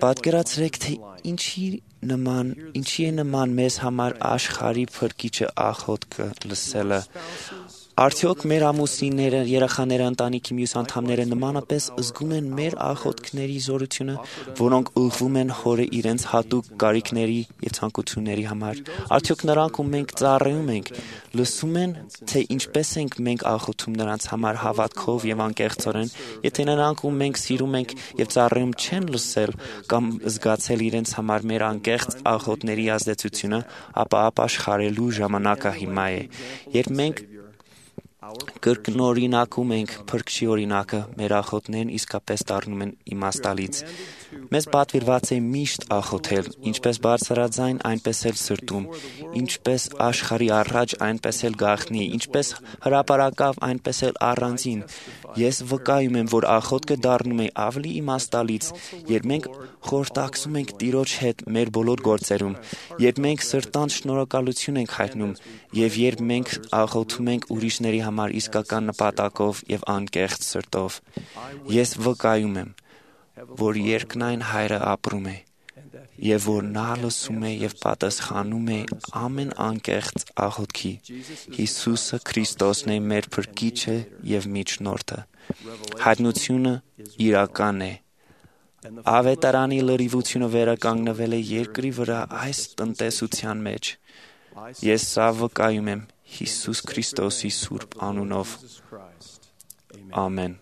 Պատկերացրեք, թե ինչի նման, ինչի է նման մեզ համար աշխարհի փրկիչը աղոթքը լսելը։ Արդյոք մեր ամուսինները, երեխաները, ընտանիքի մյուս անդամները նմանապես զգում են մեր աղոթքների զորությունը, որոնք ուղղվում են Հորը իրենց հատուկ կարիքների եւ ցանկությունների համար։ Արդյոք նրանք, ում մենք ծառայում ենք, լսում են, թե ինչպես ենք մենք աղոթում նրանց համար հավատքով եւ անկեղծորեն, եթե նրանք, ում մենք սիրում ենք եւ ծառայում, չեն լսել կամ զգացել իրենց համար մեր անկեղծ աղոթների ազդեցությունը, ապա ապաշխարելու ժամանակը հիմա է։ Երբ մենք կրկնօրինակում ենք Փրկչի օրինակը, մեր աղոթներն իսկապես դառնում են իմաստալից։ Մեզ պատվիրված է միշտ աղոթել, ինչպես բարձրաձայն, այնպես էլ սրտում, ինչպես աշխարհի առաջ, այնպես էլ գաղտնի, ինչպես հրապարակավ, այնպես էլ առանձին։ Ես վկայում եմ, որ աղոթքը դառնում է ավելի իմաստալից, երբ մենք խորհրդակցում ենք Տիրոջ հետ մեր բոլոր գործերում, երբ մենք սրտանց շնորհակալություն ենք հայտնում, եւ երբ մենք աղոթում ենք ուրիշների համար իսկական նպատակով եւ անկեղծ սրտով։ Ես վկայում եմ, որ երկնային Հայրը ապրում է, եւ որ նա լսում է եւ պատասխանում է ամեն անկեղծ աղոթքի։ Հիսուսը Քրիստոսն է մեր Փրկիչը եւ Միջնորդը։ Հայտնությունը իրական է։ Ավետարանի լրիվությունը վերականգնվել է երկրի վրա այս տնտեսության մեջ։ Ես սա վկայում եմ Հիսուս Քրիստոսի սուրբ անունով։ Ամեն։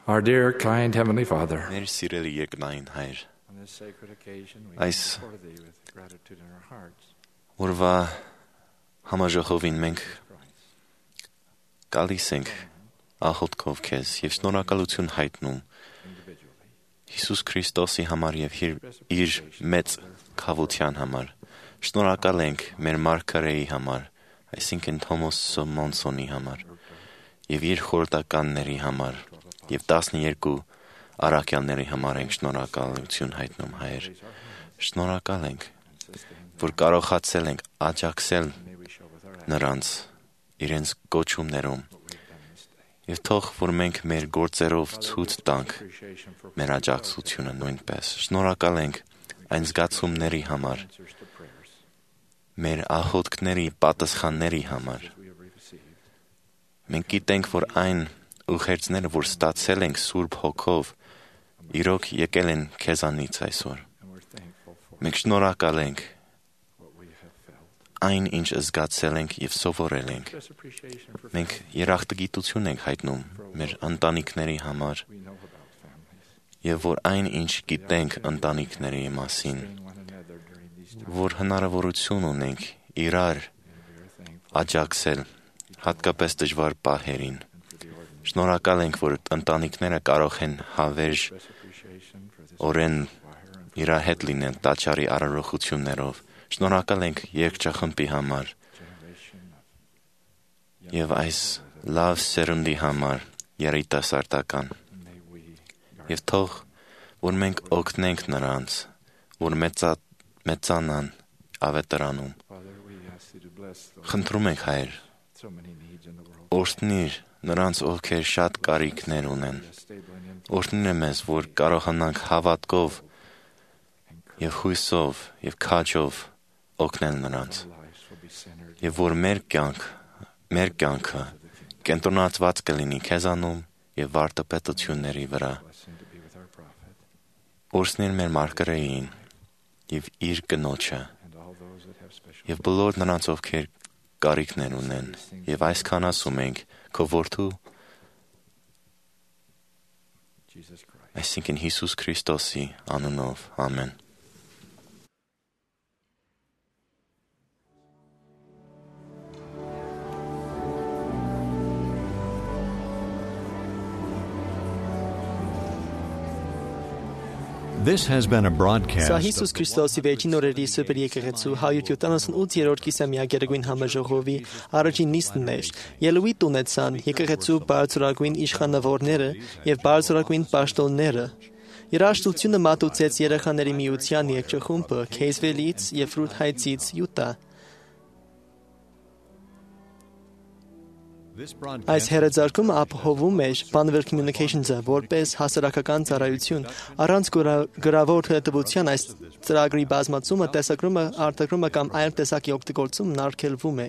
Our dear, kind Heavenly Father, Մեր սիրելի երկնային Հայր, Այս օրվա համաժողովին մենք գալիս ենք աղոթքով քեզ եւ շնորհակալություն հայտնում Հիսուս Քրիստոսի համար եւ իր մեծ քավության համար։ Շնորհակալ ենք մեր մարգարեի համար, այսինքն Թոմաս Մոնսոնի համար եւ իր խորհրդականների համար եւ տասներկու առաքյալների համար ենք շնորհակալություն հայտնում, Հայր։ Շնորհակալ ենք, որ կարողացել ենք աջակցել նրանց իրենց կոչումներում եւ թող որ մենք մեր գործերով ցույց տանք մեր աջակցությունը նույնպես։ Շնորհակալ ենք այն զգացումների համար, մեր աղոթքների պատասխանների համար։ Մենք գիտենք, որ այն ուղերձները, որ ստացել ենք Սուրբ Հոգով, իրոք եկել են քեզանից այսօր։ Մենք շնորհակալ ենք այն, ինչ զգացել ենք եւ սովորել ենք։ Մենք երախտագիտություն ենք հայտնում մեր ընտանիքների համար եւ որ այն, ինչ գիտենք ընտանիքների մասին, որ հնարավորություն ունենք իրար աջակցել հատկապես դժվար պահերին։ Շնորհակալ ենք, որ ընտանիքները կարող են հավերժ օրեն իր հետ լինել տաճարի արարողություններով։ Շնորհակալ ենք երգչախմբի համար եւ այս լավ սերունդի համար երիտասարդական եւ թող որ մենք օգնենք նրանց որ մեծա մեծանան ավետարանում խնդրում ենք Հայր օրհնիր նրանց ովքեր շատ կարիքներ ունեն օրհնիր մեզ որ կարողանանք հավատքով եւ հույսով եւ քաջով օգնել նրանց եւ որ մեր կյանք մեր կյանքը կենտրոնացված կլինի քեզանում եւ վարտապետությունների վրա օրհնիր մեր մարգարեին եւ իր կնոջը եւ բոլոր նրանց ովքեր կարիքներ ունեն եւ այսքան ասում ենք քո որդու այսինքն Հիսուս Քրիստոսի անունով ամեն This has been a broadcast. Սա Հիսուս Քրիստոսի վերջին օրերի Սուրբ Եկեղեցու հարյուր յոթանասունութերորդ կիսամյակերագույն համաժողովի առաջին նիստն էր։ Ելույթ ունեցան եկեղեցու բարձրագույն իշխանավորները եւ բարձրագույն պաշտոնները։ Երաժշտությունը մատուցեց երեխաների միության երգչախումբը Քեյսվելից եւ Ֆրութհայցից Յուտա։ Այս հերաձարկումը ապահովում էր Banner Communications-ը որպես հասարակական ծառայություն։ Առանց գրավոր հետևության այս ծրագրի բազմացումը, տեսագրումը, արտագրումը կամ այլ տեսակի օգտագործումն արգելվում է։